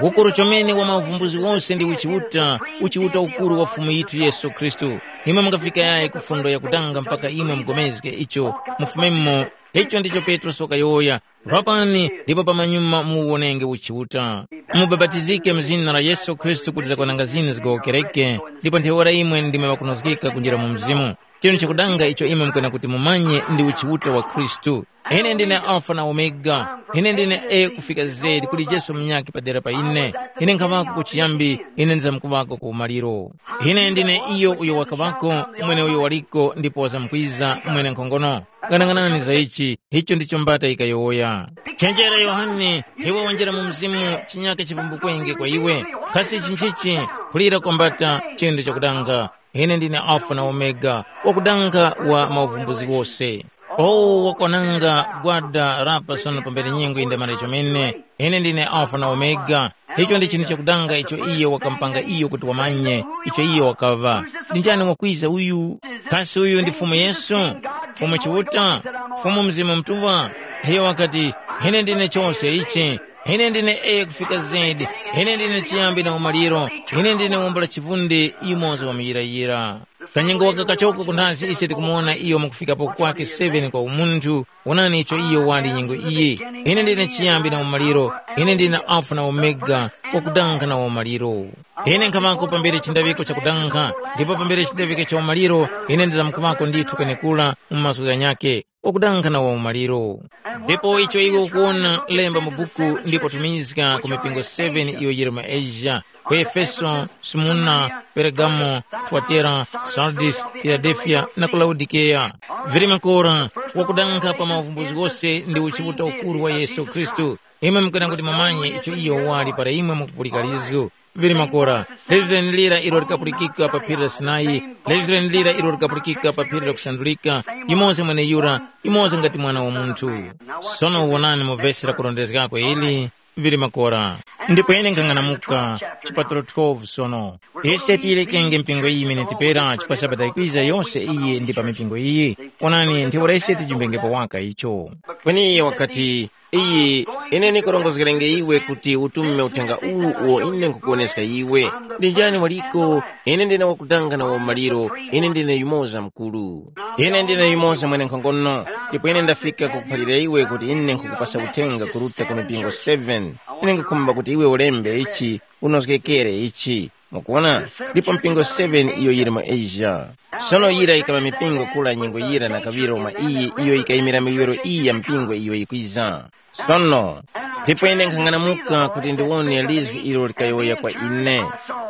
Ukuru chomene wa mavumbuzi wose ndi uchiuta, uchiuta ukuru wa Fumu yithu Yesu Khristu. Imwe mungafika yayi ku fundo yakutanga mpaka imwe mugomezge icho, mufumemo. Icho ndicho Petrosi wakayowoya. Rapani, ndipo pamanyuma muwonenge uchiuta. Mubapatizike mu zina la Yesu Khristu kuti zakwananga zinu zigowokereke, ndipo ntheura imwe ndimwe ŵakunozgeka kunjira mu Mzimu. Chinu chakudanga icho imwe mukwena kuti mumanye ndi uchiuta wa Khristu. Ine ndine Alfa na Omega, ine ndine A kufika Z, kuli Yesu munyakhe padera pa ine. Ine nkhaŵako kuchiyambi, ine ndizamkuŵako ku umaliro. Ine ndine iyo uyo wakaŵako, mweneuyo waliko, ndipo wazamkwiza, mwenenkhongono. Ghanaghanani za ichi, icho ndicho mbata yikayowoya. Chenjera Yohane, iwe wanjira mu mzimu, chinyaka chipumbukwenge kwa iwe. Kasi ichi nchichi, kulira kwa mbata, chendo chakudanga. Ine ndine Alfa na Omega, wakudanga wa mauvumbuzi wose. O wakwananga gwada rapa sono pambere nyengo yindamara chomene. Ine ndine Alfa na Omega. Icho ndi chinthu chakudanga icho iye wakampanga iyo kuti wamanye icho iye wakaŵa. Ndi njani wakwiza uyu? Kasi uyu ndi Fumu Yesu? Fumu Chiuta? Fumu Mzimu Mutuŵa? Iyo wakati, ine ndine chose ichi. Ine ndine A kufika Z. Ine ndine chiyambi na umaliro. Ine ndine wumbo la chivundi yumoza wa muyirayira. Kanyengo waka kachoko kunthazi ise tikumuwona iyo mukufikapo kwake seven kwa umunthu. Wonani icho iyo wali nyengo iyi. Ine ndine chiyambi na umaliro. Ine ndine Alfa na Omega, wakudanga na umaliro. Ine nkhamako pambere chindawiko chakudankha, ndipo pambere chindawiko cha umaliro ine ndizamkuŵako ndithu kwenekura mu mazgu ghanyakhe, wakudankha na waumaliro. Ndipo icho iwe ukuwona lemba mu buku ndipo tumizga ku mipingo seven iyo yili mu Asia, ku Efeso, Smurna, Pergamo, Tuatera, Sardis, Filadelfiya na ku Laodikeya. Vili makora, wakudankha pa mauvumbuzi ghose ndi uchiuta ukuru wa Yesu Khristu. Imwe mukana kuti mumanye icho iyo wali para imwe mukupulika lizgu. Vili makora, lizgu lenelira ilo likapulikika pa phiri la Sinai, lizgu lenelira ilo likapulikika pa phiri la kusandulika, yumoza mweneyura, yumoza ngati mwana wa munthu. Sono wonani mu vesi lakurondezgako ili, vili makora. Ndipo ine nkhang'anamuka, chipatulo twelve sono. Ise tiyilekenge mpingo iyi imene tipera chifukwa Sabata yikwiza yose iyi ndi pa mipingo iyi. Onani, ntheura ise tijimbengepo waka icho. Kweni iye wakati, iyi, ine ndikurongozgerenge iwe kuti utume uthenga uwu uwo ine nkhukuwoneska iwe. Ndi njani waliko? Ine ndine wakudanga na wamaliro, ine ndine yumoza mkuru. Ine ndine yumoza mwenenkhongono, ndipo ine ndafika kukuphalira iwe kuti ine nkhukupasa uthenga kuruta ku mipingo seven. Ine nkhukhumba kuti iwe ulembe ichi, unozgekere ichi. Mukuwona? Ndipo mpingo seven iyo yili mu Asia. Sono yira yikaŵa mipingo kula nyengo yira na kaŵiro mwa iyi iyo yikayimira miwiro iyi ya mpingo iyo yikwiza. Sono, ndipo ine nkhang'anamuka kuti ndiwone lizgu ilo likayowoya kwa ine.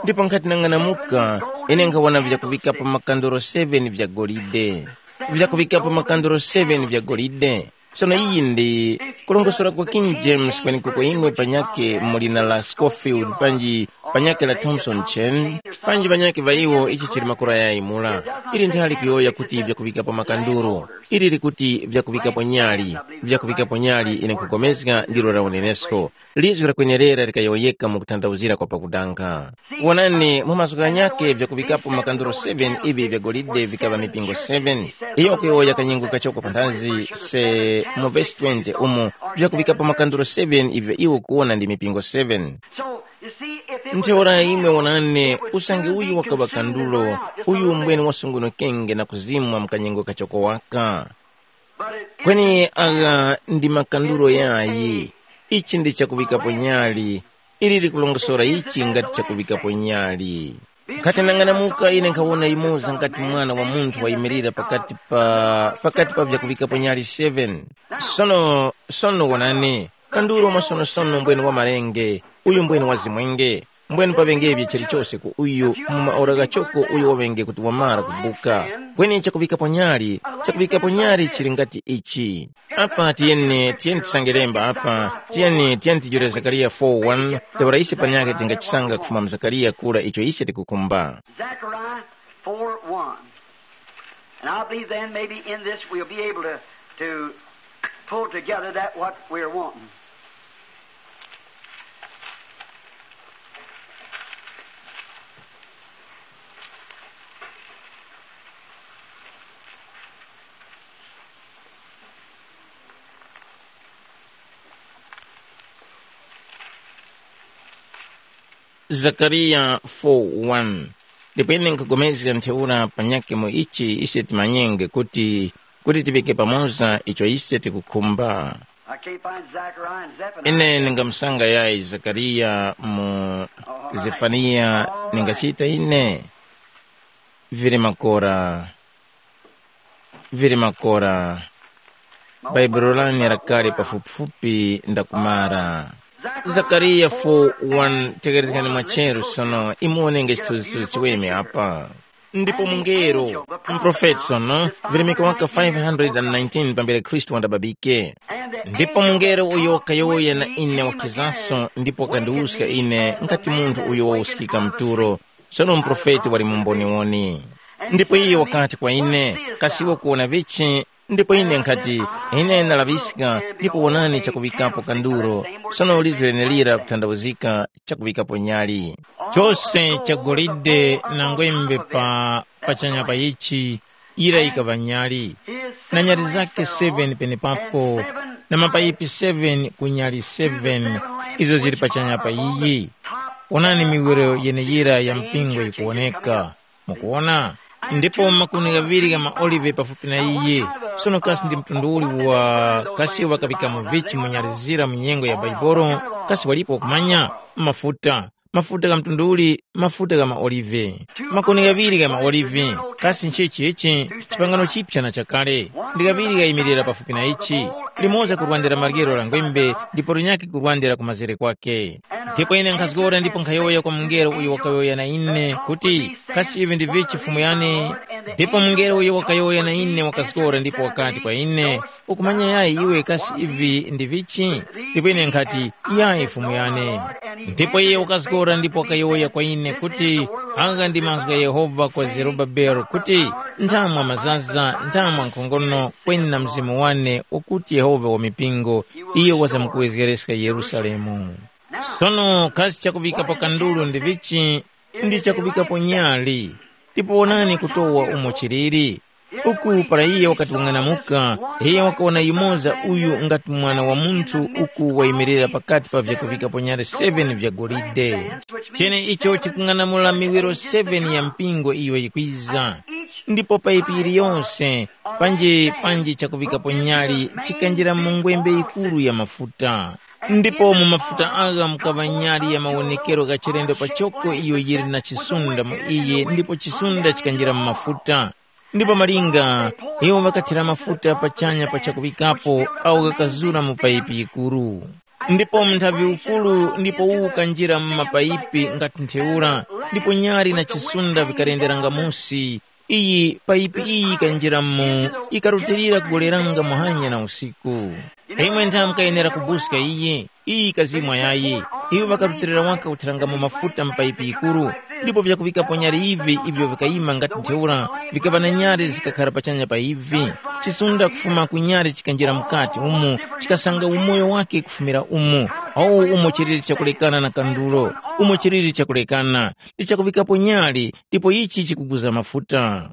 Ndipo nkhati nang'anamuka, ine nkhawona vyakuŵikapo makandoro seven vya golide. Vyakuŵikapo makandoro seven vya golide. Sono iyi ndi kulongosora kwa King James kwenekuko imwe panyake mu lina la Scofield panji panyake la Thompson Chen, panji panyake va iwo ichi chili makora yayi mura. Ili nthali kuyowoya kuti vyakuŵikapo makanduro. Ili likuti vyakuŵikapo nyali, vyakuŵikapo nyali ine nkhupulikana ndilo la unenesko. Lizgu la kwenerera likayowoyeka mu kutanthauzira kwa pakudanga. Wonani, mu mazgu ghanyakhe vyakuŵikapo makanduro seven ivi vya golide vikaŵa mipingo seven. Iyo kuyowoya kanyengo kachoko panthazi se mu vesi twenty umo vyakuŵikapo makanduro seven ivyo iwo kuwona ndi mipingo seven. So, you see, if it was Ntheura imwe wonani, usange uyu wakaŵa kandulo, uyu mbwene wasungunukenge na kuzimwa mu kanyengo kachoko waka. Kweni agha ndi makandulo yayi. Ichi ndi chakuŵikapo nyali. Ili likulongosora ichi ngati chakuŵikapo nyali. Nkhati nang'anamuka ine nkhawona yumoza ngati mwana wa munthu wayimirira pakati pa pakati pa vyakuŵikapo nyali seven. Sono, sono wonani, kandulo mwasonosono mbwene wa malenge, uyu mbwene wa zimwenge, mbwene paŵengevi chilichose ku uyu mu maora ghachoko uyo waŵenge kuti wamara kubuka. Kweni chakuŵikapo nyali, chakuŵikapo nyali chili ngati ichi. Apa tiyeni, tiyeni tisange lemba apa, tiyeni, tiyeni tijule Zakariya four one, ntheura ise panyakhe tingachisanga kufuma mu Zakariya kura icho ise tikukhumba. Zechariah four one. I believe then maybe in this we'll be able to, to pull together that what we're wanting. Zakariya four one. Ndipo ine nkhupulikana ntheura panyakhe mu ichi ise timanyenge kuti, kuti tiŵike pamoza icho ise tikukhumba. I can't find Zechariah and Zephaniah. Ine ndingamusanga yayi Zakariya mu Zefaniya. Ningachita ine. Vili makora. Vili makora. Baibulo lane lakali pafupifupi ndakumara. Zakariya four one, tekerezgani mwacheru sono, imuonenge chithunzithunzi chiweme apa. Ndipo mungelo, mprofeti sono, virimika waka five hundred nineteen pambere Khristu wandababike. Ndipo mungelo uyo wakayowoya na ine wakhizanso ndipo wakandiwuska ine ngati munthu uyo wawuskika mtulo, sono muprofeti wali mumboniwoni. Ndipo iye wakati kwa ine, kasi iwe ukuwona vichi? Ndipo ine nkhati, ine ndalaŵiska, ndipo wonani chakuŵikapo kanduro, sono lizgu lenelira kuthandauzika chakuŵikapo nyali. Chose cha golide na ngwembe pa pachanya pa ichi, yira yikaŵa nyali, na nyali zake seven penepapo, na mapayipi seven ku nyali seven izo zili pachanya pa iyi. Wonani miwiro yeneyira ya mpingo yikuwoneka. Mukuwona? Ndipo makuni ghaŵiri gha maolive pafupi na iye. Sono kasi ndi mtundu uli wa kasi ŵakaŵikamo vichi mu nyali zira mu nyengo ya Baibolo? Kasi walipo wakumanya? Mafuta. Mafuta gha mtundu uli? Mafuta gha maolive. Makuni ghaŵiri gha maolive. Kasi nchichi ichi? Chipangano chipya na chakale. Ndi ghaŵiri ghayimirira pafupi na ichi. Limoza kurwandira maryero la ngwembe, ndipo linyakhe kurwandira ku mazere kwake. Ndipo ine nkhazgora ndipo nkhayowoya kwa mungelo uyo wakayowoya na ine kuti, kasi ivi ndi vichi Fumu yane? Ndipo mungelo uyo wakayowoya na ine wakazgora ndipo wakati kwa ine, ukumanya yayi iwe kasi ivi ndi vichi? Ndipo ine nkhati, yayi Fumu yane. Ndipo iye wakazgora ndipo wakayowoya kwa ine kuti, agha ndi mazgu gha Yehova kwa Zerubabele kuti, nthamwa mazaza, nthamwa nkhongono, kweni na mzimu wane, ukuti Yehova wa mipingo, iyo wazamkuwezgereska Yerusalemu. Sono kasi chakuŵikapo kandulu ndi vichi? Ndi chakuŵikapo nyali. Ndipo wonani kutowa umo chiliri. Uku para iye wakati wang'anamuka, iye wakawona yumoza uyu ngati mwana wa munthu uku wayimirira pakati pa vyakuŵikapo nyali seven vya golide. Cheneicho chikung'anamula miwiro seven ya mpingo iyo yikwiza. Ndipo paipi yiliyonse, panji panji chakuŵikapo nyali chikanjira mu ngwembe yikuru ya mafuta. Ndipo mu mafuta agha mukaŵa nyali ya mawonekero gha chilendo pachoko iyo yili na chisunda mu iye ndipo chisunda chikanjira mu mafuta. Ndipo malinga, iwo ŵakathira mafuta pachanya pa chakuŵikapo awo ghakazura mu payipi yikuru. Ndipo munthavi ukuru ndipo uwu ukanjira mu mapayipi ngati ntheura, ndipo nyali na chisunda vikalenderanga musi. Iyi payipi iyi yikanjira mu, ikarutilira kugoleranga muhanya na usiku. Imwe ntha mukayenera kubuska iyi, iyi ikazimwa yayi. Iwo ŵakarutilira waka kuthirangamo mafuta mu payipi yikuru, ndipo vyakuŵikapo nyali ivi ivyo vikayima ngati ntheura, vikaŵa na nyali zikakhara pachanya pa ivi. Chisunda kufuma ku nyali chikanjira mukati umu, chikasanga umoyo wake kufumira umu. Awu umo chiliri chakulekana na kandulo, umo chiliri chakulekana. Ndi chakuŵikapo nyali, ndipo ichi chikuguza mafuta.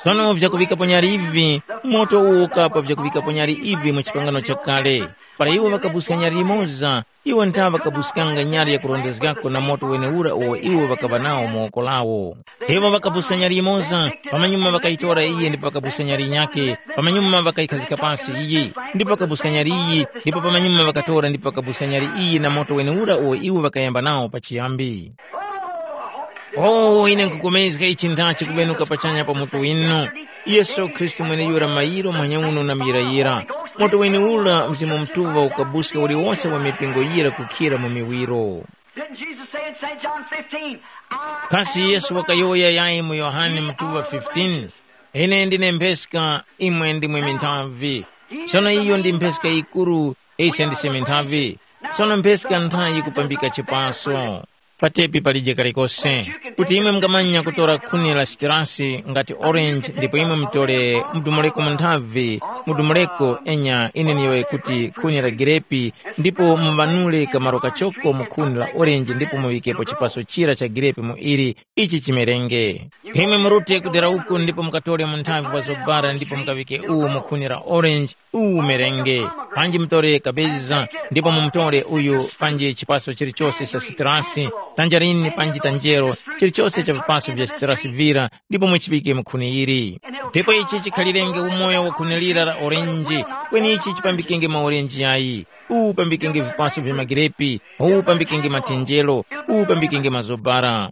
Sono vyakuŵikapo nyali ivi, moto uwo ukapa vyakuŵikapo nyali ivi mu chipangano chakale. Para iwo ŵakabuska nyali yimoza, iwo ntha ŵakabuskanga nyali yakurondezgako na moto wenewura uwo iwo ŵakaŵa nawo mu woko lawo. Iwo ŵakabuska nyali yimoza, pamanyuma ŵakayitora iyi ndipo ŵakabuska nyali yinyakhe, pamanyuma ŵakayikhazika pasi iyi, ndipo ŵakabuska nyali iyi, ndipo pamanyuma ŵakatora ndipo ŵakabuska nyali iyi na moto wenewura uwo iwo ŵakayamba nawo pachiyambi. Oh, ine nkupulikana ichi nthachi kubenuka pachanya pa mutu winu. Yesu Khristu mweneyura mayiro manyauno na muyirayira. Moto wenewura Mzimu Mutuŵa ukabuska uliwose wa mipingo yira kukhira mu miwiro. Didn't Jesus say in Saint John fifteen, "I Kasi am Yesu the wakayowoya yayi mu Yohane mutuŵa fifteen, ine ndine mpheska, imwe ndimwe minthavi. Sono iyo ndi mpheska yikuru, ise ndise minthavi. Sono mpheska ntha yikupambika chipaso." Patepi palije kalikose. Kuti imwe mungamanya kutora khuni la sitirasi ngati orange ndipo imwe mutore mudumuleko mu nthavi, mudumuleko enya ine niyowoye kuti khuni la girepi, ndipo muŵanure kamaro kachoko mu khuni la orange ndipo muŵikepo chipaso chira cha girepi mu ili, ichi chimerenge. Imwe murute kudera uku ndipo mukatore mu nthavi wa zobara ndipo mukaŵike uwu mu khuni la orange, uwu umerenge. Panji mutore kabeza, ndipo mumutore uyu panji chipaso chilichose cha sitrasi, tanjarini panji tanjero, chilichose cha vipaso vya sitrasi vira, ndipo muchiŵike mu khuni yili. Ndipo ichi chikhalirenge umoyo wa khuni lira la orenji, kweni ichi chipambikenge maorenji yayi, uwu upambikenge vipaso vya magirepi, uwu upambikenge mathenjero, uwu upambikenge mazobara.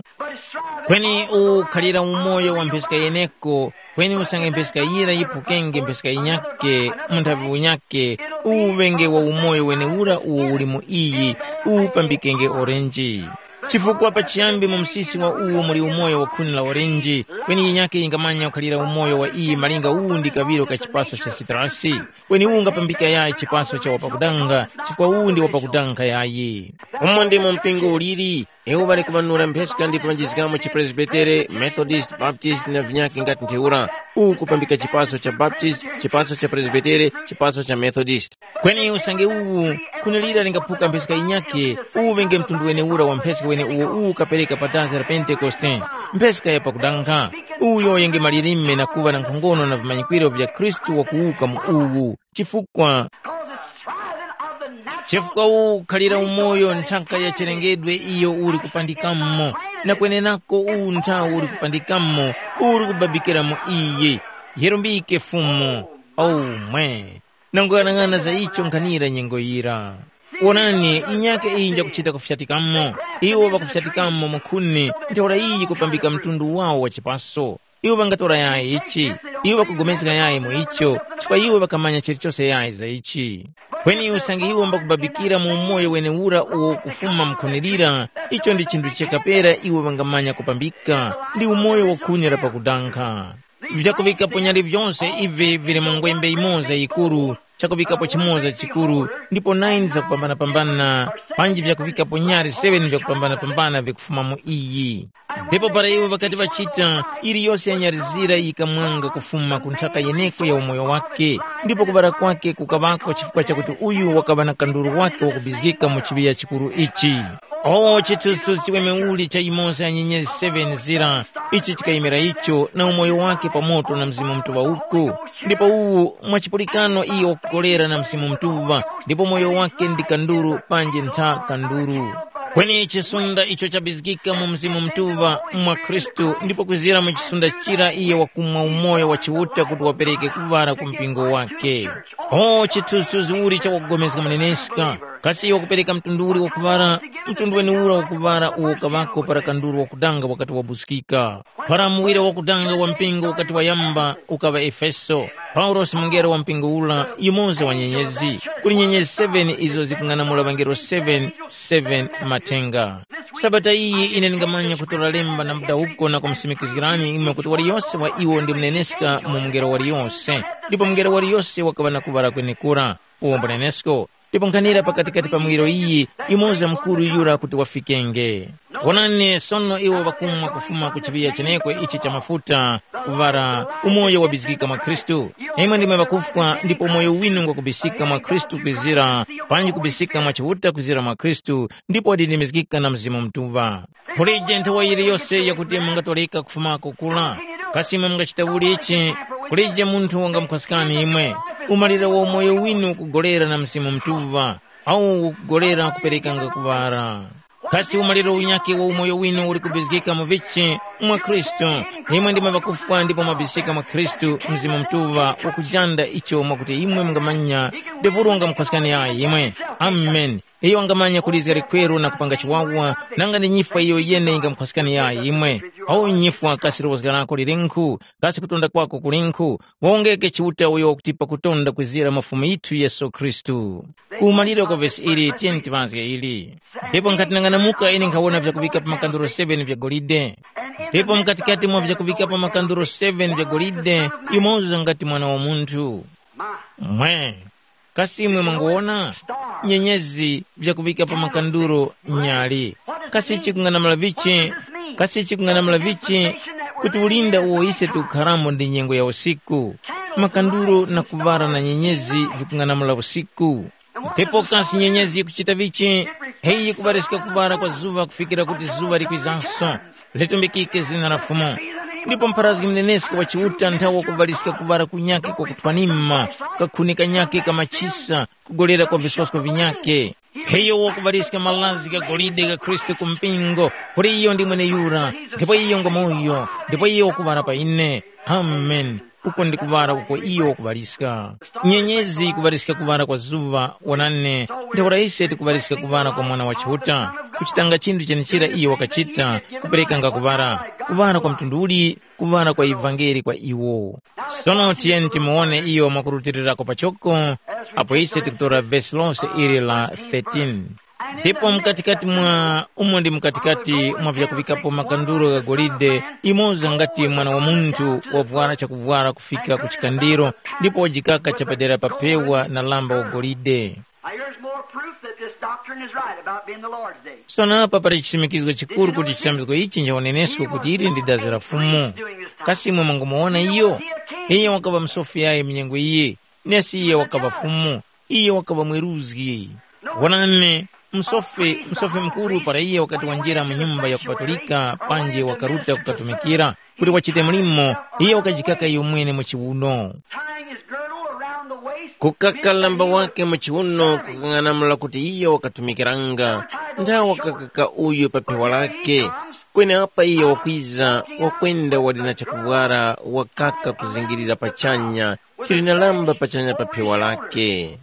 Kweni uwu ukhalira umoyo wa mpheska yeneko, kweni usange mpheska yira yiphukenge mpheska yinyakhe mu nthavi unyakhe, uwu uŵenge wa umoyo weneura uwo uli mu iyi, uwu upambikenge orenji. Chifukwa pachiyambi mu msisi wa uwo muli umoyo wa khuni la orenji, kweni yinyakhe yingamanya kukhalira umoyo wa iyi malinga uwu ndi kaŵiro ka chipaso cha sitrasi, kweni uwu ungapambika yayi chipaso cha wapakudanga, chifukwa uwu ndi wapakudanga yayi. Umo ndimo mpingo uliri, iwo ŵali kuŵanura mpheska ndipo ŵanjizgamo chipresbitere, Methodist, Baptist na vinyakhe ngati ntheura, uwu kupambika chipaso cha Baptist, chipaso cha Presbitere, chipaso cha Methodist. Kweni usange uwu, khuni lira lingaphuka mpheska yinyakhe, uwu ŵenge mtundu weneura wa mpheska wene uwo uwu ukapereka pa dazi la Pentekoste, mpheska ya pakudankha. Uyo yenge malilime na kuŵa na nkhongono na vimanyikwiro vya Khristu wakuwuka mu uwu. Chifukwa chifukwa uwu ukhalira umoyo nthaka ya chilengedwe iyo uli kupandikamo, na kwenenako uwu nthawu uli kupandikamo, uli kubabikira mu iyi. Yerumbike Fumu, omwe. Nanguyang'ana za icho nkhanira nyengo yira. Wonani, inyake iyi njakuchita kufyatikamo. Iwo ŵakufyatikamo mu khuni, ntheura iyi kupambika mtundu wawo wa chipaso. Iwo ŵangatora yayi ichi? Iwo ŵakugomezga yayi mu icho, chifukwa iwo ŵakamanya chilichose yayi za ichi. Kweni usange iwo mbakubabikira mu umoyo wenewura uwo ukufuma mu khuni lira, icho ndi chinthu chakapera iwo ŵangamanya kupambika, ndi umoyo wa khuni la pakudankha. Vyakuŵikapo nyali vyose ivi vili mu ngwembe yimoza yikuru, chakuŵikapo chimoza chikuru, ndipo nine zakupambanapambana, panji vyakuŵikapo nyali seven vyakupambanapambana vikufuma mu iyi. Ndipo para iwo ŵakati ŵachita, yiliyose ya nyali zira yikamwanga kufuma ku nthaka yeneko ya umoyo wake, ndipo kuŵala kwake kukaŵako chifukwa chakuti uyu wakaŵa na kanduru wake wakubizgika mu chiŵiya chikuru ichi. O chithunzithunzi chiweme uli cha yimoza ya nyenyezi seven zira, ichi chikayimira icho na umoyo wake pa moto na Mzimu Mutuŵa uku. Ndipo uwu mwa chipulikano iyo wakukolera na Mzimu Mutuŵa, ndipo moyo wake ndi kanduru panji ntha kanduru. Kweni chisunda icho chabizgika mu Mzimu Mutuŵa mwa Khristu, ndipo kwizira mu chisunda chira iye wakumwa umoyo wa Chiuta kuti wapereke kuŵala ku mpingo wake. O chithunzithunzi uli chakugomezga muneneska, kasi iye wakupereka mtundu uli wakuŵala, mtundu weniura wakuŵala uwo kaŵako para kanduru wakudanga wakati wabuskika. Para muwira wakudanga wa mpingo ukati wayamba ukaŵa Efeso, Paulosi mungelo wa mpingo ula yumoza wa nyenyezi, kuli nyenyezi seven izo zikung'anamula ŵangelo seven, seven mathenga. Sabata iyi ine ndingamanya kutora lemba na mudawuko na kumusimikizgirani imwe kuti waliyose wa iwo ndi muneneska mu mungelo waliyose, ndipo mungelo waliyose wakaŵa na kuŵala kwenekura. Uwo mbunenesko, ndipo nkhanira pakatikati pa muwiro iyi, yumoza mukuru yura kuti wafikenge. Wonani, sono iwo ŵakumwa kufuma ku chiŵiya chenekwe ichi cha mafuta, kuŵala umoyo wabizgika mwa Khristu. Imwe ndimwe ŵakufwa, ndipo umoyo winu ngwakubisika mwa Khristu kwizira, panji kubisika mwa Chiuta kwizira mwa Khristu, ndipo wadindimizgika na Mzimu Mutuŵa. Kulije nthawa yiliyose yakuti mungatoleka kufumako kula. Kasi imwe mungachita uli ichi? Kulije munthu wangamukhwaskani imwe. Umaliro wa umoyo winu ukugolera na Mzimu Mutuŵa, au ukugolera kuperekanga kuŵala. Kasi umaliro unyakhe wa umoyo winu uli kubizgika mu vichi? Mwa Khristu. Imwe ndimwe ŵakufwa ndipo mwabisika mwa Khristu, Mzimu Mutuŵa wakujanda icho mwakuti imwe mungamanya, Debulu wangamukhwaskani yayi imwe. Amen. Iyo wangamanya kulizga likweru na kupanga chiwawa, nanga ndi nyifwa iyo yene yingamukhwaskani yayi imwe. Awu nyifwa kasi lowozga lako lilinkhu, kasi kutonda kwako kulinkhu, wawongeke Chiuta uyo wakutipa kutonda kwizira mwa Fumu yithu Yesu Khristu. Ku maliro kwa vesi ili tiyeni tiŵazge ili. Ndipo nkhati nang'anamuka ine nkhawona vyakuŵika pa makanduro seven vya golide. Ndipo mkatikati mwa vyakuŵika pa makanduro seven vya golide, yumoza ngati mwana wa munthu. Mwe, kasi imwe mwanguwona? Nyenyezi vyakuŵika pa makanduro nyali. Kasi chikung'anamula vichi? Kasi chikung'anamula vichi? Kuti ulinda uwo ise tikukharamo ndi nyengo ya usiku, makanduro na kuŵala na nyenyezi vikung'anamula usiku. Ndipo kasi nyenyezi yikuchita vichi? Heyi yikuŵariska kuŵala kwa zuŵa kufikira kuti zuŵa likwizanso. Litumbikike zina la Fumu. Ndipo mpharazgi mnenesko wa Chiuta nthawe wakuŵariska kuŵala kunyakhe kwa kuthwanima, kakhuni kanyakhe ka machisa, kugolera kwa viswasko vinyakhe. Iyo wakuŵariska malazi gha golide gha Khristu ku mpingo, kuti iyo ndi mweneyura, ndipo iyo ngwa moyo, ndipo iyo wakuŵala pa ine. Amen. Uko ndi kuŵala uko iyo wakuŵariska. Nyenyezi yikuŵariska kuŵala kwa zuŵa, wonani, ntheura ise tikuŵariska kuŵala kwa Mwana wa Chiuta, kuchitanga chinthu chenechira iyo wakachita, kuperekanga kuŵala. Kuŵala kwa mtundu uli? Kuŵala kwa ivangeli kwa iwo. Sono tiyeni timuwone iyo mwakurutirirako pachoko, apo ise tikutora vesi lose ili la thirteen. Ndipo mkatikati mwa umo ndi mkatikati mwa vyakuŵikapo makanduro gha golide, imoza ngati mwana wa munthu wavwara chakuvwara kufika ku chikandiro, ndipo wajikaka chapadera pa pewa na lamba wa golide. Now, here's more proof that this doctrine is right about being the Lord's day. Sono apa pali chisimikizgo chikuru kuti chisambizgo ichi nchawonenesko kuti ili ndi dazi la Fumu. Kasi imwe mwangomuwona iyo? Iye wakaŵa msofi yayi mu nyengo iyi, nesi iye wakaŵa Fumu, iye wakaŵa mweruzgi. Wonani, msofi, msofi mukuru para iye wakati wanjira mu nyumba ya kupatulika panji wakaruta kukatumikira, kuti wachite mlimo, iye wakajikaka iyomwene mu chiwuno. Tying his girdle around the waist, kukaka lamba wake mu chiwuno kukang'anamula kuti iyo wakatumikiranga, nthawe wakakaka uyu pa phewa lake. Kweneapa iyo wakwiza, wakwenda wali na chakuvwara, wakaka kuzingirira pachanya, chili na lamba pachanya pa phewa lake.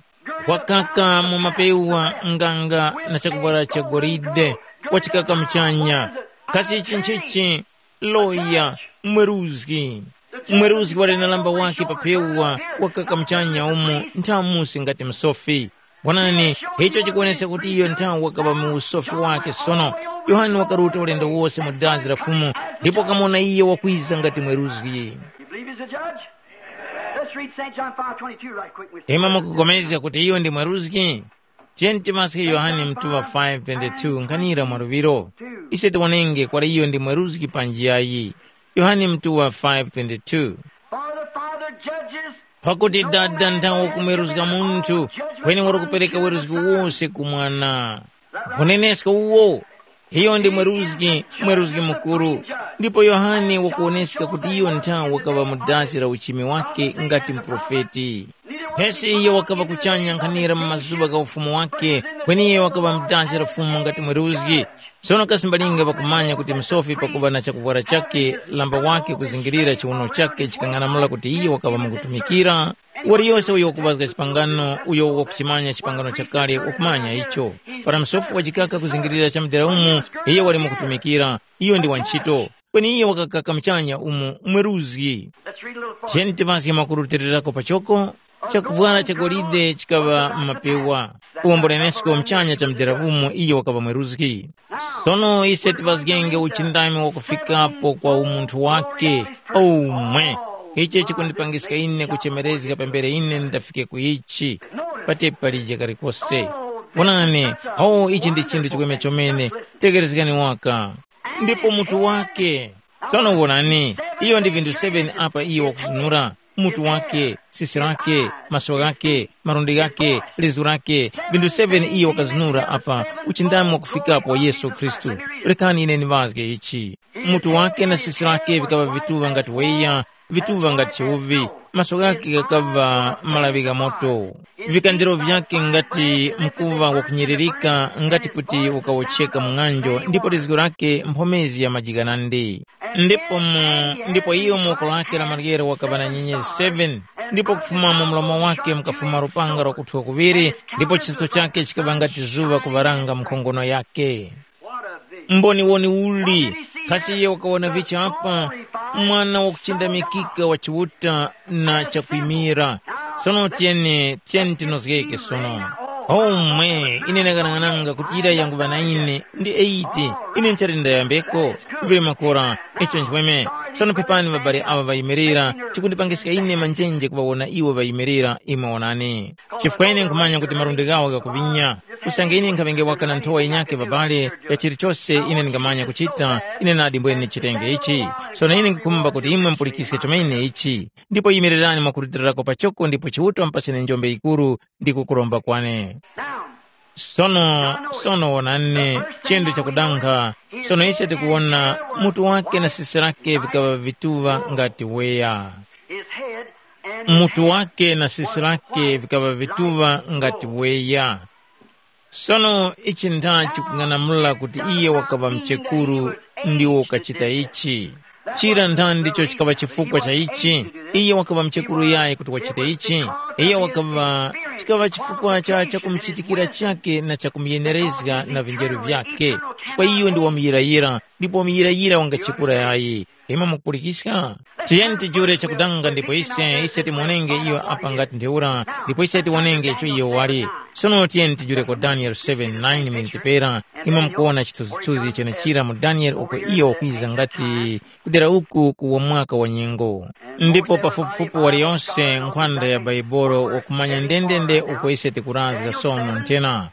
Wakaka mu mapewa nganga na chakuvwara cha golide, wachikaka muchanya. Kasi ichi nchichi? Loya, mweruzgi. Mweruzgi wali na lamba wake pa pewa, wakaka muchanya umo nthamusi ngati msofi. Wonani, icho chikuwonesa kuti iyo nthawi wakaŵa mu usofi wake sono. Yohane wakaruta ulendo wose mu dazi la Fumu, ndipo wakamona iyo wakwiza ngati mweruzgi. You believe he's a judge? Let's read Saint John five twenty-two right quick. Ima mukupulikana kuti iyo ndi mweruzgi? Tiyeni timaske Yohane mtuŵa five twenty-two nkhanira mwa luŵiro. Ise tiwonenge kwali iyo ndi mweruzgi panji yayi. Yohane mtuŵa five twenty-two. For the Father judges. Pakuti Dada nthawe kumweruzga munthu, kweni wali kupereka weruzgi wose ku Mwana. Unenesko uwo, iyo ndi mweruzgi, mweruzgi mukuru. Ndipo Yohane wakuwoneska kuti iyo nthawe wakaŵa mu dasi la uchimi wake ngati muprofeti. Pesi iyo wakaŵa kuchanya nkhanira mu mazuŵa gha ufumu wake, kweni iyo wakaŵa mu dasi la Fumu ngati mweruzgi. Sono kasi mbalinga ŵakumanya kuti msofi pakuŵa na chakuvwara chake, lamba wake kuzingirira chiwuno chake chikang'anamula kuti iyo wakaŵa mukutumikira? Waliyose uyo wakuŵazga chipangano, uyo wakuchimanya chipangano chakale, wakumanya icho. Para msofi wachikaka kuzingirira cha mudera umo, iyo wali mukutumikira, iyo ndi wa nchito. Kweni iyo wakakaka muchanya umo mweruzgi. Let's read a little further. Tiyeni timaske mwakurutilirako pachoko. Chakuvwara cha golide chikaŵa m'mapewa. Uwombolenesko muchanya cha mudera umo iyo wakaŵa mweruzgi. Sono ise tiŵazgenge uchindami wakufikapo kwa umunthu wake. Omwe, ichi chikundipangiska ine kuchemerezga pambere ine ndafike ku ichi. Pati palije kalikose. Wonani, oh, ichi ndi chinthu chikweme chomene. Tekerezgani waka. Ndipo mutu wake. Sono wonani, iyo ndi vinthu seven apa iyo wakuzunura. Mutu wake, sisi lake, maso ghake, malundi ghake, lizu lake, vinthu seven iyo wakazunura apa, uchindami wakufikapo Yesu Khristu. Rekani ine ndiŵazge ichi. Mutu wake na sisi lake vikaŵa vituŵa ngati weya, vituŵa ngati chiwuvi, maso ghake ghakaŵa malaŵi gha moto. Vikandiro vyake ngati mkuŵa wakunyiririka, ngati kuti ukawotcheka mu ng'anjo, ndipo lizgu lake mphomezi ya majikanandi. Ndipo mu, ndipo iyo mu woko lake la maryero wakaŵa na nyenyezi seven, ndipo kufuma mu mlomo wake mukafuma lupanga lwakuthwa kuŵiri, ndipo chisato chake chikaŵa ngati zuŵa kuŵaranga mu nkhongono yake. Mboniwoni uli, kasi iye wakawona vichi apa? Mwana wakuchindamikika wa Chiuta na chakwimira. Sono tiyeni, tiyeni tinozgeke sono. Omwe, ine ndakang'ananga kuti yira yanguŵa na ine ndi eighty, ine nchali ndayambeko. Vili makora, Icho nchweme. Sono pepani ŵabale awa ŵayimirira, chikundipangiska ine manjenje kuŵawona iwo ŵayimirira, imwe wonani. Chifukwa ine nkhumanya kuti malundi ghawo ghakuvinya. Usange ine nkhaŵenge waka na nthowa yinyakhe ŵabale, ya chilichose ine ndingamanya kuchita, ine nadi mbwene ndichitenge ichi. Sono ine nkhukhumba kuti imwe mupulikiske chomene ichi. Ndipo yimirirani mwakurutilirako pachoko ndipo Chiuta wamupaseni njombe yikuru ndi kukuromba kwane. Sono, sono wonani, chendo chakudanga. Sono ise tikuwona mutu wake na sisi lake vikaŵa vituŵa ngati weya. Mutu wake na sisi lake vikaŵa vituŵa ngati weya. Sono ichi ndha chikung'anamula kuti iye wakaŵa mchekuru ndiwo ukachita ichi. Chira ndha ndicho chikaŵa chifukwa cha ichi? Iye wakaŵa mchekuru yayi kuti wachite ichi? Iye wakaŵa chikaŵa chifukwa cha chakumuchitikira chake na chakumuyenerezga na vinjeru vyakhe. Chifukwa iyo ndi wamuyirayira, ndipo wamuyirayira wangachekura yayi. Imwe mukupulikiska? Tiyeni tijure chakudanga ndipo ise, ise timuonenge iyo apa ngati ntheura, ndipo ise tiwonenge icho iyo wali. Sono tiyeni tijureko Daniel seven nine miniti pera, imwe mukuwona chithunzithunzi chenechira mu Daniel uko iyo wakwiza ngati kudera uku ku wamwaka wa nyengo. Ndipo pafupifupi waliyonse nkhwanda ya Baibolo wakumanya ndendende uko ise tikurazga sono nthena.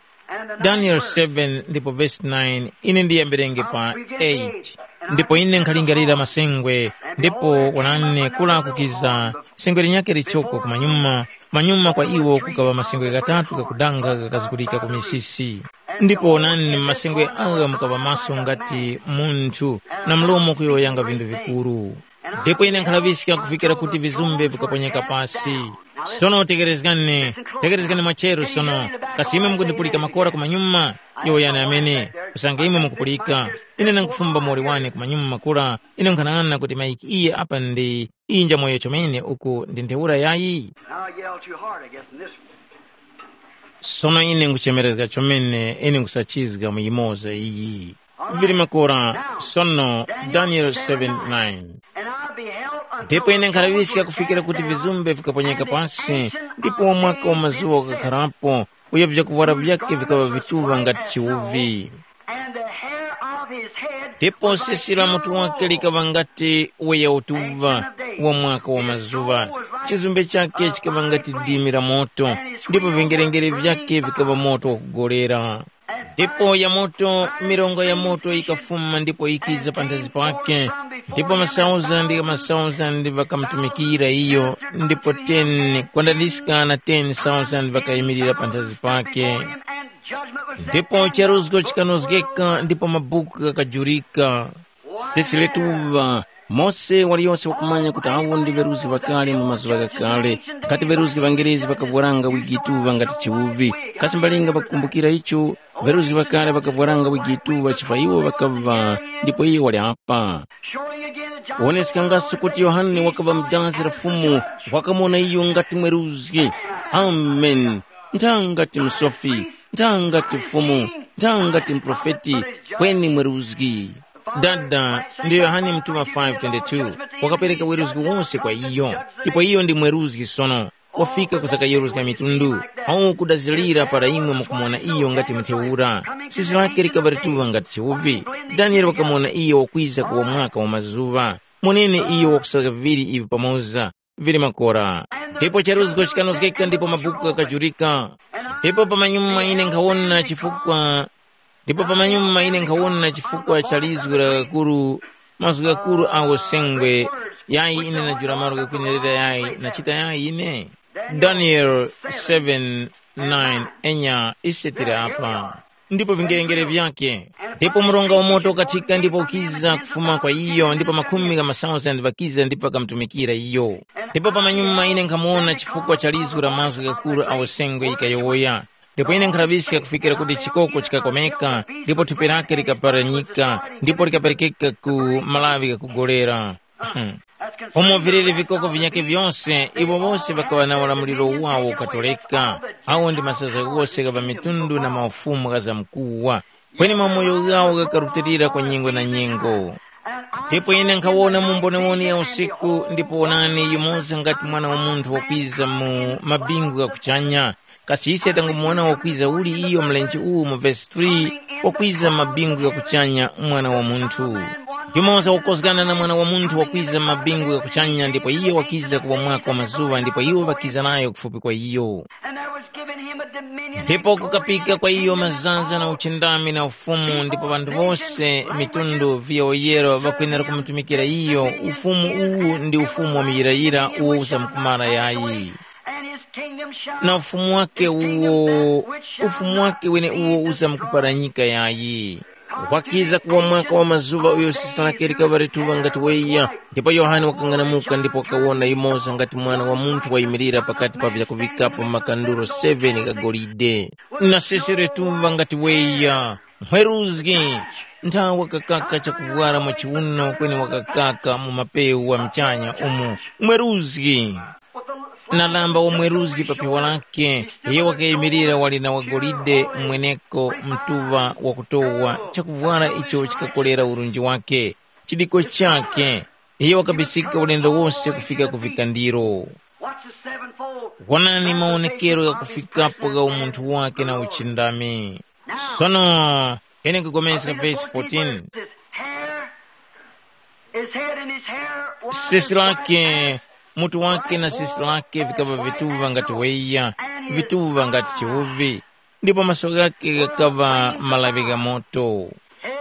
Daniel seven ndipo vesi nine, ine ndiyambirenge pa eight. Ndipo ine nkhalingalira masengwe, ndipo wonani kula kukiza sengwe linyakhe lichoko kumanyuma, manyuma kwa iwo kukaŵa masengwe ghatatu ghakudanga ghakazgulika ku misisi. Ndipo wonani, mu masengwe agha mukaŵa maso ngati munthu, na mlomo kuyowoyanga vinthu vikuru. Ndipo ine nkhalaŵiska kufikira kuti vizumbe vikaponyeka pasi. Sono tekerezgani, tekerezgani mwacheru sono, kasi imwe mukundipulika makora kumanyuma? Yowoyani amene, usange imwe mukupulika. Ine ndangufumba muwoli wane kumanyuma makora, ine nkhanang'ana kuti mayiki iye apa ndi inja moyo chomene uku ndi ntheura yayi? Now I yelled too hard, I guess, in this one. Sono ine nguchemerezga chomene, ine ngusachizga mu yimoza iyi. Vili makora, sono Daniel seven nine. And I beheld until ndipo ine nkhalaŵiska kufikira kuti vizumbe vikaponyeka pasi, ndipo mwaka wa mazuwa ukakharapo, uyo vyakuvwara vyake vikaŵa vituŵa ngati chiwuvi. And the hair of his head ndipo sisi la mutu wake likaŵa ngati uya utuŵa wa mwaka wa mazuŵa. Chizumbe chake chikaŵa ngati dimi la moto, ndipo vyengerengere vyake vikaŵa moto wakugolera. Ndipo ya moto, mirongo ya moto yikafuma ndipo yikiza panthazi pake, ndipo masauzandi gha masauzandi ŵakamutumikira iyo, ndipo ten kwandandiska na ten thousand ŵakayimirira panthazi pake. Ndipo charuzgo chikanozgeka ndipo mabuku ghakajurika. Sisi letuŵa, mose waliyose wakumanya kuti awo ndi ŵeruzgi ŵakale mu mazuŵa ghakale, nkhati ŵeruzgi ŵangerezi ŵakavwaranga wigi tuŵa ngati chiwuvi. Kasi mbalinga ŵakukumbukira icho? Ŵeruzgi ŵakale ŵakavwaranga wigi tuŵa chifukwa iwo ŵakaŵa, ndipo iyo wali apa. Woneskangaso kuti Yohane wakaŵa mu dazi la Fumu, wakamuwona iyo ngati mweruzgi. Amen. Nthangati msofi, nthangati Fumu, nthangati muprofeti, kweni mweruzgi. Dada, ndi Yohane mutuma five twenty-two, wakapereka weruzgi wose kwa iyo, ndipo iyo ndi mweruzgi sono. Wafika kuzakayeruzga mitundu, awo kudazirira para imwe mukumuwona iyo ngati mutheura. Sisi lake likaŵa lituŵa ngati chiwuvi. Daniele wakamuwona iyo wakwiza kuwa mwaka wa mazuŵa. Moneni iyo wakusazga viŵiri ivi pamoza, vili makora. Ndipo charuzgo chikanozgeka ndipo mabuku ghakajurika. Ndipo pamanyuma ine nkhawona chifukwa ndipo pamanyuma ine nkhawona chifukwa cha lizgu la ghakuru, mazgu ghakuru agho sengwe, yayi ine najula malo ghakwenerera yayi nachita yayi ine? Daniel seven nine. Enya, ise tili apa. Ndipo vingerengere vyake. Ndipo mronga wa moto ukathika ndipo ukiza kufuma kwa iyo, ndipo makhumi gha masauzandi ŵakiza ndipo ŵakamutumikira iyo. Ndipo pamanyuma ine nkhamuwona chifukwa cha lizgu la mazgu ghakuru agho sengwe yikayowoya. Ndipo ine nkhaŵiska kufikira kuti chikoko chikakomeka, ndipo thupi lake likaparanyika, ndipo likaperekeka ku malawi ghakugolera. Umo viliri vikoko vinyakhe vyose, iwo wose ŵakaŵa na ulamuliro wawo ukatoleka. Awo ndi masaza ghose gha ŵamitundu na maufumu gha zamkuwa. Kweni mamoyo ghawo ghakarutilira kwa nyengo na nyengo. Ndipo ine nkhawona mu mbonewone ya usiku, ndipo wonani, yumoza ngati mwana wa munthu wakwiza mu mabingu gha kuchanya. Kasi ise tangumuwona wakwiza uli iyo mlenje uwu mu vesi three, wakwiza mu mabingu gha kuchanya, mwana wa munthu? Yumoza wakozgana na Mwana wa Munthu wakwiza mu mabingu gha kuchanya, ndipo iyo wakiza kuwamwako mazuŵa, ndipo iwo ŵakiza nayo kufupi kwa iyo. And there was given him a dominion. Ndipo kukapika kwa iyo mazaza na uchindami na ufumu, ndipo ŵanthu wose mitundu viyoyero ŵakwenera kumutumikira iyo. Ufumu uwu ndi ufumu wa muyirayira uwo usamkumara yayi. And his kingdom shall na ufumu wake uwo, ufumu wake wene uwo usamkuparanyika yayi. Wakiza kuwa mwaka wa mazuŵa uyo sisa lake likaŵa lituŵa ngati weya. Ndipo Yohane wakang'anamuka ndipo wakawona yumoza ngati Mwana wa Munthu wayimirira pakati pa vyakuŵikapo makanduro seven gha golide. Na sisi lituŵa ngati weya. Mweruzgi, nthawi wakakaka chakuvwara mwa chiwuno kweni wakakaka mu mapewu wa mchanya umo. Mweruzgi. Na lamba wamweruzgi pa phewa lake, iyo wakayimirira wali na wagolide mweneko mtuŵa wakutowa chakuvwara icho chikakolera urunji wake, chidiko chake. Iyo wakabisika ulendo wose kufika ku vikandiro. Watch the sevenfold. Wonani mawonekero ghakufikapo gha umunthu wake na uchindami. Sono ine nkukomeska vesi fourteen. His hair, his head and his hair were sisi lake, mutu wake na sisi lake vikava vituŵa ngati weya, vituŵa ngati chiwuvi, ndipo maso ghake ghakaŵa malaŵi gha moto. Head,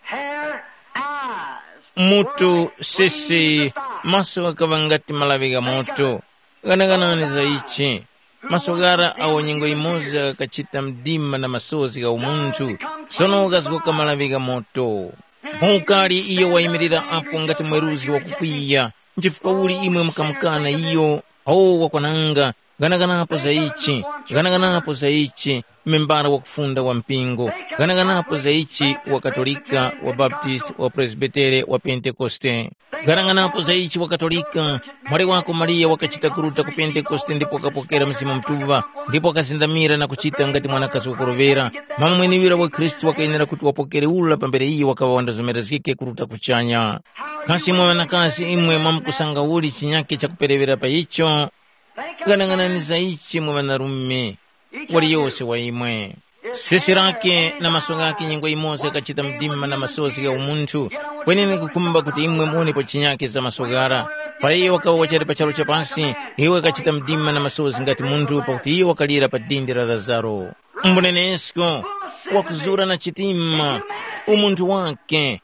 hair, eyes. Mutu, sisi, maso ghakaŵa ngati malaŵi gha moto. Ghanaghanani za ichi. Maso ghara awo nyengo yimoza ghakachita mdima na masozi gha umunthu, sono ghazgoka malaŵi gha moto. Mukali iyo wayimirira apo ngati mweruzgi wakukwiya. Nchifukwa uli imwe mukamukana iyo? O wakwananga, ghanaganapo za ichi, ghanaganapo za ichi, membala wakufunda wa mpingo, ghanaganapo za ichi, wa Katolika, wa Baptist, wa Presbitere, wa Pentekoste. Ghanaganapo za ichi wa Katolika, mwali wako Mariya wakachita kuruta ku Pentekoste ndipo wakapokera Mzimu Mutuŵa, ndipo wakazindamira na kuchita ngati mwanakazi wakurovera. Mama mwenewira wa Khristu wakayenera kuti wapokere ula pambere iyo wakaŵa wandazomera zikhe kuruta kuchanya. Kasi imwe ŵanakazi imwe mwamkusanga uli chinyakhe chakupereŵera pa icho? Ghanaghanani za ichi mwe ŵanarume, waliyose wa imwe. Sesi lake na maso ghake nyengo yimoza yakachita mdima na masozi gha umunthu, kwenene kukhumba kuti imwe muwonepo chinyakhe za maso ghara. Para iyo wakawa wachali pa charu cha pasi, iyo wakachita mdima na masozi ngati munthu pakuti iyo wakalira pa dindi la Lazaro. Mbunenesko, wakuzura na chitima, umunthu wake,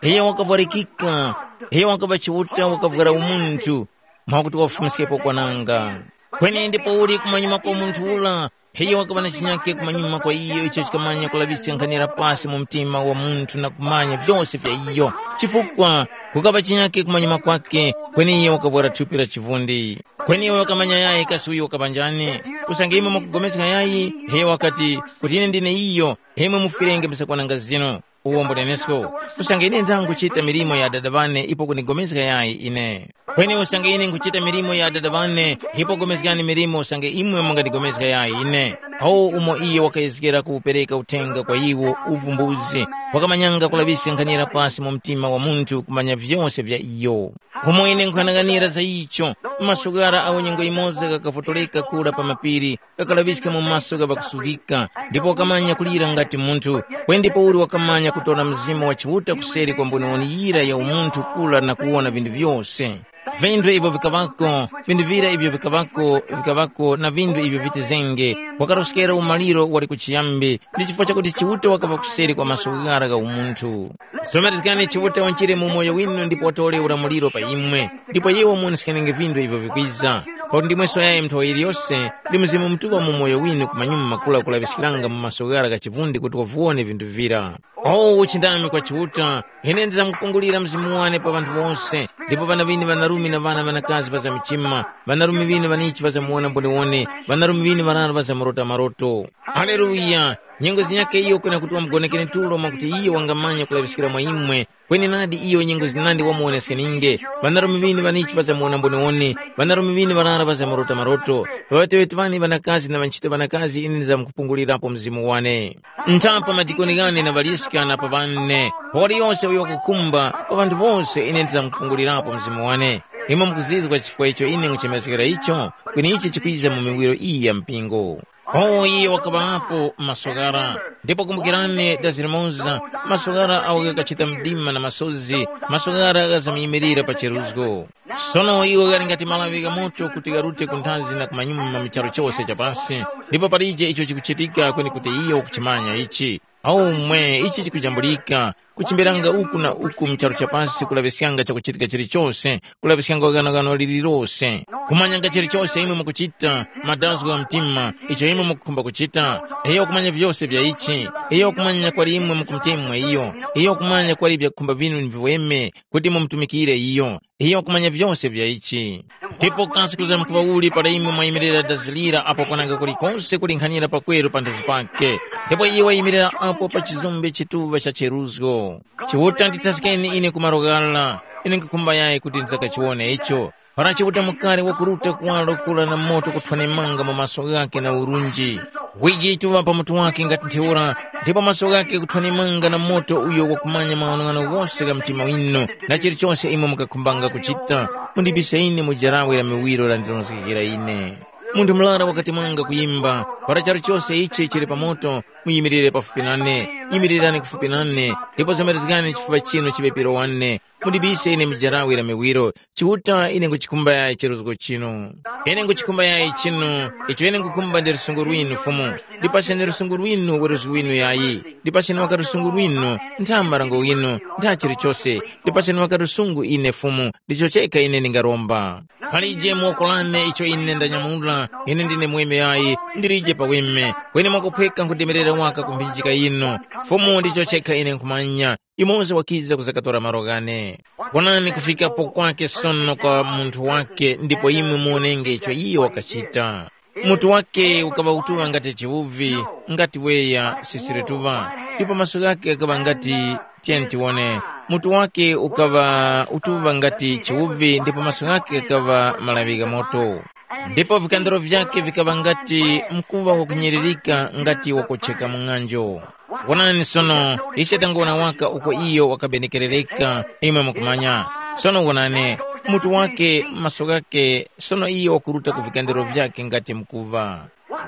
iyo wakavwarikika, iyo wakaŵa Chiuta wakavwara umunthu, mwakuti wafumiskepo kwananga. Kweni ndipo uli kumanyuma kwa munthu ula, iyo wakaŵa na chinyake kumanyuma kwa iyo icho chikamanya kulaŵiska nkhani ya pasi mu mtima wa munthu na kumanya vyose vya iyo. Chifukwa kukaŵa chinyake kumanyuma kwake, kweni iyo wakavwara thupi la chivundi. Kweni iwe wakamanya yayi kasi uyo wakaŵa njani? Usange imwe mwakupulikana yayi, iyo wakati, kuti ine ndine iyo, imwe mufwirenge msakwananga zinu. Uwombo nenesko, usange ine ndangachita milimo ya Adada ŵane ipo kundigomezga yayi ine. Kweni usange ine nkuchita milimo ya Adada ŵane, ipo gomezgani milimo usange imwe mungandigomezga yayi ine. Awo umo iye wakayezgera kuwupereka uthenga kwa iwo uvumbuzi, wakamanyanga kulaŵiska nkhanira pasi mu mtima wa munthu kumanya vyose vya iyo. Umo ine nkhanang'anira za icho, masukara awo nyengo yimoza ghakavotoleka kura pa mapiri, kakalaŵiska mu maso gha ŵakusuzgika, ndipo wakamanya kulira ngati munthu, kweni ndipouli wakamanya kutora Mzimu wa Chiuta kuseri kwa mboniwoni yira ya umunthu kura na kuwona vinthu vyose. Vinthu ivyo vikaŵako, vinthu vira ivyo vikaŵako, vikaŵako na vinthu ivyo vitizenge, wakaroskera umaliro wali kuchiyambi, ndi chifukwa chakuti Chiuta wakaŵa kuseri kwa maso ghara gha umunthu. Somerezgani Chiuta wanjire mu umoyo winu ndipo watore ulamuliro pa imwe, ndipo iwo muwoneskenge vinthu ivyo vikwiza. Pakuti ndimwe soyayi mnthowa yiliyose, ndi Mzimu Mutuŵa mu umoyo winu kumanyuma kula kulaŵiskiranga mu maso ghara gha chivundi kuti waviwone vinthu vira. O uchindami kwa Chiuta, ine ndizamkupungulira Mzimu wane pa ŵanthu wose, ndipo ŵana ŵinu ŵanarume na ŵana ŵanakazi ŵazamchima, ŵanarume ŵinu ŵanichi ŵazamuwona mboniwone, ŵanarume ŵinu ŵarara ŵazamurota maroto. Haleluya! Nyengo zinyakhe iyo kwena kuti wamugonekere tulo mwakuti iyo wangamanya kulaŵiskira mwa imwe, kweni nadi iyo nyengo zinandi wamuwoneskaninge. Ŵanarume ŵinu ŵanichi ŵazamuwona mboniwone, ŵanarume ŵinu ŵarara ŵazamurota maroto. Ŵaŵeteŵete ŵane ŵanakazi na ŵanchito ŵanakazi ine ndizamkupungulirapo Mzimu wane. Nthapa madikoni ghane na ŵaliska na pa ŵane, pa waliyose uyo wakukhumba, pa ŵanthu wose ine ndizamkupungulirapo Mzimu wane. Imwe mukuzizwa chifukwa icho ine nkuchemezgera icho, kweni ichi chikwiza mu miwiro iyi ya mpingo. Awo iye wakaŵapo masokara. Ndipo kumbukirani dazi limoza, masokara awo ghakachita mdima na masozi, masokara ghazamyimirira pa cheruzgo. Sono iwo ghali ngati malawi gha moto kuti gharute ku nthazi na kumanyuma mu charu chose cha pasi, ndipo palije icho chikuchitika kweni kuti iyo ukuchimanya ichi. Aumwe ichi chikujambulika, kuchimberanga uku na uku mu charu cha pasi kulaŵiskanga chakuchitika chilichose, kulaŵiskanga ghanoghano lililose, kumanyanga chilichose imwe mukuchita, madazgo gha mtima, icho imwe mukukhumba kuchita. Iyo kumanya vyose vya ichi. Iyo kumanya kwali imwe mukumutemwa iyo. Iyo kumanya kwali vyakukhumba vinu ni viweme kuti mumutumikire iyo. Iyo kumanya vyose vya ichi. Ndipo kasi kuzamkuŵa uli para imwe mwayimirira dazi lira apo kwananga kulikose kulinkhanira pakweru panthazi pake? Ndipo iye wayimirira apo pa chizumbe chituŵa cha cheruzgo. Chiuta ndithaskeni ine ku malo ghara, ine nkhukhumba yayi kuti ndzakachiwone icho. Para Chiuta mukari wakuruta kuwaro kura na moto kuthwanemanga mu maso ghakhe na urunji, wiji yituŵa pa mutu wakhe ngati ntheura, ndipo maso ghakhe kuthwanemanga na moto uyo wakumanya maghanoghano ghose gha mtima winu, na chilichose imwe mukakhumbanga kuchita, mundibise ine mu jarawe la miwiro landilonjezgekera ine. Munthu murara wakati mwanga kuyimba, para charu chose ichi chili pa moto, muyimirire pafupi nane, yimirirani kufupi nane, ndipo zomerezgani chifuŵa chinu chiŵe piro wane, mundibise ine mu jarawe la miwiro, Chiuta ine nkuchikhumba yayi cheruzgo chinu. Ine nkuchikhumba yayi chinu, icho ine nkukhumba ndi lusungu lwinu Fumu. Ndipaseni lusungu lwinu weruzgi winu yayi. Ndipaseni waka lusungu lwinu, ntha marango ghinu, ntha chilichose. Ndipaseni waka lusungu ine Fumu, ndicho chekha ine ndingaromba. Palije mu woko lane icho ine ndanyamula, ine ndine mweme yayi, ndilije pa weme. Kweni mwakuphweka nkudemerera waka ku mphinjika yinu. Fumu ndicho chekha ine nkhumanya. Yumoza wakiza kuzakatora malo ghane. Wonani kufikapo kwake sono kwa munthu wake ndipo imwe muwonenge icho iyo wakachita. Mutu wake ukaŵa utuŵa ngati chiwuvi, ngati weya sisire tuŵa, ndipo maso ghake ghakaŵa ngati tiyeni tiwone. Mutu wake ukaŵa utuŵa ngati chiwuvi ndipo maso ghake ghakaŵa malaŵi gha moto. Ndipo vikandaro vyake vikaŵa ngati mkuŵa wakunyiririka ngati wakucheka mu ng'anjo. Wonani sono, ise tanguwona waka uko iyo wakabenekerereka, imwe mukumanya. Sono wonani, mutu wake, maso ghake, sono iyo wakuruta ku vikandiro vyake ngati mkuŵa.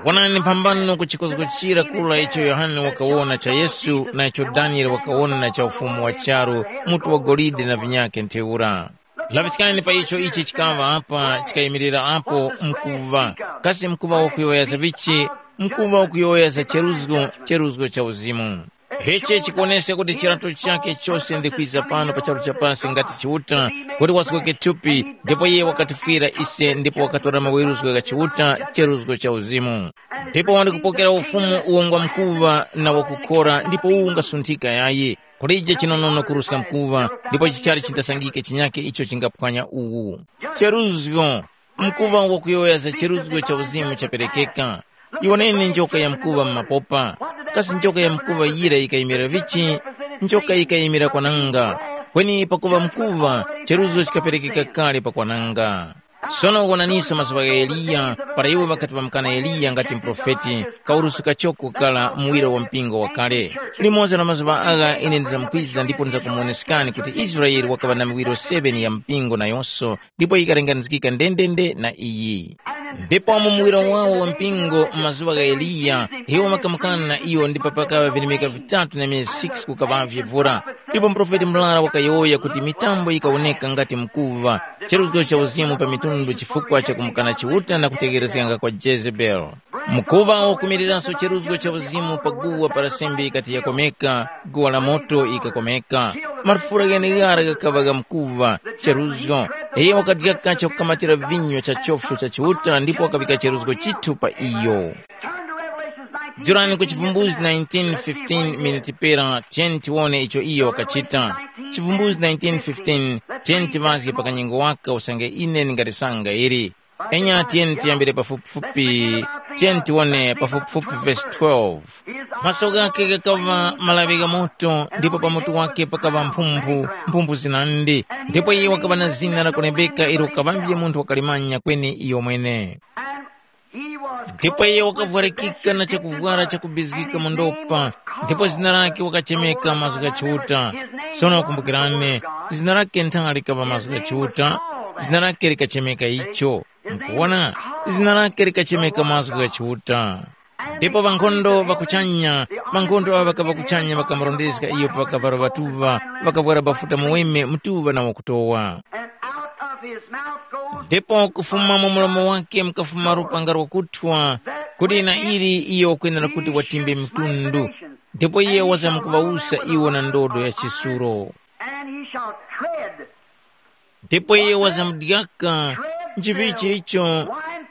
Wonani mphambano ku chikozgochira kura icho Yohane wakawona cha Yesu na icho Daniele wakawona na cha ufumu wa charu, mutu wa golide na vinyake ntheura. Laŵiskani pa icho ichi chikaŵa apa chikayimirira apo mkuŵa. Kasi mkuŵa wakuyowoya za vichi? Mkuŵa wakuyowoya za cheruzgo, cheruzgo cha uzimu. Ichi chikuwoneska kuti chirato chakhe chose ndi kwiza pano pa charu cha pasi ngati Chiuta, kuti wazgoke thupi, ndipo iye wakatifwira ise ndipo wakatora maweruzgo gha Chiuta, cheruzgo cha uzimu. Ndipo wandi kupokera ufumu uwo ngwa mkuŵa na wakukhora ndipo uwu ungasunthika yayi. Kulije chinonono kuruska mkuŵa, ndipo chichali chindasangike chinyakhe icho chingaphwanya uwu. Cheruzgo, mkuŵa wakuyowoya za cheruzgo cha uzimu chaperekeka. Iwoneni njoka ya mkuŵa m'mapopa. Kasi njoka ya mkuŵa yira yikayimira vichi? Njoka yikayimira kwananga. Kweni pakuŵa mkuŵa, cheruzgo chikaperekeka kale pa kwananga. Sono wonaniso mazuŵa gha Eliya, para iwo ŵakati ŵamkana Eliya ngati muprofeti, kauruska choko kukhala muwiro wa mpingo wakale. Limodzi la mazuŵa agha ine ndizamkwiza ndipo ndizakumuwoneskani kuti Israele wakaŵa na miwiro seven ya mpingo nayonso, ndipo yikalenganizgika ndendende na iyi. Ndipo mu muwiro wawo wa mpingo mu mazuŵa gha Eliya, iwo ŵakamukana na iyo ndipo pakaŵa virimika vitatu na myezi six kukaŵavye vura. Ndipo muprofeti murara wakayowoya kuti mitambo yikawoneka ngati mkuŵa, cheruzgo cha uzimu pa mitundu chifukwa cha kumukana Chiuta na kutegherezganga kwa Jezebeli. Mkuŵa wakumiriranso cheruzgo cha uzimu pa guwa para sembe yikati yakomeka, guwa la moto yikakomeka. Marufura gheneghara ghakaŵa gha mkuŵa, cheruzgo. Iye wakadyaka chakukamatira vinyo cha chofyo cha Chiuta ndipo wakavika cheruzgo chithu pa iyo. Turn to Revelations nineteen. Jurani ku Chivumbuzi nineteen fifteen miniti pera, tiyeni tiwone icho iyo wakachita. Chivumbuzi nineteen fifteen, tiyeni tiŵazge pa kanyengo waka usange ine ndingatisanga ili. Enya tiyeni tiyambire pafupifupi, tiyeni tiwone pafupifupi vesi twelve. Maso ghakhe ghakaŵa malaŵi gha moto, ndipo pa mutu wake pakaŵa mphumphu, mphumphu zinandi. Ndipo iye wakaŵa na zina lakulembeka ilo kaŵambye munthu wakalimanya kweni iyomwene. Ndipo iye wakavwarikika na chakuvwara chakubizgika mu ndopa, ndipo zina lake wakachemeka mazgu gha Chiuta. Sono kumbukirani, zina lake nthanga likaŵa mazgu gha Chiuta, zina lake likachemeka icho. Mukuwona, zina lake likachemeka mazgu gha Chiuta. Ndipo ŵankhondo ŵa kuchanya, ŵankhondo awo ŵakaŵa kuchanya ŵakamurondezga iyo pa kavalo ŵatuŵa, ŵakavwara bafuta muweme mutuŵa na wakutowa. And out of his mouth goes Ndipo kufuma mu mulomo wake mukafuma lupanga lwakuthwa, kuti na ili iyo wakwenera kuti watimbe mitundu. Ndipo iye wazamkuŵawusa iwo na ndodo ya chisulo. And he shall tread. Ndipo iye wazamudyaka nchivichi icho,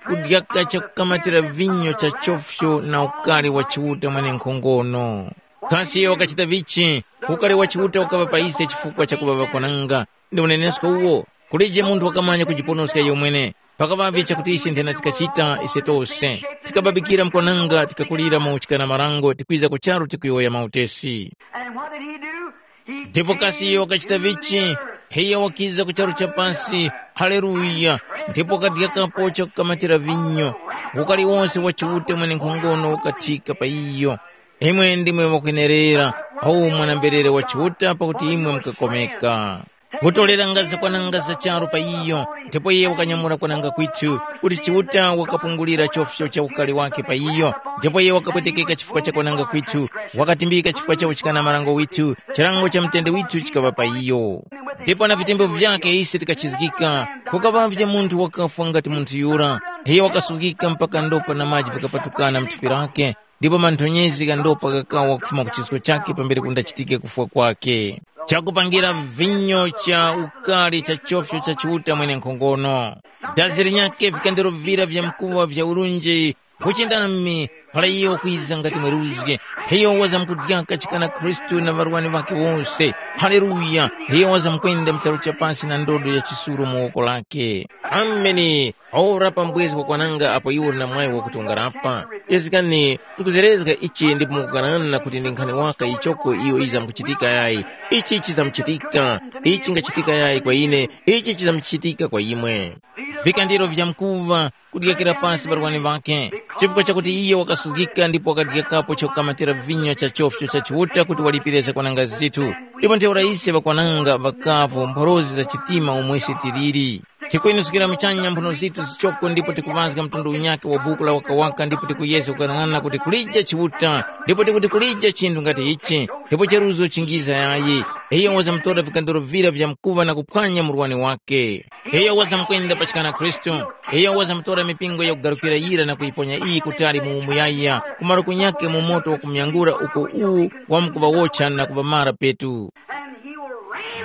kudyaka chakukamatira vinyo cha chofyo na ukali wa Chiuta mwenenkhongono. Kasi iyo wakachita vichi? Ukali wa Chiuta ukaŵa pa ise chifukwa cha kuŵa ŵakwananga. Ndi unenesko uwo. Kulije munthu wakamanya kujiponoska iyo mwene. Pakaŵavye chakuti ise nthena tikachita ise tose. Tikababikira mkwananga, tikakulira mu uchikana marango, tikwiza ku charu tikuyowoya mautesi. And what did he do? He Ndipo kasi iyo wakachita vichi? Heiya wakiza ku charu cha pasi. Haleluya! Ndipo wakadyakapo chakukamatira vinyo. Ukali wonse wa Chiuta mwenenkhongono ukathika pa iyo. Imwe ndimwe mwakwenerera, awu mwana-mberere wa Chiuta pakuti imwe mukakomeka. Kutorera ngaza kwananga za charu pa iyo, ndipo iye wakanyamura kwananga kwithu, kuti Chiuta wakapungulira chofyo cha ukali wake pa iyo, ndipo iye wakapwetekeka chifukwa cha kwananga kwithu, wakatimbika chifukwa cha uchikana marango withu, chilango cha mutende withu chikaŵa pa iyo. Ndipo na vitembo vyake ise tikachizgika, kukaŵavye munthu wakafwa ngati munthu yura, iye wakasuzgika mpaka ndopa na maji vikapatukana mu thupi lake, ndipo manthonyezi gha ndopa ghakawa kufuma ku chisko chakhe pambere kundachitike kufwa kwakhe. Chakupangira vinyo cha ukali cha chofyo cha Chiuta mwenenkhongono. Dazi linyakhe vikandiro vira vya mkuwa vya urunji, uchindami, para iyo wakwiza ngati mweruzgi, iyo wazamkudyaka chikana Khristu na ŵarwani ŵakhe wose. Haleluya! Iyo wazamkwenda mu charu cha pasi na ndodo ya chisuro mu woko lakhe. Ameni. Ora pambwezi wakwananga apo iwo uli na mwayi wakuti ungarapa. Chizgikani, nkuzerezga ichi ndipo mukukanana kuti ndi nkhani waka ichoko iyo izamkuchitika yayi. Ichi chizamuchitika. Ichi chingachitika yayi kwa ine, ichi chizamuchitika kwa imwe. Vikandiro vyamkuva kudyakira pasi barwani ŵakhe, chifukwa chakuti iye wakasuzgika ndipo wakadyakapo chakukamatira vinyo cha chofyo cha Chiuta kuti walipire zakwananga zithu. Ndipo ntheura ise ŵakwananga ŵakavu mphorozi za chitima umo ise tiliri. Tikwenuzgira muchanya mphuno zithu zichoko ndipo tikuŵazga mtundu unyakhe wa buku la wakawaka ndipo tikuyezga kukang'ana kuti kulije Chiuta, ndipo tikuti kulije chinthu ngati ichi, ndipo cheruzo chingiza yayi. Iyo wazamutora vikandoro vira vya mkuŵa na kuphwanya murwani wake. Iyo wazamukwenda pachikana Khristu. Iyo wazamutora mipingo yakugarukira yira na kuyiponya iyi kutali mu umuyaya, kumaro kunyakhe mu moto wakumyangura uko uwu wamkuŵawotcha na kuŵamara petu.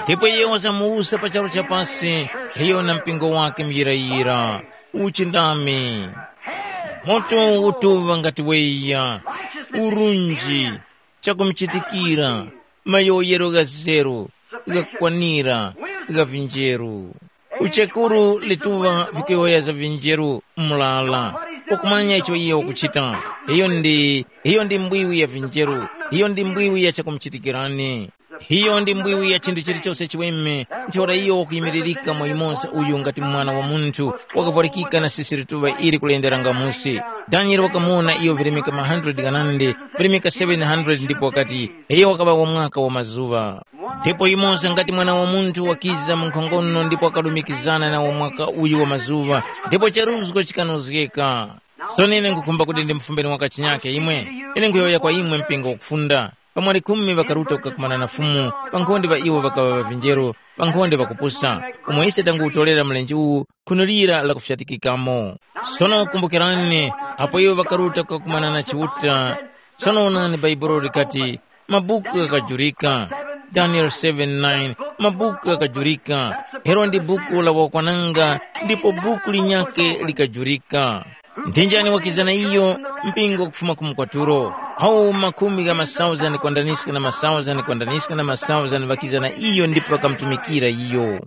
Ndipo iyo wazamuwusa pa charu cha pasi, iyo na mpingo wake muyirayira. Uchindami. Moto utuŵa ngati weya, urunji, chakumuchitikira, mayowoyero gha zeru, ghakukwanira, gha vinjeru. Uchekuru lituŵa vikuyowoya za vinjeru mlala, ukumanya icho iye ukuchita. Iyo ndi, iyo ndi mbwiwi ya vinjeru, iyo ndi mbwiwi ya chakumuchitikirani. Iyo ndi mbwiwi ya chinthu chilichose chiweme, ntheura iyo wakuyimiririka mwa yumoza uyu ngati mwana wa munthu, wakavwarikika na sisi lituŵa ili kulenderanga musi. Daniele wakamuwona iyo virimika ma hundred ghanandi, virimika seven hundred ndipo wakati, iyo wakaŵa wa mwaka wa mazuŵa. Ndipo yumoza ngati mwana wa munthu wakiza mu nkhongono ndipo wakalumikizana na wa mwaka uyu wa mazuŵa, ndipo charuzgo chikanozgeka. Sono ine nkhukhumba kuti ndimufumbeni waka chinyakhe imwe. Ine nkhuyowoya kwa imwe mpingo wakufunda. Pamwali khumi ŵakaruta kukakumana na Fumu, ŵankhonde ŵa iwo ŵakaŵa ŵavinjero, ŵankhonde ŵakupusa, umo ise tanguwutorera mlenje uwu, khunulira lakufyatikikamo. Sono kumbukirani, apo iwo ŵakaruta kukakumana na Chiuta, sono onani Bhaibuli likati, mabuku ghakajurika. Daniele seven nine, mabuku ghakajurika. Ilo ndi buku la wakwananga, ndipo buku linyakhe likajurika. Ndi njani wakizana iyo? Mpingo kufuma ku mukwatulo. Awo makhumi gha masauzani kwandaniska na masauzani kwandaniska na masauzani ŵakizana iyo ndipo ŵakamutumikira iyo.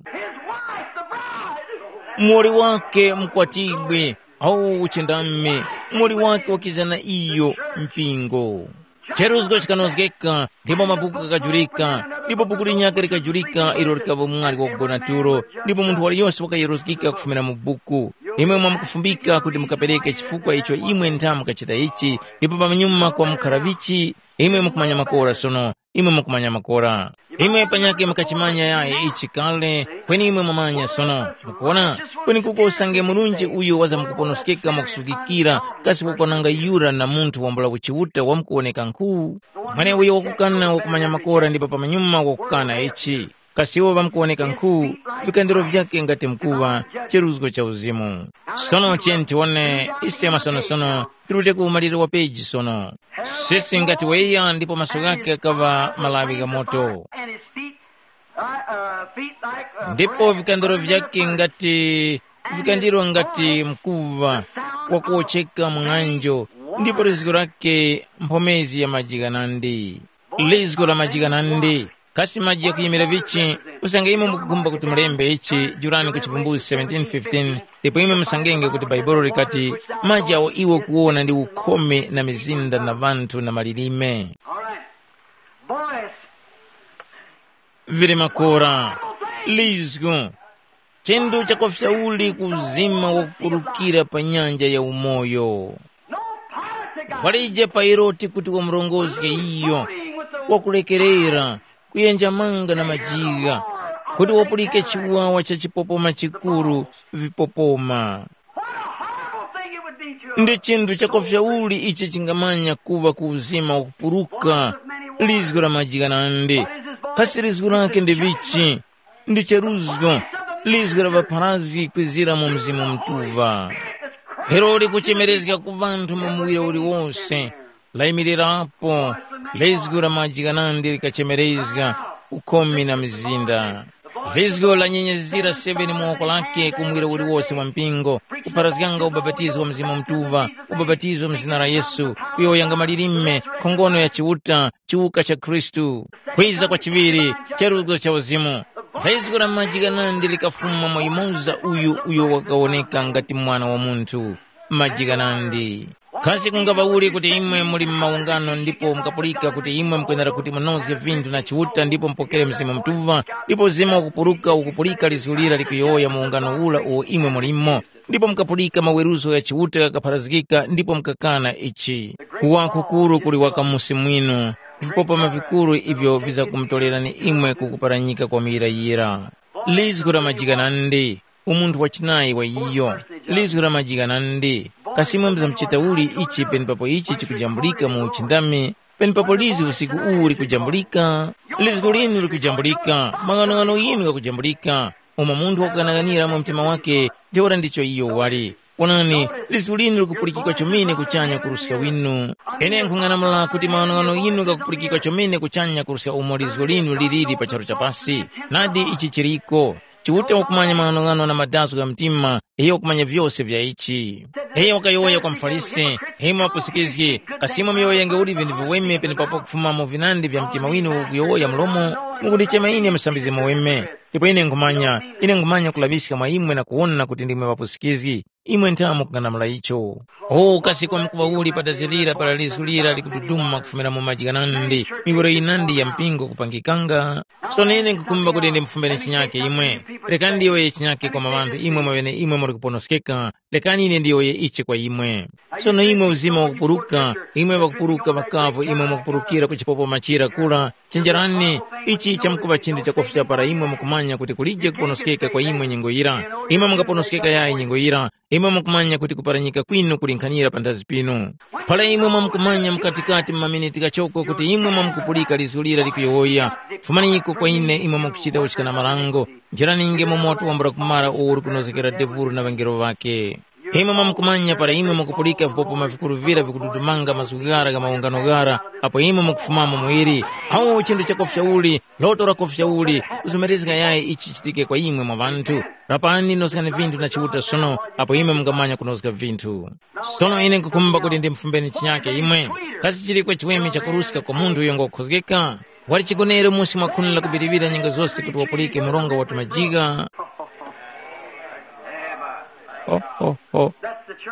Muwoli wake mkwatibwi, awo uchindami, muwoli wake wakizana iyo, mpingo. Cheruzgo chikanozgeka, ndipo mabuku ghakajurika, ndipo buku linyakhe likajurika ilo likaŵa mwali wakugona tulo, ndipo munthu waliyose wakayeruzgika kufumira mu buku. Imwe mwamukufumbika kuti mukapereke chifukwa icho imwe ntha mukachita ichi, ndipo pamanyuma kwa mukhara vichi, imwe mukumanya makora sono. imwe mukumanya makora. Imwe panyakhe mukachimanya yayi ichi kale, kweni imwe mwamanya sono. Mukuona? Kweni kuko usange Murunji uyo wazamkuponoskeka mwakusukikira, kasi wakwananga yura na munthu wambula kuchiuta wamkuwoneka nkhu? Mweneuyo wakukana wakumanya makora ndipo pamanyuma wakukana ichi. Kasi iwo ŵamkuwoneka nkhu, vikandiro vyakhe ngati mkuŵa, cheruzgo cha uzimu. Sono tiyeni tiwone, ise masonosono, tirute ku umaliro wa peji sono. Sisi ngati weya ndipo maso ghakhe ghaŵa malawi gha moto. And his feet, uh, uh, feet like, uh, ndipo bramble, vikandiro vyake ngati vikandiro ngati mkuva wakuwocheka mung'anjo, ndipo lizgo lake mphomezi ya maji ghanandi. Lizgo la maji ghanandi. Kasi maji yakuyimira vichi? Usange imwe mukukhumba kuti mulembe ichi, jurani ku Chivumbulutso seventeen fifteen, ndipo imwe musangenge kuti Bhaibuli likati, maji awo iwe ukuwona ndi ukhome na mizinda na ŵanthu na malilime. All right. Voice. Vili makora, lizgu, chinthu chakofya uli ku uzima wakupulukira pa nyanja ya umoyo. No power to God. Walije pa Herode kuti wamurongozge iyo, wakulekerera, kuyenjamanga na majiga, kuti wapulike chiwawa cha chipopoma chikuru, vipopoma. What a horrible thing it would be to ndi chinthu chakofya uli ichi chingamanya kuva ku uzima wakupuruka, lizgu la majikanande. Kasi lizgu lake ndi vichi? Ndi cheruzgo, lizgu la ŵapharazgi kwizira mu Mzimu Mutuŵa. Herode kuchemerezga ku ŵanthu mu muwiro uliwose, layimirirapo, lizgu la majikanande likachemerezga, ukhumi na mizinda. Lizgu lanyenyezira seveni mu woko lake ku muwiro uliwose wa mpingo, kupharazganga ubapatizo wa Mzimu Mutuŵa, ubapatizo mu zina la Yesu, kuyowoyanga malilime, nkhongono ya Chiuta, chiwuka cha Khristu, kwiza kwa chiŵiri, cheruzgo cha uzimu. Lizgu la majikanandi likafuma mwa yumoza uyu uyo wakawoneka ngati Mwana wa Munthu. Majikanandi. Kasi kungaŵa uli kuti imwe muli mu maungano ndipo mukapulika kuti imwe mukwenera kuti munozge vinthu na Chiuta ndipo mupokere Mzimu Mutuŵa, ndipo Mzimu wakupuruka ukupulika lizgu lira likuyowoya mu ungano ura uwo imwe mulimo, ndipo mukapulika maweruzo gha Chiuta ghakapharazgika ndipo mukakana ichi? Kuwa kukuru kuli waka musi mwinu, vipopoma vikuru ivyo vizakumutorerani imwe kukuparanyika kwa muyirayira. Lizgu la majikanandi, umunthu wachinayi wa iyo, lizgu la majikanandi, kasi imwe muzamchita uli ichi penepapo ichi chikujambulika mu uchindami, penepapo lizi usiku uwu likujambulika, lizgu linu likujambulika, mang'anong'ano yinu ghakujambulika, umo munthu wakughanaghanira mu mtima wake, ntheura ndicho iyo wali. Onani, lizgu linu likupulikika chomene kuchanya kuruska winu. Ine nkhung'anamula kuti mang'anong'ano yinu ghakupulikika chomene kuchanya kuruska umo lizgu linu liliri pa charu cha pasi. Nadi ichi chiriko. Chiuta wakumanya mang'anong'ano na madazgo gha mtima, iyo wakumanya vyose vya ichi. Iyo wakayowoya kwa muFarisi, imwe ŵapusikizgi, kasi imwe muyowoyenge uli vinthu viweme penepapo kufuma mu vinandi vya mtima winu ukuyowoya mlomo, mukundichema ine musambizgi muweme. Ndipo ine nkhumanya, ine nkhumanya kulaŵiska mwa imwe na kuwona kuti ndimwe ŵapusikizgi. Imwe ntha mukung'anamula icho. O kasi kwamkuŵa uli pa dazi lira para lizgu lira likududuma kufumira mu maji ghanandi, miwiro yinandi ya mpingo kupangikanga? Sono ine nkhukhumba kuti ndimufumbeni chinyake imwe. Lekani ndiyowoye chinyake kwa maŵanthu imwe mwaŵene imwe muli kuponoskeka, lekani ine ndiyowoye ichi kwa imwe. Sono imwe uzima wakupuruka, imwe ŵakupuruka ŵakavu imwe mwakupurukira ku chipopoma chira kura, chenjerani, ichi chamkuŵa chinthu chakufya para imwe mukumanya kuti kulije kuponoskeka kwa imwe nyengo yira. Imwe mungaponoskeka yayi nyengo yira, imwe mukumanya kuti kuparanyika kwinu kulinkhanira panthazi pinu. Para imwe mwamkumanya mukatikati mu maminiti ghachoko kuti imwe mwamkupulika lizgu lira likuyowoya, fumaniko kwa ine imwe mwakuchita uchikanamarango, njiraninge mu moto wambula kumara uwo uli kunozgekera Debulu na ŵangelo ŵakhe. Imwe mwamkumanya para imwe mwakupulika vipopoma vikuru vira vikududumanga mazgu ghara gha mawungano ghara, apo imwe mwakufumamo muwiri, awu chinthu chakofya uli, loto lakofya uli, kuzomerezga yayi ichi chichitike kwa imwe mwa ŵanthu. Rapani nozgani vinthu na Chiuta sono, apo imwe mungamanya kunozga vinthu. Sono ine nkukhumba kuti ndimufumbeni chinyake imwe. Kasi chiliko chiweme chakuruska kwa munthu uyo ngokhozgeka? Wali chigonere musi mwa khuni lakubiriwira nyengo zose kuti wapulike mronga wa tumajigha. Ho, ho, ho.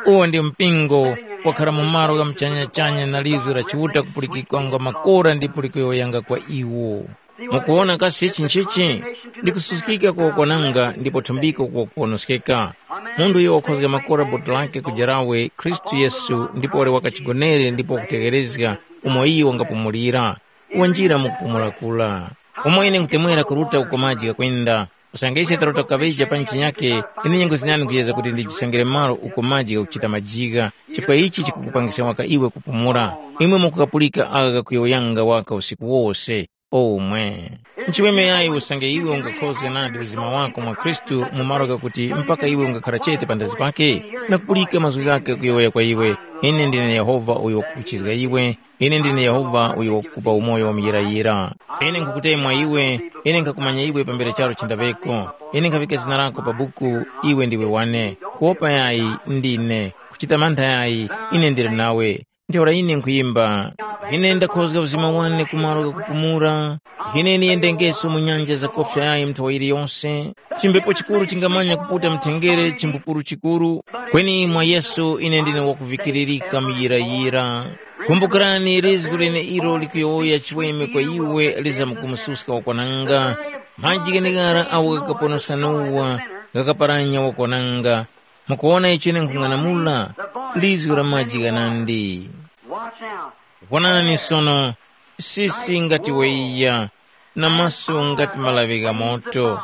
Uwo ndi mpingo wakhara mu malo gha muchanyachanya na lizwi la Chiuta kupulikikwanga makora ndipo likuyowoyanga kwa iwo. Mukuwona kasi ichi nchichi? Ndi kususkika kokwananga ndipo thumbiko kukonoskeka. Munthu uyo wakhozga makora boti lake kujarawe Khristu Yesu ndipo wali wakachigonere ndipo wakutegherezga umo iyo wangapumulira. wanjira mu kupumula kura. Umo ine nkutemwera kuruta uko maji ghakwenda, usange ise taruta kukaŵeja pa ntchinyake, ine nyengo zinandi nkhuyezga kuti ndijisangire malo uko maji ghakuchita majigha, chifukwa ichi chikukupangiska waka iwe kupumula. Imwe mukukapulika agha ghakuyowoyanga waka usiku wose. Omwe. Nchiweme yayi usange iwe ungakhozga nadi uzima wako mwa Khristu mu malo ghakuti mpaka iwe ungakhara chete pandazi pake, na kupulika mazgu ghakhe kuyowoya kwa iwe, ine ndine Yehova uyo wakukuchizga iwe, ine ndine Yehova uyo wakukupa umoyo wa muyirayira. Ine nkhukutemwa iwe, ine nkhakumanya iwe pambere charu chindaŵeko, ine nkhavika zina lako pa buku, iwe ndiwe wane. Kuwopa yayi, ndine. Kuchita mantha yayi, ine ndili nawe. Ntheura ine nkhuyimba, ine ndakhozga uzima wane ku malo ghakupumula. Ine niyendengeso mu nyanja zakofya yayi nthawa yiliyose. Chimbepo chikuru chingamanya kuputa mthengere chimbupuru chikuru. Kweni mwa Yesu ine ndine wakuvikiririka muyirayira. Kumbukirani lizgu leneilo likuyowoya chiweme kwa iwe lizamkumususka wakwananga. Maji gheneghara agho ghakaponoska Nowa, ghakaparanya wakwananga. Mukuwona icho ine nkhung'anamula? Lizgu la maji ghanandi. Watch now. Wonani sono, sisi ngati weiya, na maso ngati malaŵi gha moto,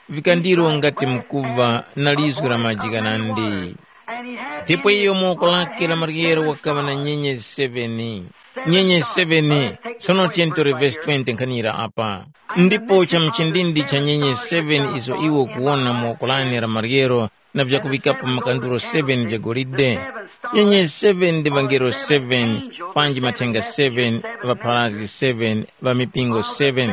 vikandiro ngati mkuva na lizgu la maji ghanandi. Ndipo iyo mu woko lake la maryero wakaŵa na nyenyezi seveni. Nyenyezi seveni, sono tiyeni tore vesi twenty nkhanira apa. Ndipo cha mchindindi cha nyenye seven izo iwe ukuwona mu woko lane la maryero na vyakuŵikapo makanduro seven vya golide. Nyenye seven ndi ŵangelo seven, panji mathenga seven, ŵapharazgi seven, ŵa mipingo seven.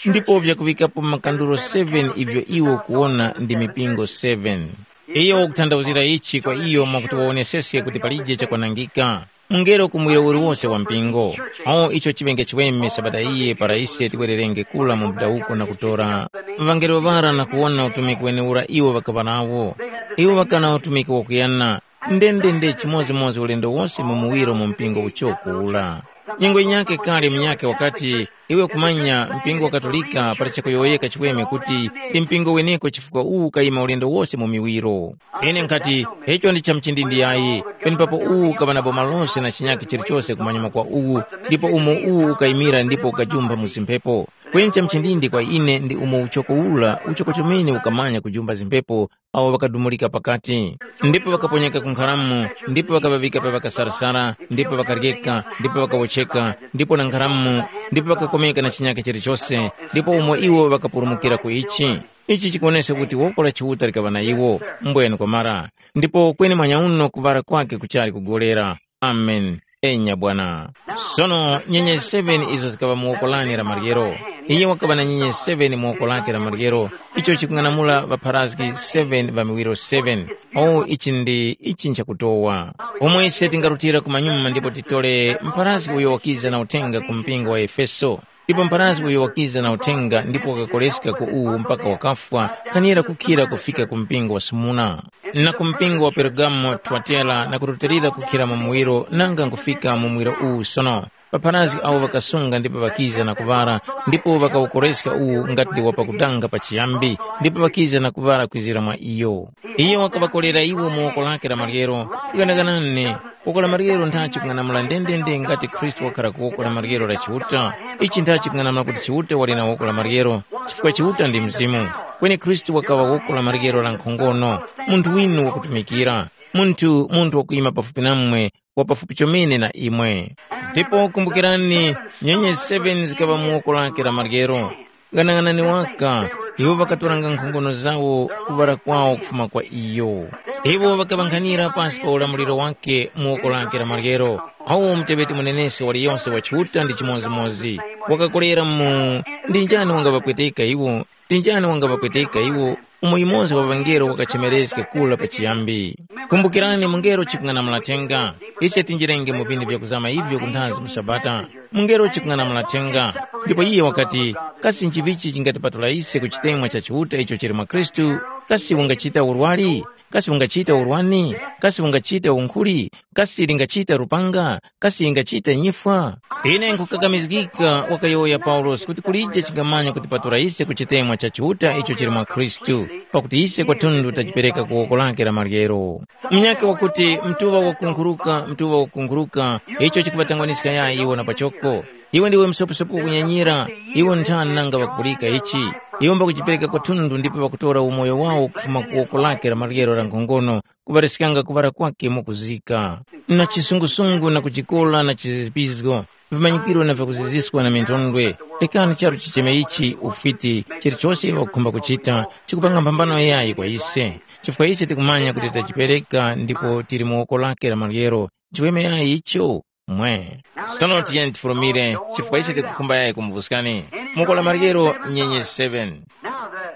Ndipo vyakuŵikapo makanduro seven ivyo iwe ukuwona ndi mipingo seven. Iyo wakutanthauzira ichi kwa iyo mwakuti wawoneseske kuti palije chakwanangika. Mungelo ku muwiro uliwose wa mpingo. Awo icho chiŵenge chiweme sabata iyi para ise tiwererenge kura mu mudawuko na kutora ŵangelo ŵara na kuwona utumiki wenewura iwo ŵakaŵa nawo. Iwo ŵakaŵa na utumiki wakuyana, ndendende chimodzimodzi ulendo wose mu muwiro mu mpingo uchoko ura. Nyengo yinyakhe kale munyakhe wakati, iwe kumanya mpingo wa Katolika pali chakuyowoyeka chiweme kuti ndi mpingo weneko chifukwa uwu ukayima ulendo wose mu miwiro. Ine nkhati, icho ndi cha mchindindi yayi, penepapo uwu ukaŵa na boma lose na chinyakhe chilichose kumanyuma kwa uwu, ndipo umo uwu ukayimira ndipo ukajumpha mu zimphepo. Kweni cha mchindindi kwa ine ndi umo uchoko ura, uchoko chomene ukamanya kujumba zimphepo awo ŵakadumulika pakati, ndipo ŵakaponyeka ku nkharamu, ndipo ŵakaŵaŵika pa ŵakasarasara, ndipo ŵakaryeka, ndipo ŵakawotcheka, ndipo na nkharamu, ndipo ŵakakomeka na chinyakhe chilichose, ndipo umo iwo ŵakapulumukira ku ichi. Ichi chikuwoneska kuti woko la Chiuta likaŵa na iwo, mbwene kwamara. Ndipo kweni manyauno kuŵala kwakhe kuchali kugolera. Amen. Enya Bwana. Sono nyenye seven izo zikaŵa mu woko lane la maryero. Iye wakaŵa na nyenye seven mu woko lake la maryero, icho chikung'anamula ŵapharazgi seven ŵa miwiro seven. O ichi ndi ichi nchakutowa. Pomwe ise tingarutira kumanyuma ndipo titole mpharazgi uyo wakiza na uthenga ku mpingo wa Efeso. Ndipo mpharazgi uyo wakiza na uthenga ndipo wakakoleska ku uwu mpaka wakafwa, kanira kukhira kufika ku mpingo wa Smurna, na ku mpingo wa Pergamo, Twatera, na kurutilira kukhira mu muwiro nanga nkufika mu muwiro uwu sono. Ŵapharazgi awo ŵakasunga ndipo ŵakiza na kuŵara, ndipo ŵakawukoreska uwu ngati ndi wapakudanga pachiyambi, ndipo ŵakiza na kuŵara kwizira mwa iyo. Iyo wakaŵakolera iwo mu woko lake la maryero, ghanaghanani, woko la maryero nthachi kung'anamula ndendende ngati Khristu wakhala ku woko la maryero la Chiuta. Ichi nthachi kung'anamula kuti Chiuta wali na woko la maryero, chifukwa Chiuta ndi Mzimu. Kweni Khristu wakaŵa woko la maryero la nkhongono, munthu winu wakutumikira, munthu munthu wakuyima pafupi namwe, wa pafupi chomene na imwe. Ndipo kumbukirani, nyenye seven zikaŵa mu woko lake la maryero. Ghanaghanani waka, iwo ŵakatoranga nkhongono zawo kuŵala kwawo kufuma kwa iyo. Iwo ŵakaŵankhanira pasi pa ulamuliro wake mu woko lake la maryero. Awo muteŵeti munenesi waliyonse wa Chiuta ndi chimodzimodzi. Wakakolera mu, ndi njani wangaŵapweteka iwo? Ndi njani wangaŵapweteka iwo? Umo yumoza wa ŵangelo wakachemereska kura pachiyambi. Kumbukirani mungelo chikung'anamula thenga. Ise tinjirenge mu vinthu vyakuzama ivyo kunthazi mu Sabata. Mungelo chikung'anamula thenga. Ndipo iye wakati, kasi nchivichi chingatipatula ise ku chitemwa cha Chiuta icho chili mwa Khristu? Kasi ungachita urwari? Kasi ungachita urwani? Kasi ungachita unkhuli? Kasi lingachita lupanga? Kasi ingachita nyifwa? Ine nkhukakamizgika, wakayowoya Paulosi, kuti kulije chingamanya kutipatula ise ku chitemwa cha Chiuta icho chili mwa Khristu, pakuti ise kwatundu tajipereka ku woko lake la maryero. Munyakhe wakuti, mtuŵa wakunkhuruka, mtuŵa wakunkhuruka, icho chikuŵatangwaniska yayi iwo na pachoko. Iwe ndiwe msoposopo kunyanyira, iwe nthani nanga ŵakupulika ichi? Iwe mbakujipereka kwathunthu ndipo ŵakutora umoyo wawo kufuma ku woko lake la maryero la nkhongono, kuŵariskanga kuŵala kwake mwakuzika. Na chisungusungu na kujikola na chizizipizgo, vimanyikiro na vyakuziziskwa na minthondwe, lekani charu chicheme ichi ufiti, chilichose iwo ŵakukhumba kuchita, chikupanga mphambano yayi kwa ise. Chifukwa ise tikumanya kuti tachipereka ndipo tili mu woko lake la maryero, chiweme yayi icho? Mwe. Sono tiyeni tifulumire, chifukwa ise tikukhumba yayi kumuvuskani. Muko la maryero nyenye seven.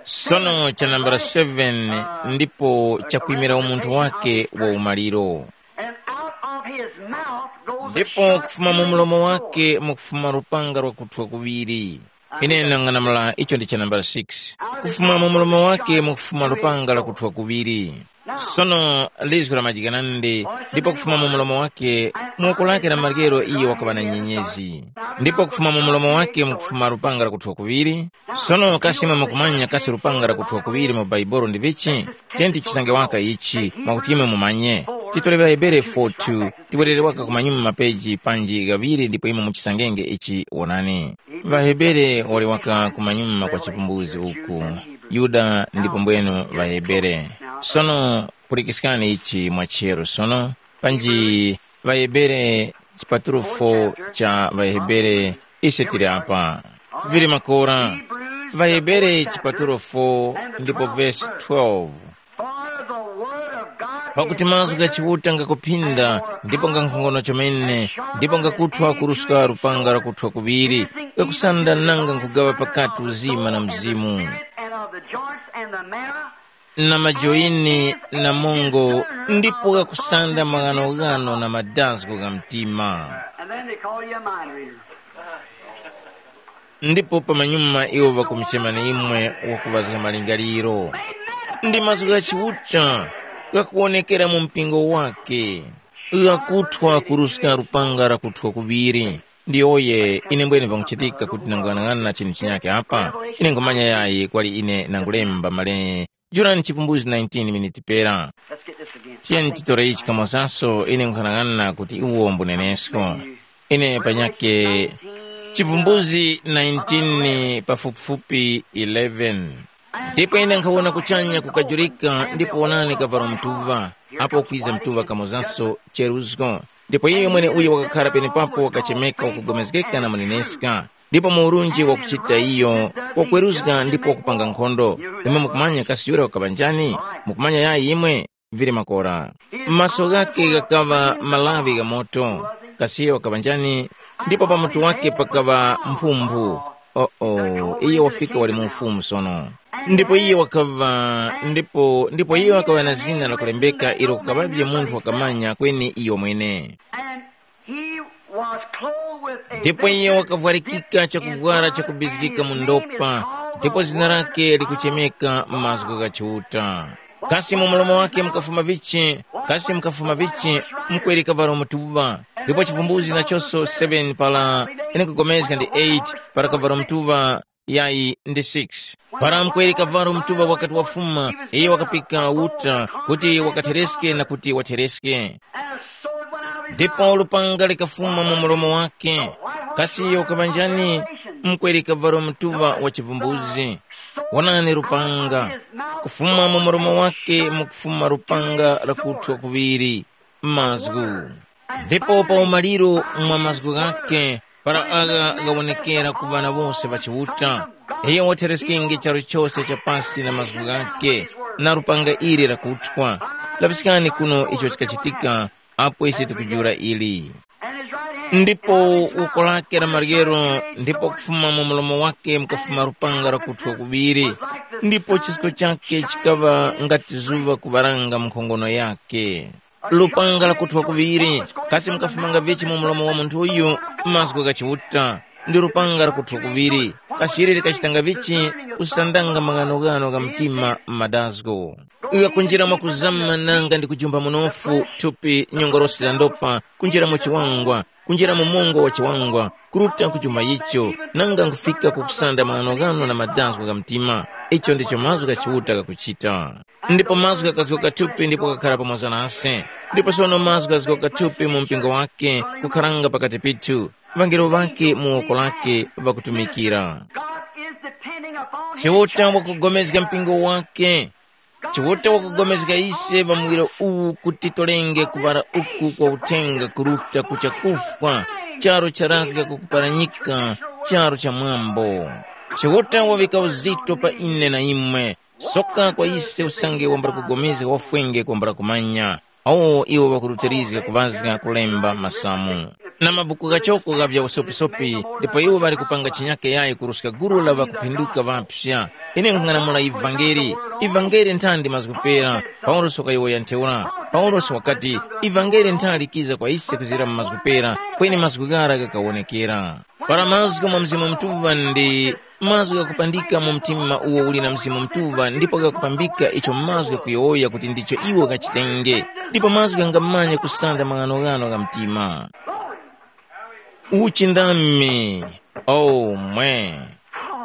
Sono cha nambala seven ndipo chakwimira umunthu wake wa umaliro. And out of his mouth goes a ndipo sharp kufuma mu mlomo two-edged wake sword. Mukufuma lupanga lwakuthwa kuŵiri. Ine nang'anamula icho ndi cha nambala six. Kufuma mu mlomo wake mukufuma lupanga lakuthwa kuŵiri. Sono lizgu la majikanande, ndipo kufuma mu mlomo wake, mu woko lake la maryero iye wakaŵa na nyenyezi. Ndipo kufuma mu mlomo wake mukufuma lupanga lakuthwa kuŵiri. Sono kasi imwe mukumanya kasi lupanga lakuthwa kuŵiri mu Baibolo ndi vichi? Tiyeni tichisange waka ichi, mwakuti imwe mumanye. Titole ŵaHebere four two, tiwerere waka kumanyuma mapeji panji ghaŵiri ndipo imwe muchisangenge ichi wonani. ВaHebere wali waka kumanyuma kwa chipumbuzi uku. Yuda ndipo mbwenu ŵaHebere. Sono pulikiskani ichi mwa chero sono, panji ŵaHebere chipatulo four cha ŵaHebere ise tili apa. Vili makora, ŵaHebere chipatulo four ndipo vesi twelve. For the word of God pakuti is mazgu gha quick Chiuta ngakuphinda ndipo nga nkhongono chomene, ndipo ngakuthwa kuruska lupanga lakuthwa kuŵiri, ngakusanda nanga nkugawa pakati uzima na mzimu, and of the joints and the marrow, na majoini na mongo, ndipo ngakusanda maghanoghano na madazgo gha mtima. And then they call you a mind reader. Ndipo pamanyuma iwo ŵakumuchemani imwe wakuŵazga malingaliro. Ndi mazgu gha Chiuta ghakuwonekera mu mpingo wake, ghakuthwa kuruska lupanga lakuthwa kuŵiri. Ndiyoye ine mbwene vanguchitika kuti nanguyang'ana chinthu chinyakhe apa, ine nkhumanya yayi kwali ine nangulemba male. Jurani chipumbuzi nineteen miniti pera. Let's get this again. Tiyeni titore ichi kamozaso, ine nkhanang'ana kuti iwo mbunenesko. Ine panyake chivumbuzi nineteen pafupifupi eleven. Ndipo ine nkhawona kuchanya kukajurika ndipo wonani kavalo mtuŵa, apo kwiza mtuŵa kamozaso cheruzgo. Ndipo iyo mwene uyo wakakhara penepapo wakachemeka wakugomezgeka na muneneska, ndipo mu urunji wakuchita iyo, wakweruzga ndipo wakupanga nkhondo. Imwe mukumanya kasi yura wakaŵa njani? Mukumanya yayi imwe? Vili makora. Maso ghakhe ghakaŵa malawi gha moto, kasi iyo wakaŵa njani? Ndipo pa mutu wake pakaŵa mphumphu. Oo, iye wafika wali mu ufumu sono. Ndipo iye wakaŵa ndipo ndipo iye wakaŵa na zina lakulembeka ilo kukaŵavye munthu wakamanya kweni iyo mwene. And he was clothed with a ndipo iye vesture wakavwarikika chakuvwara chakubizgika mu ndopa, ndipo zina lake likuchemeka mazgu gha Chiuta. Kasi mu mulomo wake mukafuma vichi? Kasi mukafuma vichi? Mkweri kavalo mutuŵa. Ndipo chivumbuzi nachonso seven pala ine nkugomezga ndi eight, para kavalo mutuŵa yayi ndi six. Para mkweri kavalo mutuŵa wakati wafuma, iye wakapika uta kuti wakathereske na kuti wathereske. Ndipo lupanga likafuma mu mulomo wake. Kasi iyo ukaŵa njani? Mkweri kavalo mutuŵa wa chivumbuzi. Wonani lupanga, kufuma mu mulomo wake mukufuma lupanga lakuthwa kuŵiri, mazgu. Ndipo pa umaliro mwa mazgu ghake, para agha ghawonekera ku ŵana wose ŵa Chiuta, iyo wathereskinge charu chose cha pasi na mazgu ghake, na lupanga ili lakuthwa. Laŵiskani kuno icho chikachitika, apo ise tikujula ili. Ndipo woko lake la maryero, ndipo kufuma mu mlomo wake mukafuma lupanga lakuthwa kuŵiri, ndipo chisko chake chikaŵa ngati zuŵa kuŵaranga mu nkhongono yake. Lupanga lakuthwa kuŵiri, kasi mukafumanga vichi mu mlomo wa munthu uyu? Mazgu gha Chiuta. Ndi lupanga lakuthwa kuŵiri, kasi ili likachitanga vichi? Kusandanga maghanoghano gha mtima m'madazgo. Ghakunjira mwakuzama nanga ndi kujumba munofu thupi nyongorosi za ndopa, kunjira mu chiwangwa, kunjira mu mungo wa chiwangwa, kuruta ku chuma icho, nanga nkufika ku kusanda maghanoghano na madazgo gha mtima. Icho ndicho mazgu gha Chiuta ghakuchita. Ndipo mazgu ghakazgoka thupi ndipo ghakhala pamoza nase. Ndipo sono mazgu ghazgoka thupi mu mpingo wake, kukharanga pakati pithu. ŵangelo ŵake mu woko lake ŵakutumikira. God is depending upon his Chiuta church. Wakugomezga mpingo wake. Chiuta wakugomezga ise pa muwiro uwu kuti tolenge kuŵala uku kwa uthenga kuruta ku chakufwa, charu charazga kukuparanyika, charu cha mwambo. Chiuta wavika uzito pa ine na imwe, soka kwa ise usange wambala kugomezga wafwenge kwambala kumanya. Awo iwo ŵakurutirizga kuŵazga kulemba masamu. Na mabuku ghachoko gha vya usopisopi, ndipo iwo ŵali kupanga chinyake yayi kuruska gulu la ŵakuphinduka ŵapsya. Ine nkhung'anamula ivangeli. Ivangeli nthandi mazgu pera. Paulosi wakayowoya ntheura. Paulosi wakati, ivangeli nthali likiza kwa ise kuzira mu mazgu pera, kweni mazgu ghara ghakawonekera. Para mazgu mwa Mzimu Mutuŵa ndi mazgu ghakupandika mu mtima uwo uli na Mzimu Mutuŵa ndipo ghakupambika icho mazgu ghakuyowoya kuti ndicho iwo ghachitenge, ndipo mazgu ghangamanya kusanda maghanoghano gha mtima. Uchindami, omwe,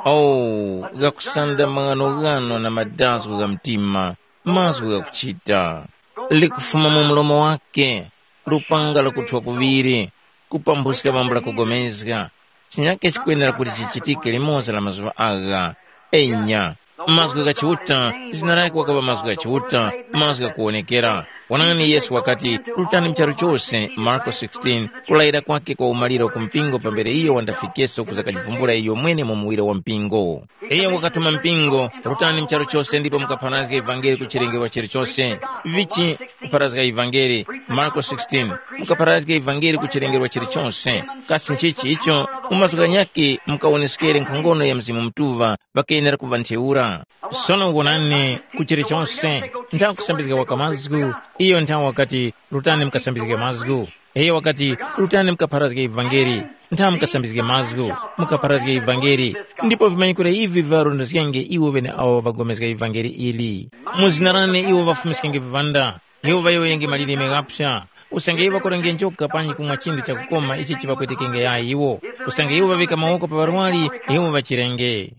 o, ghakusanda maghanoghano na madazgo gha mtima, mazgu ghakuchita. Likufuma mu mlomo wake, lupanga lakuthwa kuŵiri, kupambuska bambo lakugomezga. Chinyake chikwenera kuti chichitike limoza la mazuŵa agha. Enya, mazgu gha Chiuta, zina lake wakaŵa mazgu gha Chiuta, mazgu ghakuwonekera. Wonani Yesu wakati, rutani mu charu chose, Marko sixteen, kulayira kwake kwa umaliro ku mpingo pambere iyo wandafikeso kuza kajivumbula iyo mwene mu muwiro wa mpingo. Iyo wakatuma mpingo, rutani mu charu chose ndipo mukapharazge ivangeli ku chilengero chilichose. Vichi kupharazga ivangeli, Marko sixteen, mukapharazge ivangeli ku chilengero chilichose. Kasi nchichi icho? Mu mazgu ghanyakhe mukawoneskere nkhongono ya Mzimu Mutuŵa, ŵakenera kuŵa ntheura. Sono wonani, ku chilichose, nthawi kusambizga waka mazgu, iyo nthawi wakati, rutani mukasambizge mazgu. Iyo wakati, rutani mukapharazge ivangeli, nthawi mukasambizge mazgu, mukapharazge ivangeli, ndipo vimanyikiro ivi viŵarondezgenge iwo ŵeneawo ŵagomezga ivangeli ili. Mu zina lane iwo ŵafumiskenge viŵanda, iwo ŵayowoyenge malilime ghapsa, usange iwo ŵakurenge njoka panji kumwa chinthu chakukoma ichi chiŵapwetekenge yayi iwo, usange iwo ŵavika mawoko pa ŵarwari, iwo ŵachirenge.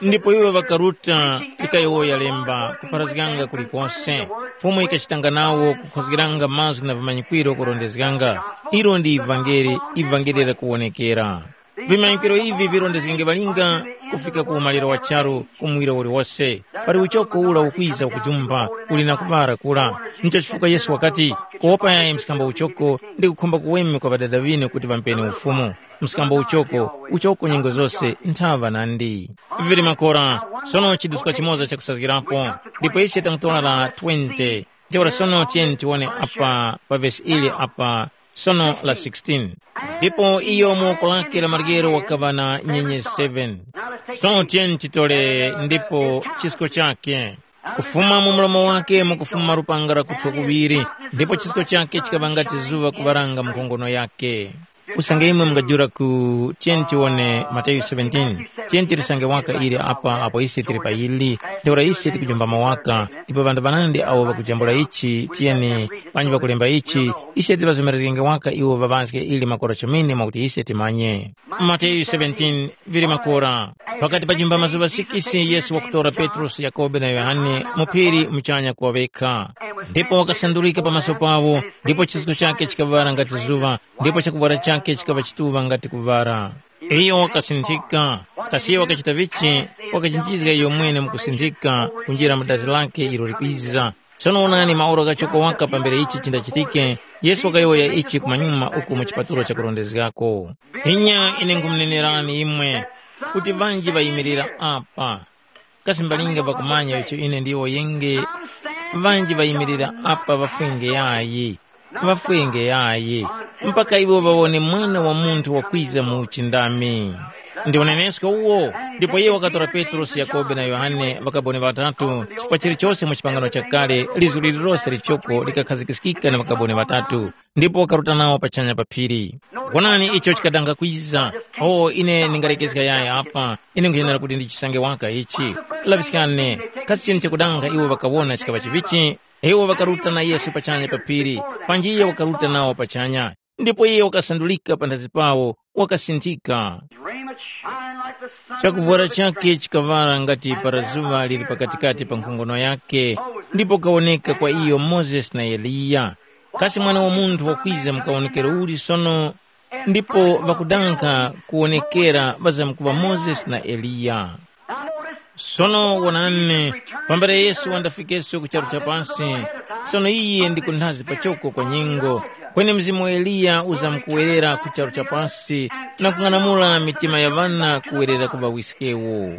Ndipo iwo ŵakaruta likayowoya lemba kupharazganga kulikose. Fumu yikachitanga nawo kukhozgeranga mazgu na vimanyikwiro kurondezganga. Ilo ndi ivangeli, ivangeli lakuwonekera. Vimanyikwiro ivi virondezgenge ŵalinga kufika ku umaliro wa charu ku muwiro uliwose. Pali uchoko ura ukwiza ukujumba uli na kuŵara kura. Ncho chifukwa Yesu wakati, kuwopa yayi mskambo uchoko ndi kukhumba kuweme kwa ŵadada ŵinu kuti ŵampeni ufumu. Mskambo uchoko, uchoko nyengo zose nthaŵa nandi. Vili makora, sono chiduska chimoza chakusazgirapo, ndipo ise tamutora la twenty. Ntheura sono tiyeni tiwone apa pa vesi ili apa, sono la sixteen. Ndipo iyo mu woko lake la maryero wakaŵa na nyenye seven. Sono tiyeni titole ndipo chisko chake. Kufuma mu mlomo wake mukufuma lupanga lakuthwa kuŵiri, ndipo chisko chake chikaŵa ngati zuŵa kuŵaranga mu nkhongono yake. Usange imwe mungajula ku, tiyeni tiwone Mateyu seventeen, tiyeni tilisange waka ili apa apo ise tili pa ili, ntheura ise tikujumbama waka, ndipo ŵanthu ŵanandi awo ŵakujambula ichi, tiyeni, panji ŵakulemba ichi, ise tiŵazomerezgenge waka iwo ŵaŵazge ili makora chomene mwakuti ise timanye. Mateyu seventeen, vili makora. Pakati pa jumba mazuŵa sikisi Yesu wakutora Petrosi, Yakhobe na Yohane mu phiri muchanya kuŵaveka. Ndipo wakasandulika pamaso pawo, ndipo chisko chake chikaŵala ngati zuŵa, ndipo chakuvwara chake chikaŵa chituŵa ngati kuŵala. Iyo wakasinthika, kasi iyo wakachita vichi? Wakachinjizga iyo mwene mukusinthika kunjira mu dazi lake ilo likwiza. Sono wonani maora ghachoko waka pambere ichi chindachitike, Yesu wakayowoya ichi kumanyuma uku mu chipatulo chakurondezgako. Inya ine nkhumunenerani imwe, kuti ŵanji ŵayimirira apa. Kasi mbalinga ŵakumanya icho ine ndiwo yenge? Ŵanji ŵayimirira apa ŵafwenge yayi, ŵafwenge yayi, mpaka iwo ŵawone Mwana wa Munthu wakwiza mu uchindami. Ndi unenesko uwo. Ndipo iye wakatora Petrosi, Yakhobe na Yohane, ŵakaboni ŵatatu, chifukwa chilichose mu chipangano chakale lizu lililose lichoko likakhazikiskika na ŵakaboni ŵatatu, ndipo wakaruta nawo pachanya pa phiri. Wonani icho chikadanga kwiza. O, ine ndingalekezga yayi apa, ine nkhuyenera kuti ndichisange waka ichi. Laŵiskani, kasi chini chakudanga iwo ŵakawona chikaŵa chivichi? Iwo ŵakaruta na Yesu pachanya pa phiri, panji iye wakaruta nawo pachanya, ndipo iye wakasandulika panthazi pawo, wakasinthika. His raiment shined like the sun. Chakuvwara chake chikaŵala ngati para zuŵa lili pakatikati pa nkhongono yake, ndipo kawoneka kwa iyo Mozesi na Eliya. Kasi Mwana wa Munthu wakwiza mu kawonekero uli sono? ndipo ŵakudanga kuwonekera ŵazamkuŵa Mozesi na Eliya. Sono wonani, pambere Yesu wandafikeso ku charu cha pasi, sono iye ndi kunthazi pachoko kwa nyengo, kweni Mzimu wa Eliya uzamkuwerera ku charu cha pasi na kung'anamula mitima ya ŵana kuwerera ku ŵawiskewo.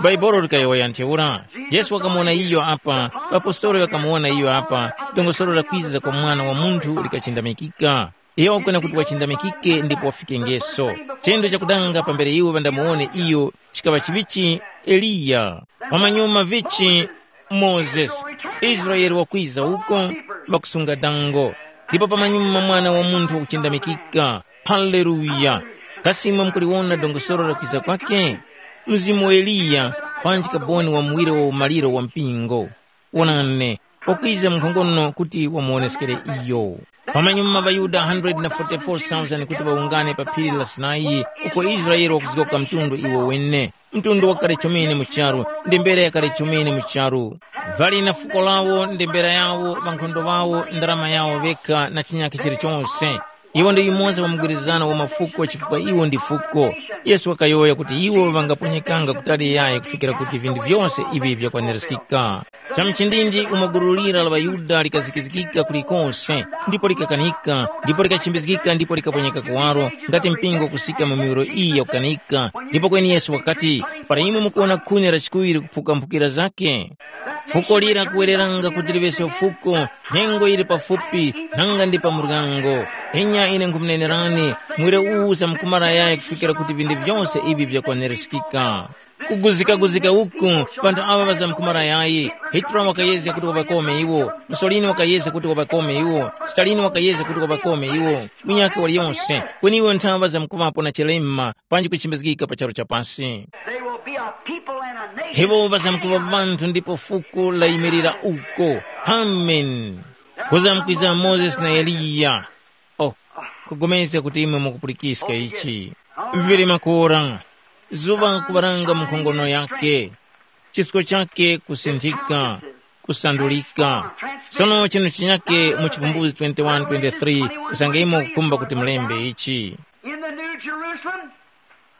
Bhaibuli likayowoya ntheura, Yesu wakamuwona iyo apa, ŵapostoli ŵakamuwona iyo apa, dongosolo la kwiza kwa Mwana wa Munthu likachindamikika. Iyo wakufuna kuti wachindamikike ndipo wafikengeso. Chendo chakudanga pambere iwo ŵandamuwone iyo chikaŵa chivichi Eliya. Pamanyuma vichi Mozesi, Israele wakwiza uko, ŵakusunga dango. Ndipo pamanyuma Mwana wa Munthu wakuchindamikika. Haleluya! Kasi imwe mukuliwona dongosolo la kwiza kwakhe? Mzimu wa Eliya, panji kaboni wa muwire wa umaliro wa mpingo. Wonani, wakwiza mu nkhongono kuti wamuwoneskere iyo. Pamanyuma ŵaYuda one hundred forty-four thousand kuti ŵawungane pa phiri la Sinai, uko Israele wakuzgoka mtundu iwo wene. Mtundu wakale chomene mu charu, ndembera yakale chomene mu charu. Ŵali na fuko lawo, ndembera yawo, ŵankhondo ŵawo, ndarama yawo ŵekha na chinyakhe chilichonse. Iwo ndi yumoza wa mgwirizano wa mafuko chifukwa iwo ndi fuko. Yesu wakayowoya kuti iwo ŵangaponyekanga kutali yayi kufikira kuti vinthu vyose ivi vyakwanirizgika. Cha mchindindi umo gulu lira la ŵaYuda likazikizgika kulikose, ndipo likakanika, ndipo likachembezgika ndipo likaponyeka kuwaro, ngati mpingo kusika mu miwiro iyi yakukanika. Ndipo kweni Yesu wakati, para imwe mukuwona khuni la chikuŵiri kuphuka mphukira zake, fuko lira kuwereranga kuti liŵese fuko, nyengo yili pafupi, nanga ndi pa muryango. Enya ine nkhumunenerani, muwire uwu usamkumara yayi kufikira kuti vinthu vyose ivi vyakwanirizgika. Kuguzika-guzika uku, panthu aŵa ŵazamkumara yayi. Hitler wakayezga kuti waŵakome iwo, Mussolini wakayezga kuti waŵakome iwo, Stalin wakayezga kuti waŵakome iwo, munyakhe waliyonse, kweni iwo nthaŵa zamkuŵapo na chilema, panji kuchimbizgika pa charu cha pasi. They will be a people and a nation. Iwo ŵazamkuŵa vanthu ndipo fuko layimirira uko. Amen. Kuzamkwiza Mozesi na Eliya. Oh, kugomezga kuti imwe mukupulikiska ichi. Vili makora, zuŵa kuŵaranga mu nkhongono yake, chisko chake kusinthika, kusandulika. Sono chinu chinyake mu Chivumbuzi twenty-one twenty-three, usange imwe mukukhumba kuti mulembe ichi. In the New Jerusalem,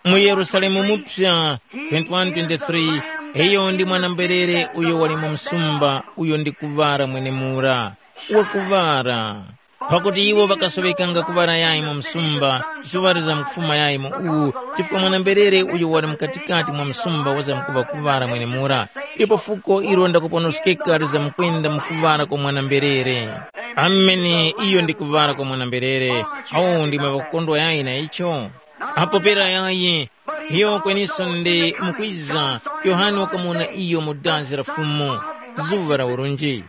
mu Yerusalemu Mupya, twenty-one twenty-three, iyo ndi mwana-mberere uyo wali mu msumba, uyo ndi kuŵala mwenemura, wakuŵala. Pakuti iwo ŵakasoŵekanga kuŵala yayi mu msumba, zuŵa lizamkufuma yayi mu uwu, chifukwa mwana-mberere uyo wali mukatikati mwa msumba wazamkuŵa kuŵala mwenemura, ndipo fuko ilo ndakuponoskeka lizamkwenda mu kuŵala kwa mwana-mberere. Amene iyo ndi kuŵala kwa mwana-mberere, awo ndimwe ŵakukondwa yayi na icho? Apo pera yayi, iyo kweniso ndi mukwiza, Yohane wakamuwona iyo mu dazi la Fumu, zuŵa la urunji.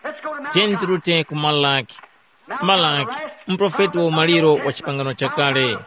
Tiyeni tirute ku Malaki. Malaki, muprofeti wa umaliro wa chipangano chakale.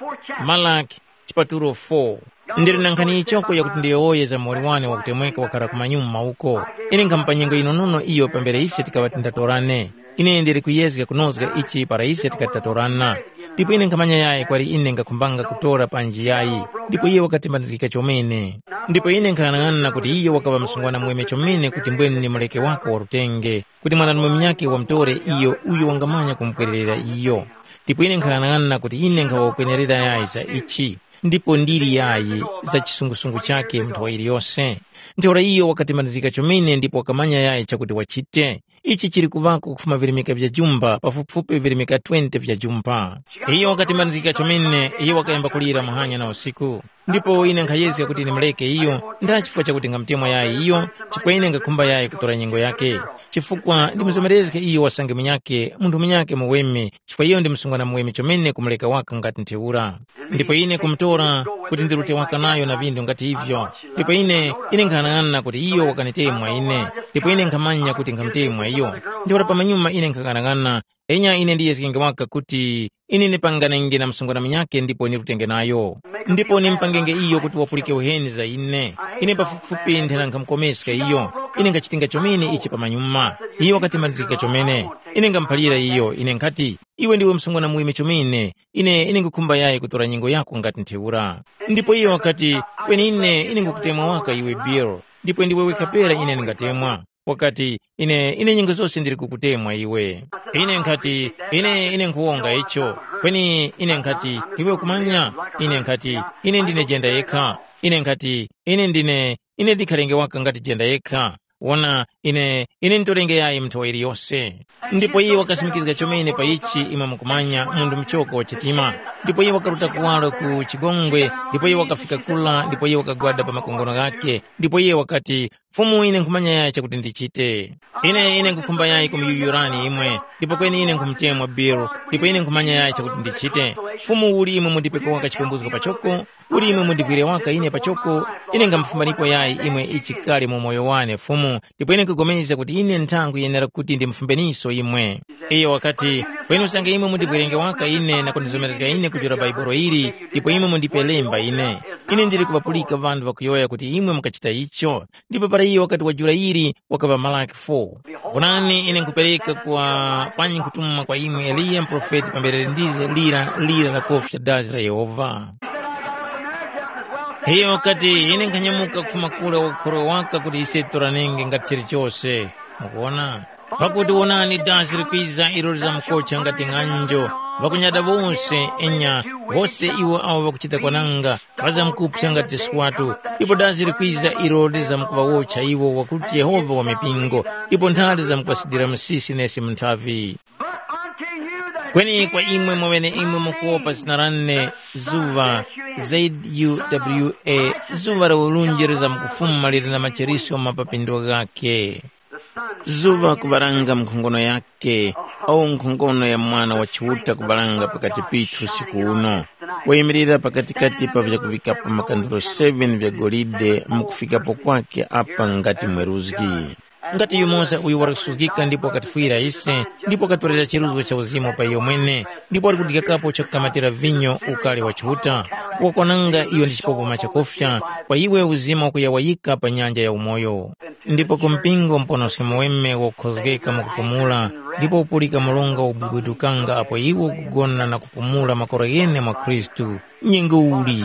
Malaki, chipatulo four. Ndili na nkhani yichoko yakuti ndiyowoye za muwoli wane wakutemweka wakhala ku manyuma uko. Ine nkhamupa nyengo yinonono iyo pambere ise tikaŵa tindatorane. Ine ndili kuyezga kunozga ichi para ise tikati tatorana. Ndipo ine nkhamanya yayi kwali ine ngakhumbanga kutora panji yayi. Ndipo iye wakatembanizgika chomene. Ndipo ine nkhang'anang'ana kuti iyo wakaŵa msungwana muweme chomene kuti mbwene ni mureke waka wa lutenge, kuti mwanarume munyakhe wamutore iyo uyo wangamanya kumupwererera iyo. Ndipo ine nkhang'anang'ana kuti ine nkhawa kwenerera yayi za ichi, ndipo ndili yayi za chisungusungu chakhe mu nthawa yiliyose. Ntheura iyo wakatembanizgika chomene ndipo wakamanya yayi chakuti wachite. Ichi chili kuvako kufuma virimika vya jumba, pafupifupi virimika twenty vya jumba. Iyo wakatembanizgika chomene, iyo wakayamba kulira muhanya na usiku. Ndipo ine nkhayezga kuti ndimureke iyo, nda chifukwa chakuti ngamutemwa yayi iyo, chifukwa ine ngakhumba yayi kutora nyengo yakhe. Chifukwa ndimuzomerezge iyo wasange munyakhe, munthu munyakhe muweme, chifukwa iyo ndi msungwana muweme chomene kumureka waka ngati ntheura. Ndipo ine kumutora kuti ndirute waka nayo na vindu ngati ivyo. Ndipo ine, ine nkhanang'ana kuti iyo wakanitemwa ine. Ndipo ine nkhamanya kuti nkhamutemwa iyo. Ntheura pamanyuma ine nkhang'anang'ana, enya ine ndiyezgenge waka kuti ine ndipanganenge na msungwana munyakhe ndipo nirutenge nayo. Ndipo nimupangenge iyo kuti wapulike uheni za ine. Ine pafupifupi nthena nkhamukomeska iyo. Ine ngachitinga chomene ichi pamanyuma. Iyo wakatembanizgika chomene. Ine ngamuphalira iyo, ine nkhati, iwe ndiwe msungwana muweme chomene. Ine, ine ngukhumba yayi kutora nyengo yako ngati ntheura. Ndipo iyo wakati, kweni ine, ine ngukutemwa waka iwe Bill, ndipo ndiwe wekha pera ine ndingatemwa. Wakati, ine, ine nyengo zose ndili kukutemwa iwe. Ine nkhati, ine, ine nkhuwonga icho. Kweni ine nkhati, iwe kumanya, ine nkhati, ine ndine jenda yekha. Ine nkhati, ine ndine, ine ndikhalenge waka ngati jenda yekha. Wona, ine, ine ntorenge yayi mnthowa iliyose. Ndipo iye wakasimikizga chomene pa ichi imwe mukumanya munthu muchoko wa chitima. Ndipo iye wakaruta kuwaro ku chigongwe, ndipo iye wakafika kula, ndipo iye wakagwada pa makongono ghakhe, ndipo iye wakati, Fumu, ine nkhumanya yaya chakuti ndichite. Ine, ine nkhukhumba yayi kumuyuyurani imwe, ndipo kweni ine nkhumutemwa Bill, ndipo ine nkhumanya yaya chakuti ndichite. Fumu, uli imwe mundipeko waka chipembuzgo pachoko? Uli imwe mundivwire waka ine pachoko? Ine ngamufumanipo yayi imwe ichi kale mu moyo wane, Fumu, ndipo ine nkupulikana kuti ine nthangu yenera kuti ndimufumbeniso imwe. Iyo wakati, kweni usange imwe mundivwirenge waka ine na kundizomerezga ine kujula Bhaibuli ili, ndipo imwe mundipe lemba ine. Ine ndili kuŵapulika ŵanthu ŵakuyowoya kuti imwe mukachita icho. Ndipo para iyo wakati wajula ili, wakaŵa Malaki four. Wonani, ine nkupereka kwa panyi nkutuma kwa imwe Eliya muprofeti pambere ndize lira lira la kofi cha dazi la Yehova. Iyo wakati, ine nkhanyamuka kufuma kule wakukhorwa waka kuti ise titoranenge ngati chilichose. Mukuona? Pakuti wonani, dazi likwiza ilo lizamukocha ngati ng'anjo, ŵakunyada wose, enya, wose iwo awo ŵakuchita kwananga, ŵazamkupsa ngati skwatu, ndipo dazi likwiza ilo lizamkuŵawotcha iwo wakuti Yehova wa mipingo, ndipo nthali zamkuŵasidira msisi nesi mu nthavi. But unto you that Kweni kwa imwe mweneimwe mukuwopa zina lane, zuŵa, Z U W A, zuŵa la ulunji lizamkufuma lili na macherisyo ma papindo ghakhe. Zuŵa kuŵaranga nkhongono yakhe, au nkhongono ya Mwana wa Chiuta kuŵaranga pakati pithu usiku uno, wayimirira pakatikati pa vyakuŵikapo makandelo seven vya golide mu kufikapo kwakhe apa ngati mweruzgi. Ngati yumoza uyo wali kusuzgika ndipo wakatifwira ise, ndipo wakatorera chiruzgo cha uzimu pa iyo mwene, ndipo wali kudyakapo chakukamatira vinyo ukali wa Chiuta, wakwananga iyo ndi chipopoma chakufya, kwa iwe uzima wakuyawayika pa nyanja ya umoyo. Ndipo ku mpingo muponoske muweme wokhozgeka mu kupumula, ndipo upulika mlonga ubwibwidukanga apo iwo ukugona na kupumula makora ghene mwa Khristu. Nyengo uli?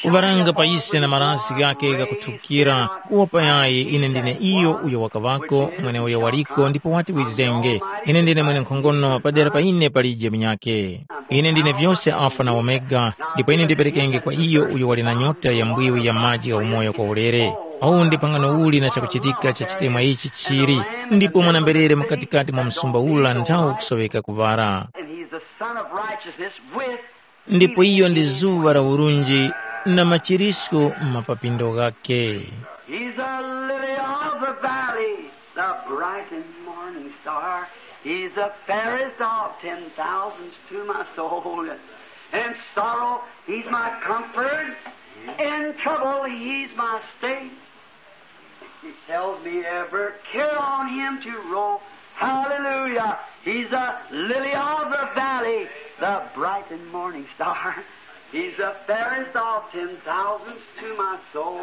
Kuŵaranga pa ise na marasi ghakhe ghakuthukira, kuwopa yayi ine ndine iyo uyo wakaŵako, mweneuyo waliko ndipo wati wizenge. Ine ndine mwene nkhongono padera pa ine palije munyakhe. Ine ndine vyose Alfa na Omega, ndipo ine ndiperekenge kwa iyo uyo wali na nyota ya mbwiwi ya maji gha umoyo kwa ulere. Awu ndi phangano uli na chakuchitika cha chitemwa ichi chili, ndipo mwanamberere mkatikati mwa msumba ula nthawi kusoweka kuŵara. And he's the Son of Righteousness with Ndipo iyo ndi zuŵa la urunji na machirisko mu mapapindo ghakhe. He's a lily of the valley, the bright and morning star. He's the fairest of ten thousands to my soul. In sorrow, he's my comfort. In trouble, he's my stay. He tells me every care on him to roll. Hallelujah. He's a lily of the valley, the bright and morning star. He's the fairest of ten thousands to my soul.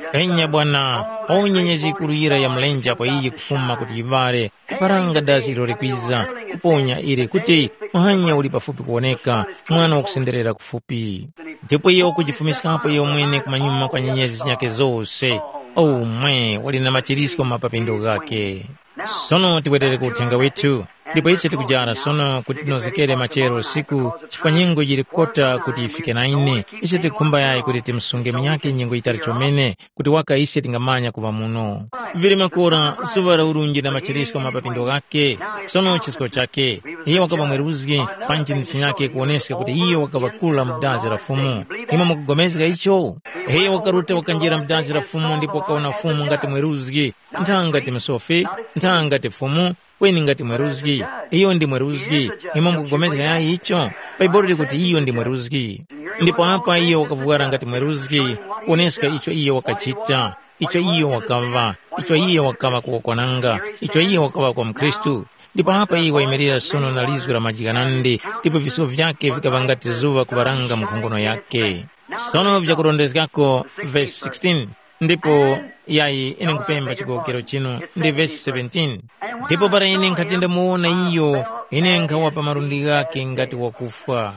Yes, Enya sir. Bwana, All that o nyenyezi great ikuru yira ya morning mlenje star apo iyi shines kufuma kuti yivale, kuparanga dazi ilo likwiza, kuponya ili kuti muhanya uli pafupi kuwoneka, mwana wakusenderera kufupi. Ndipo iye wakujifumiskapo iyo mwene kumanyuma kwa nyenyezi zinyakhe zose. Umwe wali na machirisko mapapindo ghakhe. Sono tiwerere ku uthenga withu. Ndipo ise tikujara sono kuti tinozekere machero usiku, chifukwa nyengo yili kota kuti yifike na ine. Ise tikukhumba yayi kuti timusunge munyakhe nyengo yitali chomene, kuti waka ise tingamanya kuŵa muno. Vili makora, zuŵa la urunji na machirisko mapapindo ghakhe. Sono chisko chakhe, iye wakaŵa mweruzgi, panji ni chinyakhe kuwoneska kuti iye wakaŵa kula mu dazi la Fumu. Imwe mukugomezga icho? Iye wakaruta wakanjira mu dazi la Fumu ndipo wakawona Fumu ngati mweruzgi, nthanga ti msofi, nthanga ti Fumu, kweni ngati mweruzgi. Iyo ndi mweruzgi. Imwe mukugomezga yayi icho? Bhaibuli likuti iyo ndi mweruzgi. Ndipo apa iyo wakavwara ngati mweruzgi, kuwoneska icho iyo wakachita, icho iyo wakaŵa, icho iyo wakaŵa kuwakwananga, icho iyo wakaŵa kwa mkhristu. Ndipo apa iyo wayimirira sono na lizgu la majikanande, ndipo viso vyakhe vikaŵa ngati zuŵa kuŵaranga mu nkhongono yakhe. Sono vyakurondezgako vesi sixteen. Ndipo yayi, ine nkupemba chigowokero chinu ndi vesi seventeen. Ndipo para ine nkhati ndamuwona iyo, ine nkhawa pa malundi ghakhe ngati wakufwa.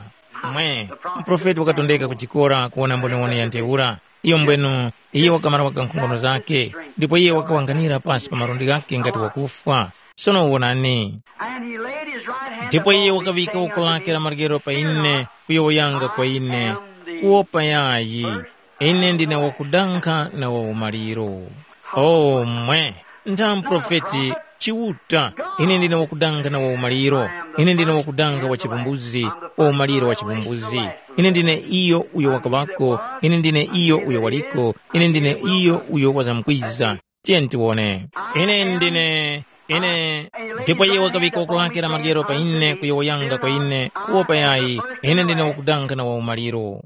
Mwe, muprofeti wakatondeka kuchikora kuwona mboniwoni ya ntheura. Iyo mbwenu, iye wakamara waka nkhongono zakhe, ndipo iye wakawanganira pasi pa malundi ghakhe ngati wakufwa. Sono wonani. And he laid his right hand Ndipo iye upon his wakaŵika uku lake la maryero pa ine, kuyowoyanga kwa ine, kuwopa yayi, ine ndine wakudankha na wa umaliro. O mwe, ntha muprofeti, Chiuta, ine ndine wakudankha na wa umaliro, ine ndine wakudankha wa chipumbuzi, wa umaliro wa chipumbuzi. Ine ndine iyo uyo wakaŵako, ine ndine iyo uyo waliko, ine ndine iyo uyo wazamkwiza. Tiyeni tiwone. Ine ndine, ine, ndipo iye wakaŵika ukulakira maryero pa ine kuyowoyanga kwa ine, kuwopa yayi, ine ndine wakudankha na wa umaliro.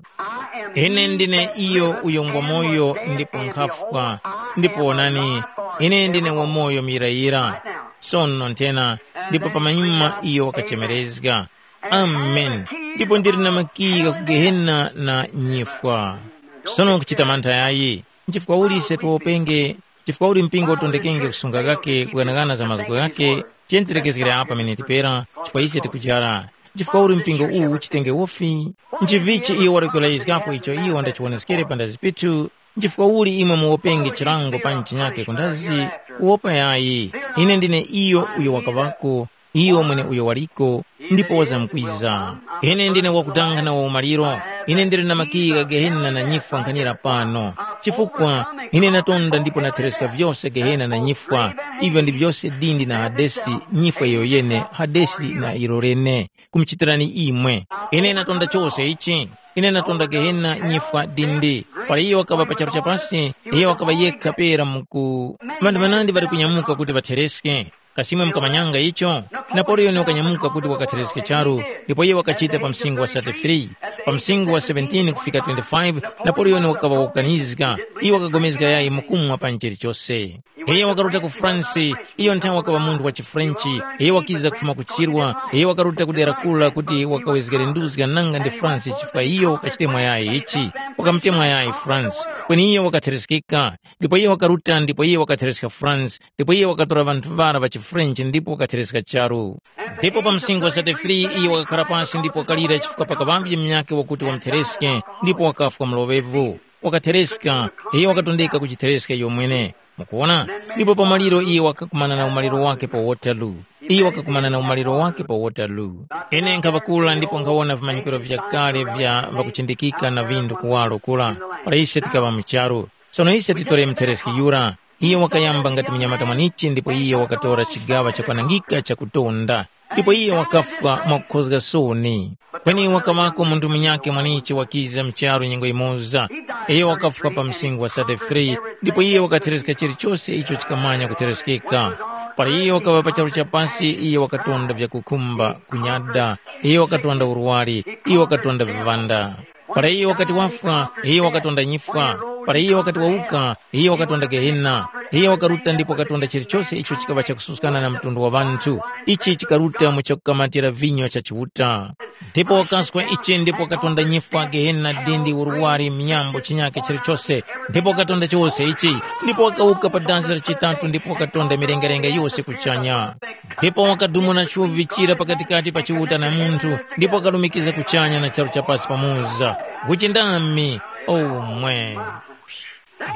Ine ndine iyo uyo ngwa moyo ndipo nkhafwa, ndipo wonani, ine ndine wa moyo muyirayira. Sono nthena, ndipo pamanyuma iyo wakachemerezga. Amen. Ndipo ndili na makiyi gha ku Gehena na nyifwa. Sono nkuchita mantha yayi, nchifukwa uli ise tiwopenge, nchifukwa uli mpingo utondekenge kusunga gake kughanagana za mazgu ghake, tiyenterekezgere apa miniti pera, chifukwa ise tikujara. Nchifukwa uli mpingo uwu uchitenge wofi? Nchivichi iyo wali kulayizgapo icho iyo wandachiwoneskere pa ndazi pithu? Nchifukwa uli imwe muwopenge chilango panji chinyake kundazi? Kuwopa yayi. Ine ndine iyo uyo wakaŵako, iyo mwene uyo waliko, ndipo wazamkwiza. Ine ndine wakudanga na waumaliro. Ine ndili na makiyi gha Gehena na nyifwa nkhanira pano. Chifukwa ine natonda ndipo nathereska vyose Gehena na nyifwa, ivyo ndi vyose dindi na Hadesi, nyifwa iyo yene, Hadesi na ilo lene. Kumuchitirani imwe. Ine natonda chose ichi. Ine natonda Gehena nyifwa dindi. Para iyo wakaŵa pa charu cha pasi, iyo wakaŵa yekha pera muku. Ŵanthu ŵanandi ŵali kunyamuka kuti ŵathereske. Kasi imwe mukamanyanga icho? Napoleoni wakanyamuka kuti wakathereske charu, ndipo iye wakachita pa msingo wa thirty-three. Pa msingo wa seventeen kufika twenty-five, Napoleoni wakaŵa wakukanizga. Iye wakapulikana yayi mukumwa pa chilichose. Iye wakaruta ku France, iyo nthawe wakaŵa munthu wa chiFrenchi. Iye wakiza kufuma ku chirwa, iye wakaruta ku dera kula kuti wakawezgere nduzga nanga ndi France chifukwa iyo wakachitemwa yayi ichi, wakamutemwa yayi France. Kweni iyo wakathereskeka, ndipo iye wakaruta ndipo iye wakathereska France, ndipo iye wakatora ŵanthu ŵara ŵa chiFrenchi ndipo wakathereska charu. Ndipo pa msinkhu wa thirty-three iyo wakakhara pasi ndipo wakalira chifukwa pakaŵavye munyakhe wakuti wamuthereske, ndipo wakafwa mloŵevu. Wakathereska, iyo wakatondeka kuchithereska iyo mwene. Mukuwona? Ndipo pa maliro iyo wakakumana na umaliro wake pa Waterloo. Iyo wakakumana na umaliro wake pa Waterloo. Ine nkhaŵakula ndipo nkhawona vimanyikiro vyakale vya ŵakuchindikika na vindu kuwaro kura, para ise tikaŵa mu charu. Sono ise titore muthereski yura. Iyo wakayamba ngati munyamata mwanichi ndipo iyo wakatora chigaŵa chakwanangika chakutonda. Ndipo iye wakafwa mwakukhozga soni. Kweni wakaŵako munthu munyakhe mwanichi wakiza mu charu nyengo yimoza. Iye wakafwa pa msinkhu wa thirty-three, ndipo iye wakathereska chilichose icho chikamanya kuthereskeka. Para iye wakaŵa pa charu cha pasi, iye wakatonda vyakukhumba, kunyada, iye wakatonda urwari, iye wakatonda viŵanda. Para iye wakati wafwa, iye wakatonda nyifwa. Para iye wakati wawuka, iye wakatonda Gehena. Iye wakaruta ndipo wakatonda chilichose icho chikaŵa chakususkana na mtundu wa ŵanthu. Ichi chikaruta mu chakukamatira vinyo cha Chiuta. Ndipo wakaswa ichi ndipo wakatonda nyifwa, Gehena, dindi, uruwari, mnyambo, chinyake chilichose. Ndipo wakatonda chose ichi, ndipo wakawuka pa danzi la chitatu ndipo wakatonda milengalenga yose kuchanya. Ndipo wakadumula chuvi chira pakatikati pa Chiuta na munthu, ndipo wakalumikiza kuchanya na charu cha pasi pamoza. Uchindami, omwe.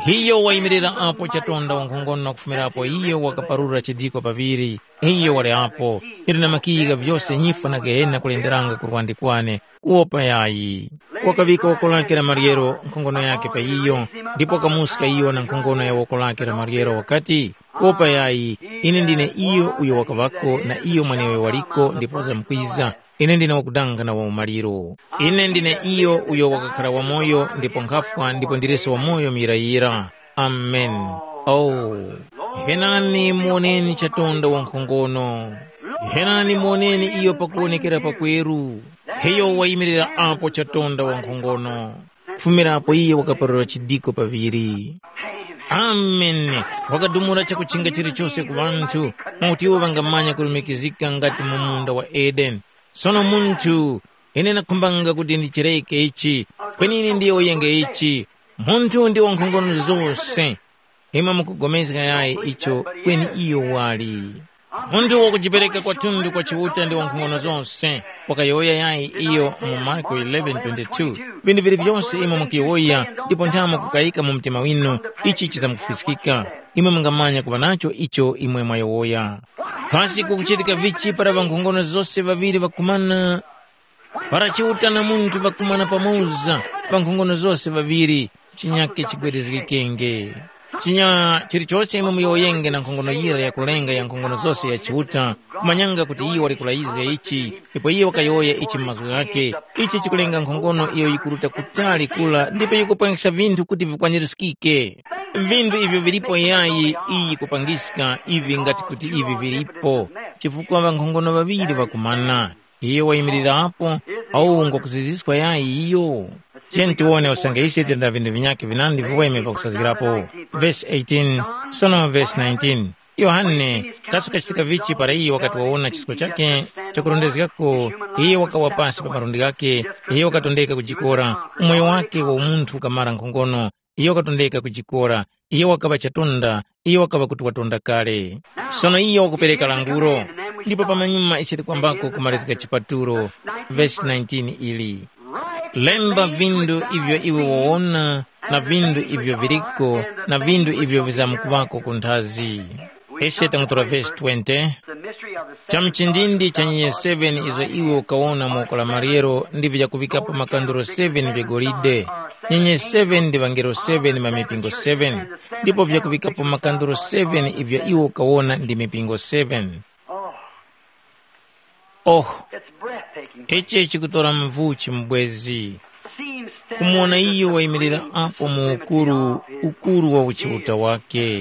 Iyo wayimirira apo chatonda wankhongono na kufumirapo iyo wakaparura chidiko paŵiri. Iyo wali apo. Ili na makiyi gha vyose nyifwa na Gehena kulenderanga ku lwandi kwane, kuwopa yayi. Wakaŵika woko lake la maryero nkhongono yake pa iyo, ndipo wakamuska iyo na nkhongono ya woko lake la maryero wakati, kuwopa yayi, ine ndine iyo uyo wakaŵako na iyo mwaneyo waliko ndipo wazamkwiza. Ine ndine wakudanga na waumaliro. Ine ndine iyo uyo wakakhara wamoyo ndipo nkhafwa ndipo ndireso wamoyo muyirayira. Amen. Oh. Henani muwoneni chatonda wankhongono. Henani muwoneni iyo pakuwonekera pakweru. Iyo wayimirira apo chatonda wankhongono. Kufumira apo iye wakaparura chidiko paŵiri. Amen. Wakadumula chakuchinga chilichose ku ŵanthu, mwakuti iwo ŵangamanya kulumikizika ngati mu munda wa Edeni. Sono munthu, ine nakhumbanga kuti ndichireke ichi, kweni ine ndiyowoyenge ichi. Munthu ndi wankhongono zose. Imwe mukupulikana yayi icho kweni iyo wali. Munthu wakujipereka kwathunthu kwa Chiuta ndi wankhongono zose, wakayowoya yayi iyo mu Marko eleven twenty-two. Vinthu vili vyose imwe mukuyowoya ndipo nthamo kukayika mu mtima winu, ichi chizamkufiskika. Imwe mungamanya kuŵa nacho icho imwe mwayowoya. Kasi kukuchitika vichi para ŵankhongono zose ŵaŵiri ŵakumana? Para Chiuta na munthu ŵakumana pamoza, ŵankhongono zose ŵaŵiri, chinyake chigwedezgekenge. Chinya chilichose imwe muyowoyenge na nkhongono yira yakulenga ya nkhongono zose ya Chiuta, kumanyanga kuti iyo wali kulayizga ichi, ndipo iyo wakayowoya ichi mu mazgu ghakhe, ichi chikulenga nkhongono iyo yikuruta kutali kula ndipo yikupwengesa vinthu kuti vikwanirizgike. Vinthu ivyo vilipo yayi iyi kupangiska ivi ngati kuti ivi vilipo, chifukwa ŵankhongono ŵaŵiri ŵakumana. Iyo wayimilirapo, awu ngwakuziziska yayi iyo? Tiyeni tiwone usange ise tili na vinthu vinyakhe vinandi viweme pakusazgirapo. Vesi eighteen, sono vesi nineteen. Yohane, kasi kachitika vichi para iyo wakati wawona chisko chakhe chakurondezgako, iyo wakawa pasi pa malundi ghakhe, iyo wakatondeka kujikora, umoyo wakhe wa umunthu ukamara nkhongono, iyo wakatondeka kujikora, iyo wakaŵa chatunda, iyo wakaŵa kuti watonda kale. Sono iyo wakupereka languro, ndipo pamanyuma ise tikwambako kumalizika chipatulo, vesi nineteen ili. Lemba vindu ivyo iwe wawona, na vindu ivyo viriko, na vindu ivyo vizamkuŵako ku nthazi. Ise tangutora vesi twenty. Cha mchindindi cha nyenye seven izo iwe ukawona mu woko la maryero ndivyo vyakuŵikapo makanduro seven vya golide. Nyenye seven ndi ŵangelo seven ma mipingo seven, ndipo vyakuŵikapo makanduro seven ivyo iwe ukawona ndi mipingo seven. Oh, it's breathtaking. Ichi chikutora mvuchi mubwezi. Seems standing kumuwona in the iyo wayimirira supreme apo mu simplicity ukuru of his ukuru wa uchiuta wake.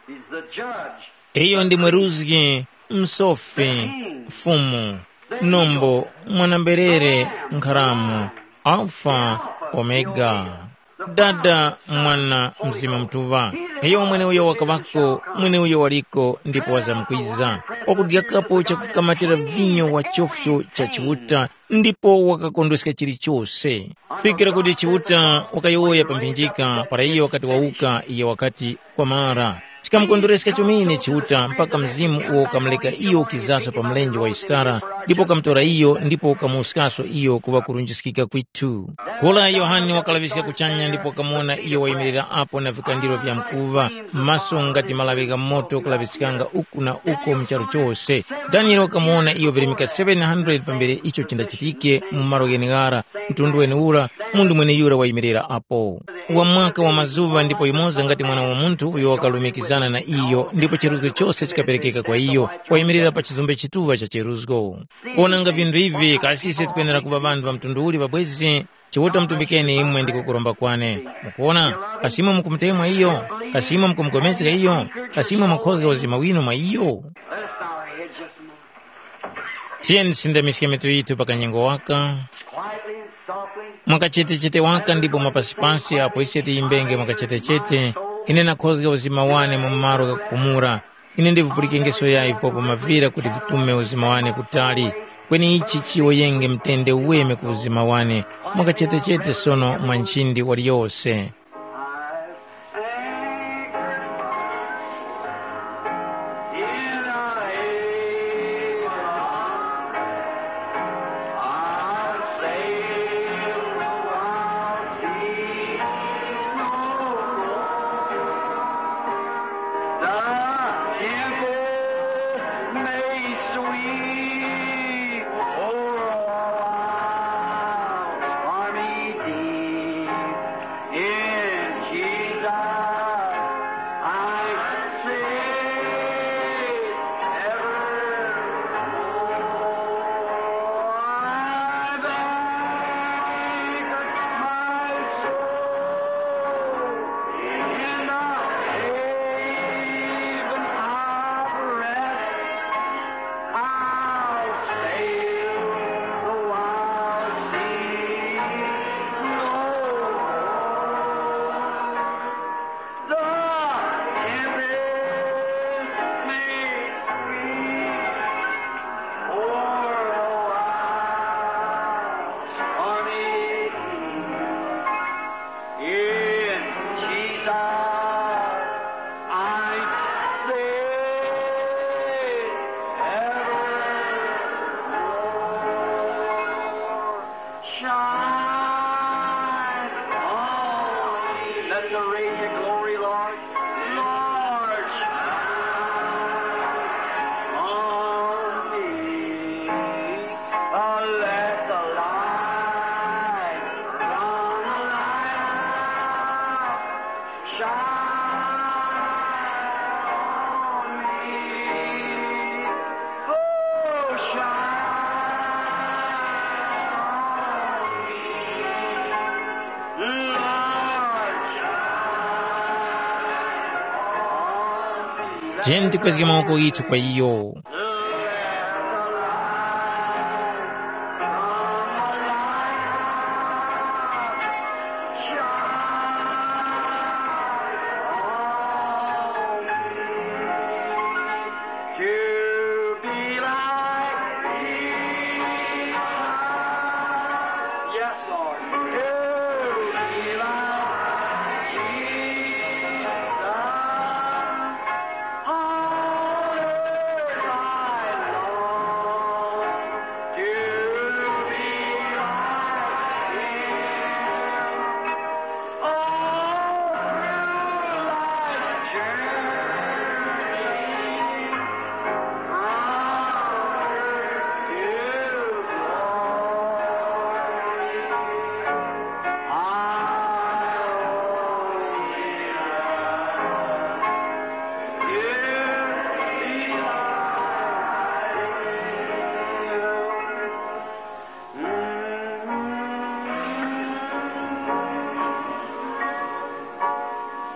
He's the judge. Iyo ndi mweruzgi, msofi, mfumu, nombo, mwanamberere, nkharamu, alfa, omega, dada, mwana, mzima mutuŵa. Iyo mweneuyo wakaŵako, mweneuyo waliko ndipo wazamkwiza, wakudyakapo chakukamatira vinyo wa chofyo cha Chiuta, ndipo wakakondweska chilichose. Fikira kuti Chiuta wakayowoya pa mphinjika para iyo wakati wawuka, iyo wakati, kwamara. Chikamukondwereska chomene Chiuta mpaka mzimu uwo ukamuleka iyo ukizaso pa mlenje wa Yisitara, ndipo ukamutora iyo ndipo ukamuwuskaso iyo kuŵa kurunjiskika kwithu. Kula Yohane wakalaŵiska kuchanya ndipo wakamuwona iyo wayimirira apo na vikandiro vya mkuva, maso ngati malaŵi gha moto kulaŵiskanga uku na uko mu charu chose. Daniele wakamuwona iyo virimika seven hundred pambere icho chindachitike mu malo gheneghara, mtundu wenewura, munthu mweneyura wayimirira apo. Wa mwaka wa mazuŵa ndipo yumoza ngati Mwana wa Munthu uyo wakalumikizana na iyo, ndipo chiruzgo chose chikaperekeka kwa iyo, wayimirira pa chizumbe chituŵa cha chiruzgo. Kuwonanga vinthu ivi, kasi ise tikwenera kuŵa ŵanthu ŵa mtundu uli pabwezi? Chiuta mutumbikeni imwe ndi kukuromba kwane. Mukuwona, kasi imwe mukumutemwa iyo? Kasi imwe mukumupulikana iyo? Kasi imwe mukhozga uzima winu mwa iyo? Let us bow our heads just a moment. Tiyeni tisindamiske mitu yithu pa kanyengo waka. Quietly and softly. Mwakachetechete waka ndipo mwapasipasi apo ise tiyimbenge mwakachetechete, ine nakhozga uzima wane mu malo ghakupumula. Ine ndivupulikengeso yayi vipopo mavira kuti vitume uzima wane kutali, kweni ichi chiyowoyenge mtende uweme ku uzima wane, mwakachetechete sono mwa nchindi waliyose. Tiyeni tikwezge mawoko ghithu kwa iyo. To be like Jesus. Yes, Lord. To be like Jesus. All earth I long to be like him. All through life's journey, from earth to glory, I only ask you be like him.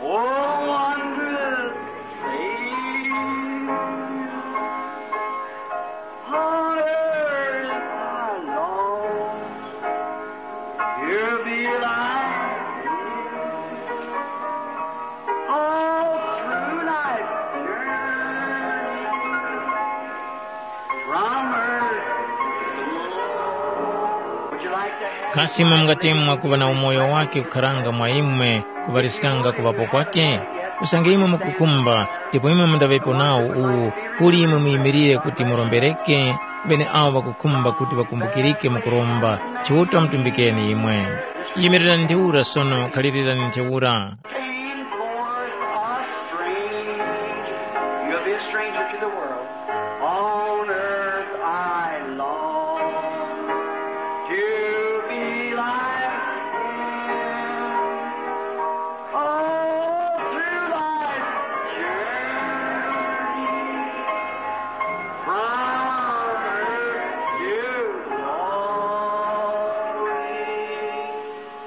Oh, wondrous Savior, on earth I long to be like you. All through life's journey, from earth to glory. Would you like to have Kasi imwe mungatemwa kuŵa na umoyo wake kukharanga mwa imwe kuŵaliskanga kuŵapo kwake? Usange imwe mukukhumba, ndipo imwe mundaŵepo nawo uwu, kuli imwe muyimilire kuti murombereke, ŵene awo ŵakukhumba kuti ŵakumbukirike mu kuromba, Chiuta mutumbikeni imwe. Yimirirani ntheura sono, khalirani ntheura. Came forth a strange, you'll be a stranger to the world. On earth I long to be like him. All through life's journey, from earth to glory,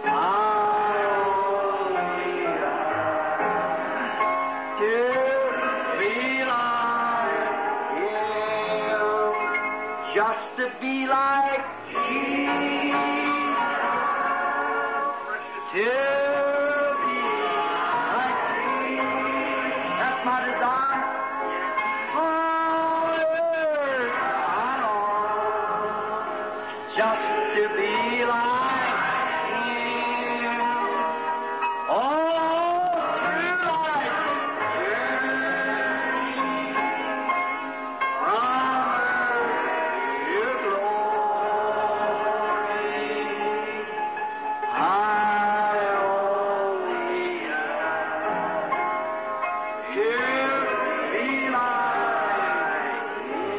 I only ask to be like him, just to be like Jesus, to be like Jesus. That's my desire. All earth I long just to be like him. All through life's journey, from earth to glory, I only ask to be like him.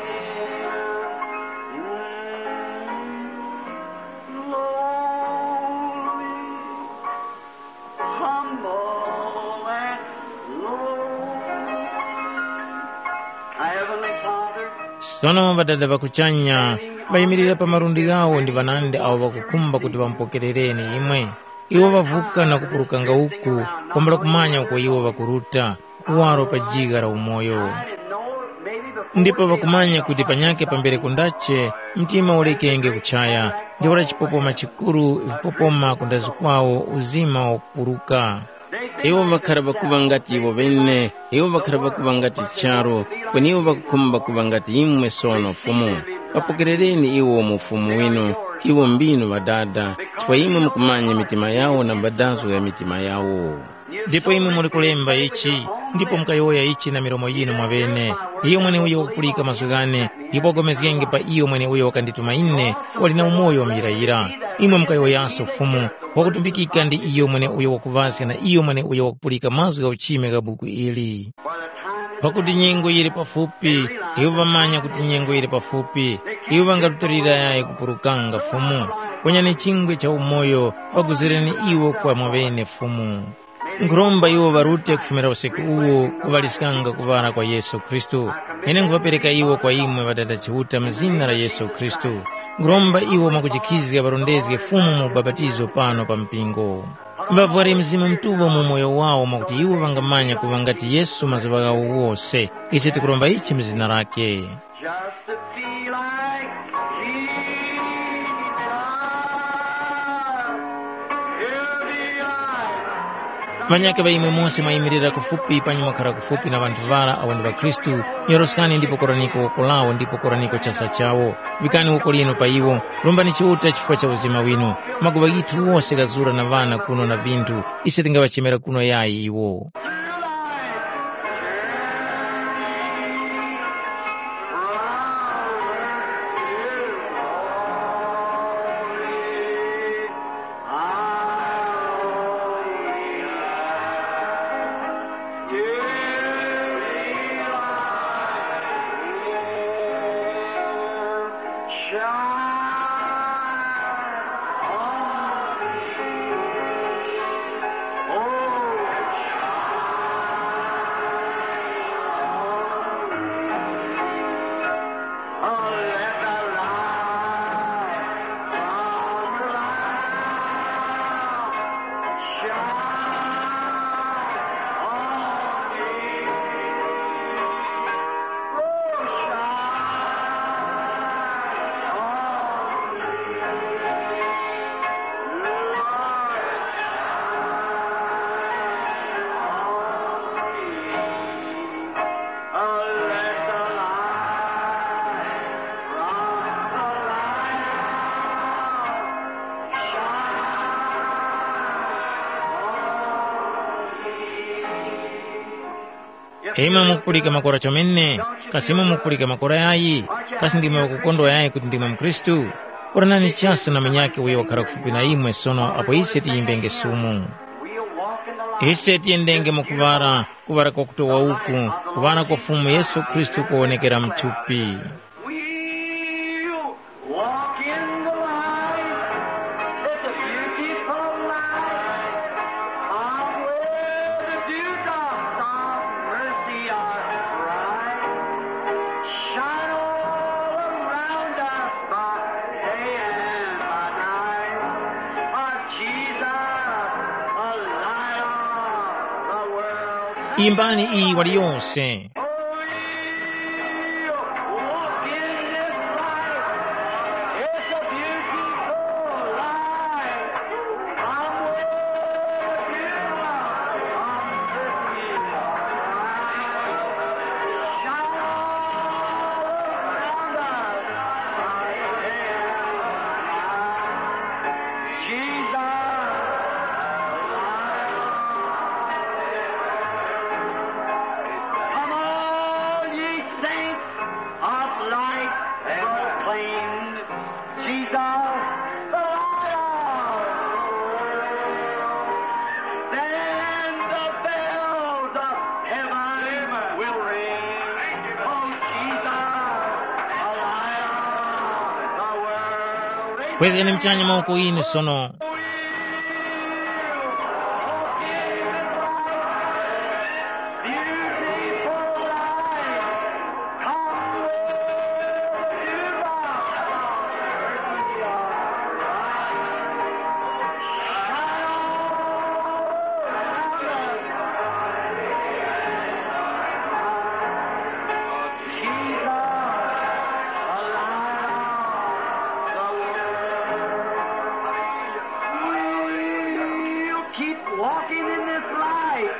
Lowly, humble and lowly. Our Heavenly Father, Sono Ŵadada ŵa kuchanya ŵayimirira pa malundi ghawo ndi ŵanandi awo ŵakukhumba kuti ŵamupokerereni imwe. Iwo ŵavuka na kupulukanga uku, kwambula kumanya uko iwo ŵakuruta, kuwaro pa jigha la umoyo. Ndipo ŵakumanya kuti panyakhe pambere kundache, mtima ulekenge kuchaya, ntheura chipopoma chikuru, vipopoma kundazi kwawo, uzima wakupuruka. Iwo ŵakhara ŵakuŵa ngati iwo ŵene, iwo ŵakhara ŵakuŵa ngati charu, kweni iwo ŵakukhumba kuŵa ngati imwe sono Fumu. Ŵapokerereni iwo mu Ufumu winu, iwo mbinu Ŵadada, chifukwa imwe mukumanya mitima yawo na mbadazgo ya mitima yawo. Ndipo imwe muli kulemba ichi, ndipo mukayowoya ichi na milomo yinu mwaŵene. Iyo mweneuyo wakupulika mazgu ghane, ndipo wapulikenge pa iyo mweneuyo wakandituma ine, wali na umoyo muyirayira. Imwe mukayowoyaso Fumu, wakutumbikika ndi iyo mweneuyo wakuŵaska na iyo mweneuyo wakupulika mazgu gha uchime gha buku ili. Pakuti nyengo yili pafupi, iwo ŵamanya kuti nyengo yili pafupi, iwo ŵangarutilira yayi kupulukanga Fumu. Ponyani chingwe cha umoyo, ŵaguzireni iwo kwa mwaŵene Fumu. Nkhuromba iwo ŵarute kufumira usiku uwu kuŵaliskanga kuŵala kwa Yesu Khristu. Ine nkhuŵapereka iwo kwa imwe Ŵadada Chiuta mu zina la Yesu Khristu. Nkhuromba iwo mwakujikhizga ŵarondezge Fumu mu ubapatizo pano pa mpingo. Ŵavware Mzimu Mutuŵa mu moyo wawo mwakuti iwo ŵangamanya kuŵa ngati Yesu mazuŵa ghawo wose. Ise tikuromba ichi mu zina lakhe. Just to be like Jesus. He'll be like Ŵanyakhe ŵa imwe mose mwayimirira kufupi panyi mwakhara kufupi na ŵanthu ŵara awo ndi ŵakhristu, nyoroskani ndipo koraniko woko lawo ndipo koraniko chasa chawo. Vikani woko linu pa iwo, rombani Chiuta chifukwa cha uzima winu. Maguŵa ghithu wose ghazura na ŵana kuno na vinthu, ise tingaŵachemera kuno yayi iwo. Imwe mukupulika makora chomene, kasi imwe mukupulika makora yayi? Kasi ndimwe ŵakukondwa yayi kuti ndimwe mukhristu? Kuranani chasi na munyakhe uyo wakhara kufupi na imwe sono apo ise tiyimbenge sumu. Ise tiyendenge mu kuŵala, kuŵala kwakutowa uku, kuŵala kwa Fumu Yesu Khristu kuwonekera mu thupi. We'll walk in the light. It's a beautiful light. Come where the dewdrops of mercy are bright. Shine all around us by day and by night. Our Jesus, the light of the world. Imbani iyi wali yonse. Come, all ye saints of light, proclaim Jesus, the light of the world. Then the bells of heaven will ring. Oh, Jesus, the light of the world. Kwezgani muchanya mawoko ghinu sono. Keep walking in this light.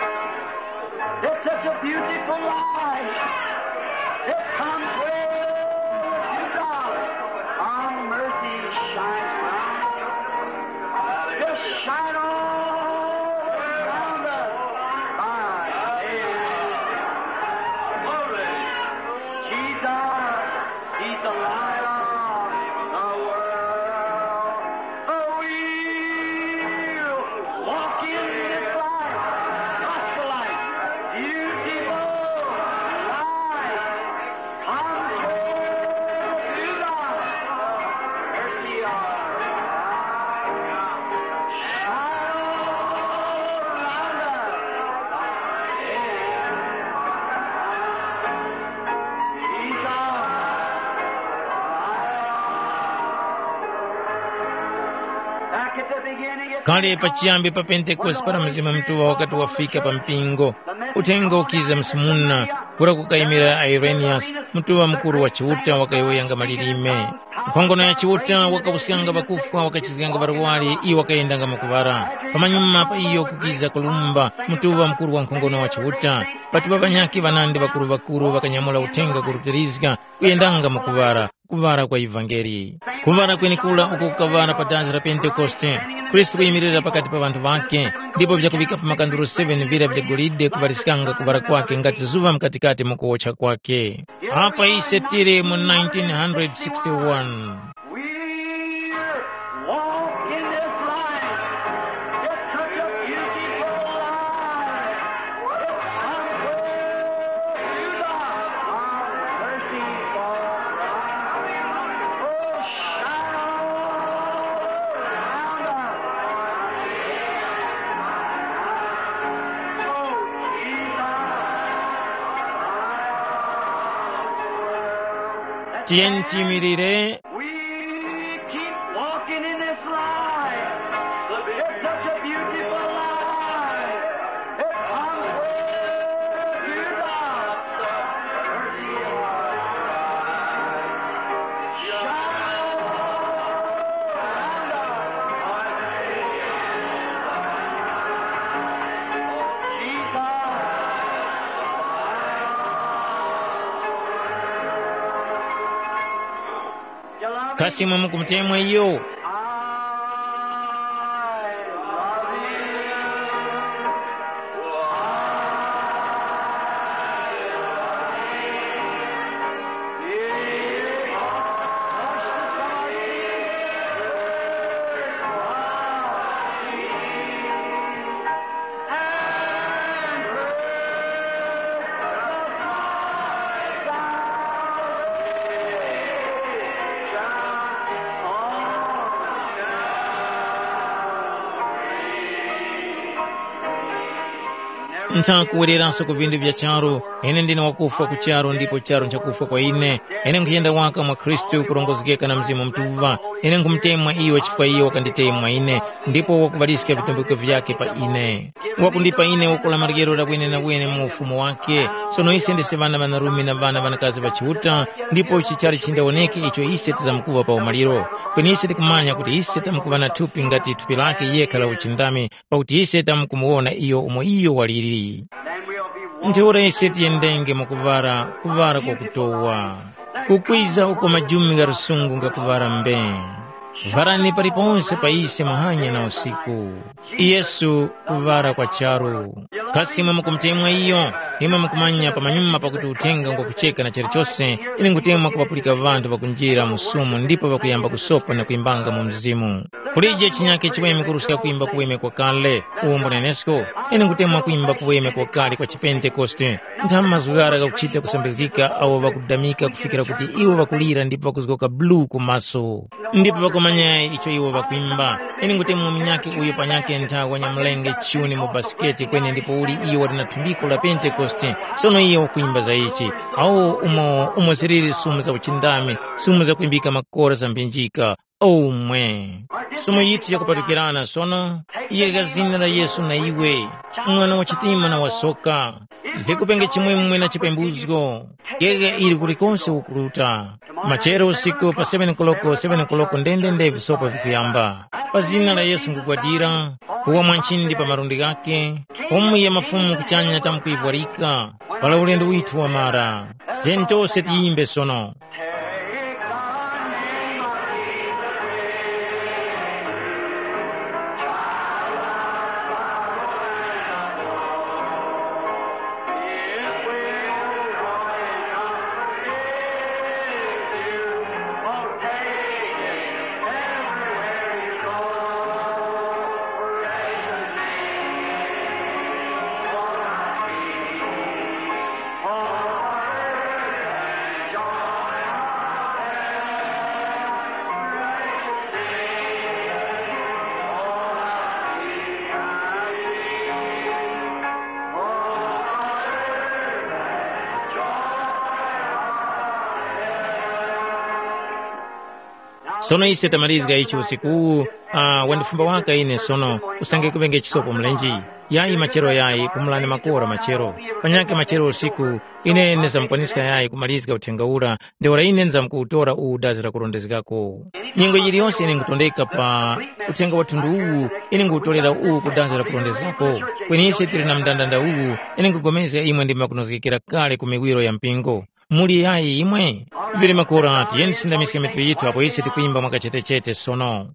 It's such a beautiful light. It comes where the dewdrops of mercy shines bright. Just shine all around us. Amen. Jesus, He's the light of the world. Oh, we'll walk in this light, gospel light, beautiful light. Come Kale pachiyambi pa Pentekoste para Mzimu Mutuŵa wakati wafika pa mpingo, uthenga ukiza msumuna, kura kukayimira Ireniyasi, mutuŵa mukuru wa Chiuta wakayowoyanga malilime. Nkhongono ya Chiuta wakawuskanga ŵakufwa, wakachizganga ŵarwari, iyo wakayendanga makuŵara. Pamanyuma pa iyo kukiza Kolumba, mutuŵa mukuru wa nkhongono wa Chiuta. Patuŵa ŵanyakhe ŵanandi ŵakuru-ŵakuru ŵakanyamula uthenga kurutirizga, kuyendanga mu kuŵara, kuŵara kwa ivangeli. Kuŵara kwenekura uko kukaŵara pa dazi la Pentekoste, Khristu kuyimirira pakati pa ŵanthu ŵakhe, ndipo vyakuŵika pa makanduro seven vira vya golide kuŵaliskanga kuŵara kwakhe ngati zuŵa mkatikati mu kuwotcha kwakhe. Apa ise tili mu nineteen sixty-one. We're walking this life. It's such a beautiful life. It's unfair to the mercy for us. Oh, shine around us. Oh, Jesus. Tiyeni tiyimirire. We keep walking in this life. It's such a beautiful life. It comes with you, God. Shine around us. Jesus. Kasi imwe mukumutemwa iyo? Nthakuwereranso ku vindu vya charu, ine ndine wakufwa ku charu ndipo charu nchakufwa kwa ine. Ine nkhuyenda waka mwa Khristu kurongozgeka na Mzimu Mutuŵa. Ine nkhumutemwa iyo chifukwa iyo wakanditemwa ine, ndipo wakuŵaliska vitumbiko vyakhe pa ine. Wakundipa ine wakula maryero la wenewene mu ufumu wakhe. Sono ise ndise ŵana ŵanarume na ŵana ŵanakazi ŵa Chiuta, ndipo ichi chali chindawoneke icho ise tizamkuŵa pa umaliro. Kweni ise tikumanya kuti ise tamkuŵa na thupi ngati thupi lakhe yekha la uchindami, pakuti ise tamkumuwona iyo umo iyo waliri. Ntheura ise tiyendenge mwakuŵala, kuŵala kwakutowa. Kukwiza uko majumi gha lusungu ngakuŵala mbe. Ŵarani paliponse pa ise muhanya na usiku. Yesu kuŵala kwa charu. Kasi imwe mukumutemwa iyo? Imwe mukumanya pamanyuma pakuti uthenga ngwakucheka na chilichose, ine ngutemwa kuŵapulika ŵanthu ŵakunjira mu sumu ndipo ŵakuyamba kusopa na kwimbanga mu mzimu. Kulije chinyakhe chiweme kuruska kwimba kuweme kwakale, uwo mbunenesko, ine ngutemwa kwimba kuweme kwakale kwa chipentekoste. Ntha mazgu ghara ghakuchita kusambizgika awo ŵakudamika kufikira kuti iwo ŵakulira ndipo ŵakuzgoka bluu ku maso. Ndipo ŵakumanya icho iwo ŵakwimba. Ine ngutemwa munyakhe uyo panyakhe ntha wanyamulenge chuni mu basiketi kweni ndipo uli iyo wali na thumbiko la Pentekoste, sono iye wakwimba za ichi. Awo umo, umo ziliri sumu za uchindami, sumu zakwimbika makora za mphinjika. Omwe. Sumu yithu yakupatukirana sono, yega zina la Yesu na iwe, mwana wa chitima na wasoka. Vikupenge chimwemwe na chipembuzgo. Yega ili kulikonse ukuruta. Machero usiku pa seven koloko, seven koloko ndendende visopa vikuyamba. Pa zina la Yesu ngugwadira, kuwa mwa nchindi pa malundi ghakhe, umu ya mafumu kuchanya tamkuivwarika, para ulendo withu wamara. Tiyeni tose tiyimbe sono. Sono ise tamalizga ichi usiku uwu, uh, wandifumba waka ine sono, usange kuŵenge chisopo mlenji. Yayi machero yayi, pumulani makora machero. Panyakhe machero usiku, ine ndizamkwaniska yayi kumalizga uthenga ura, ntheura ine ndizamkuwutora uwu dazi la kurondezgako. Nyengo yiliyonse ine nkutondeka pa uthenga wa thundu uwu, ine nguwutorera uwu ku dazi la kurondezgako. Kweni ise tili na mndandanda uwu, ine nkupulikana imwe ndi makunozgekera kale ku miwiro ya mpingo. Muli yayi imwe? Vili makora tiyeni tisindamiske mitu yithu apo ise tikwimba mwakachetechete sono.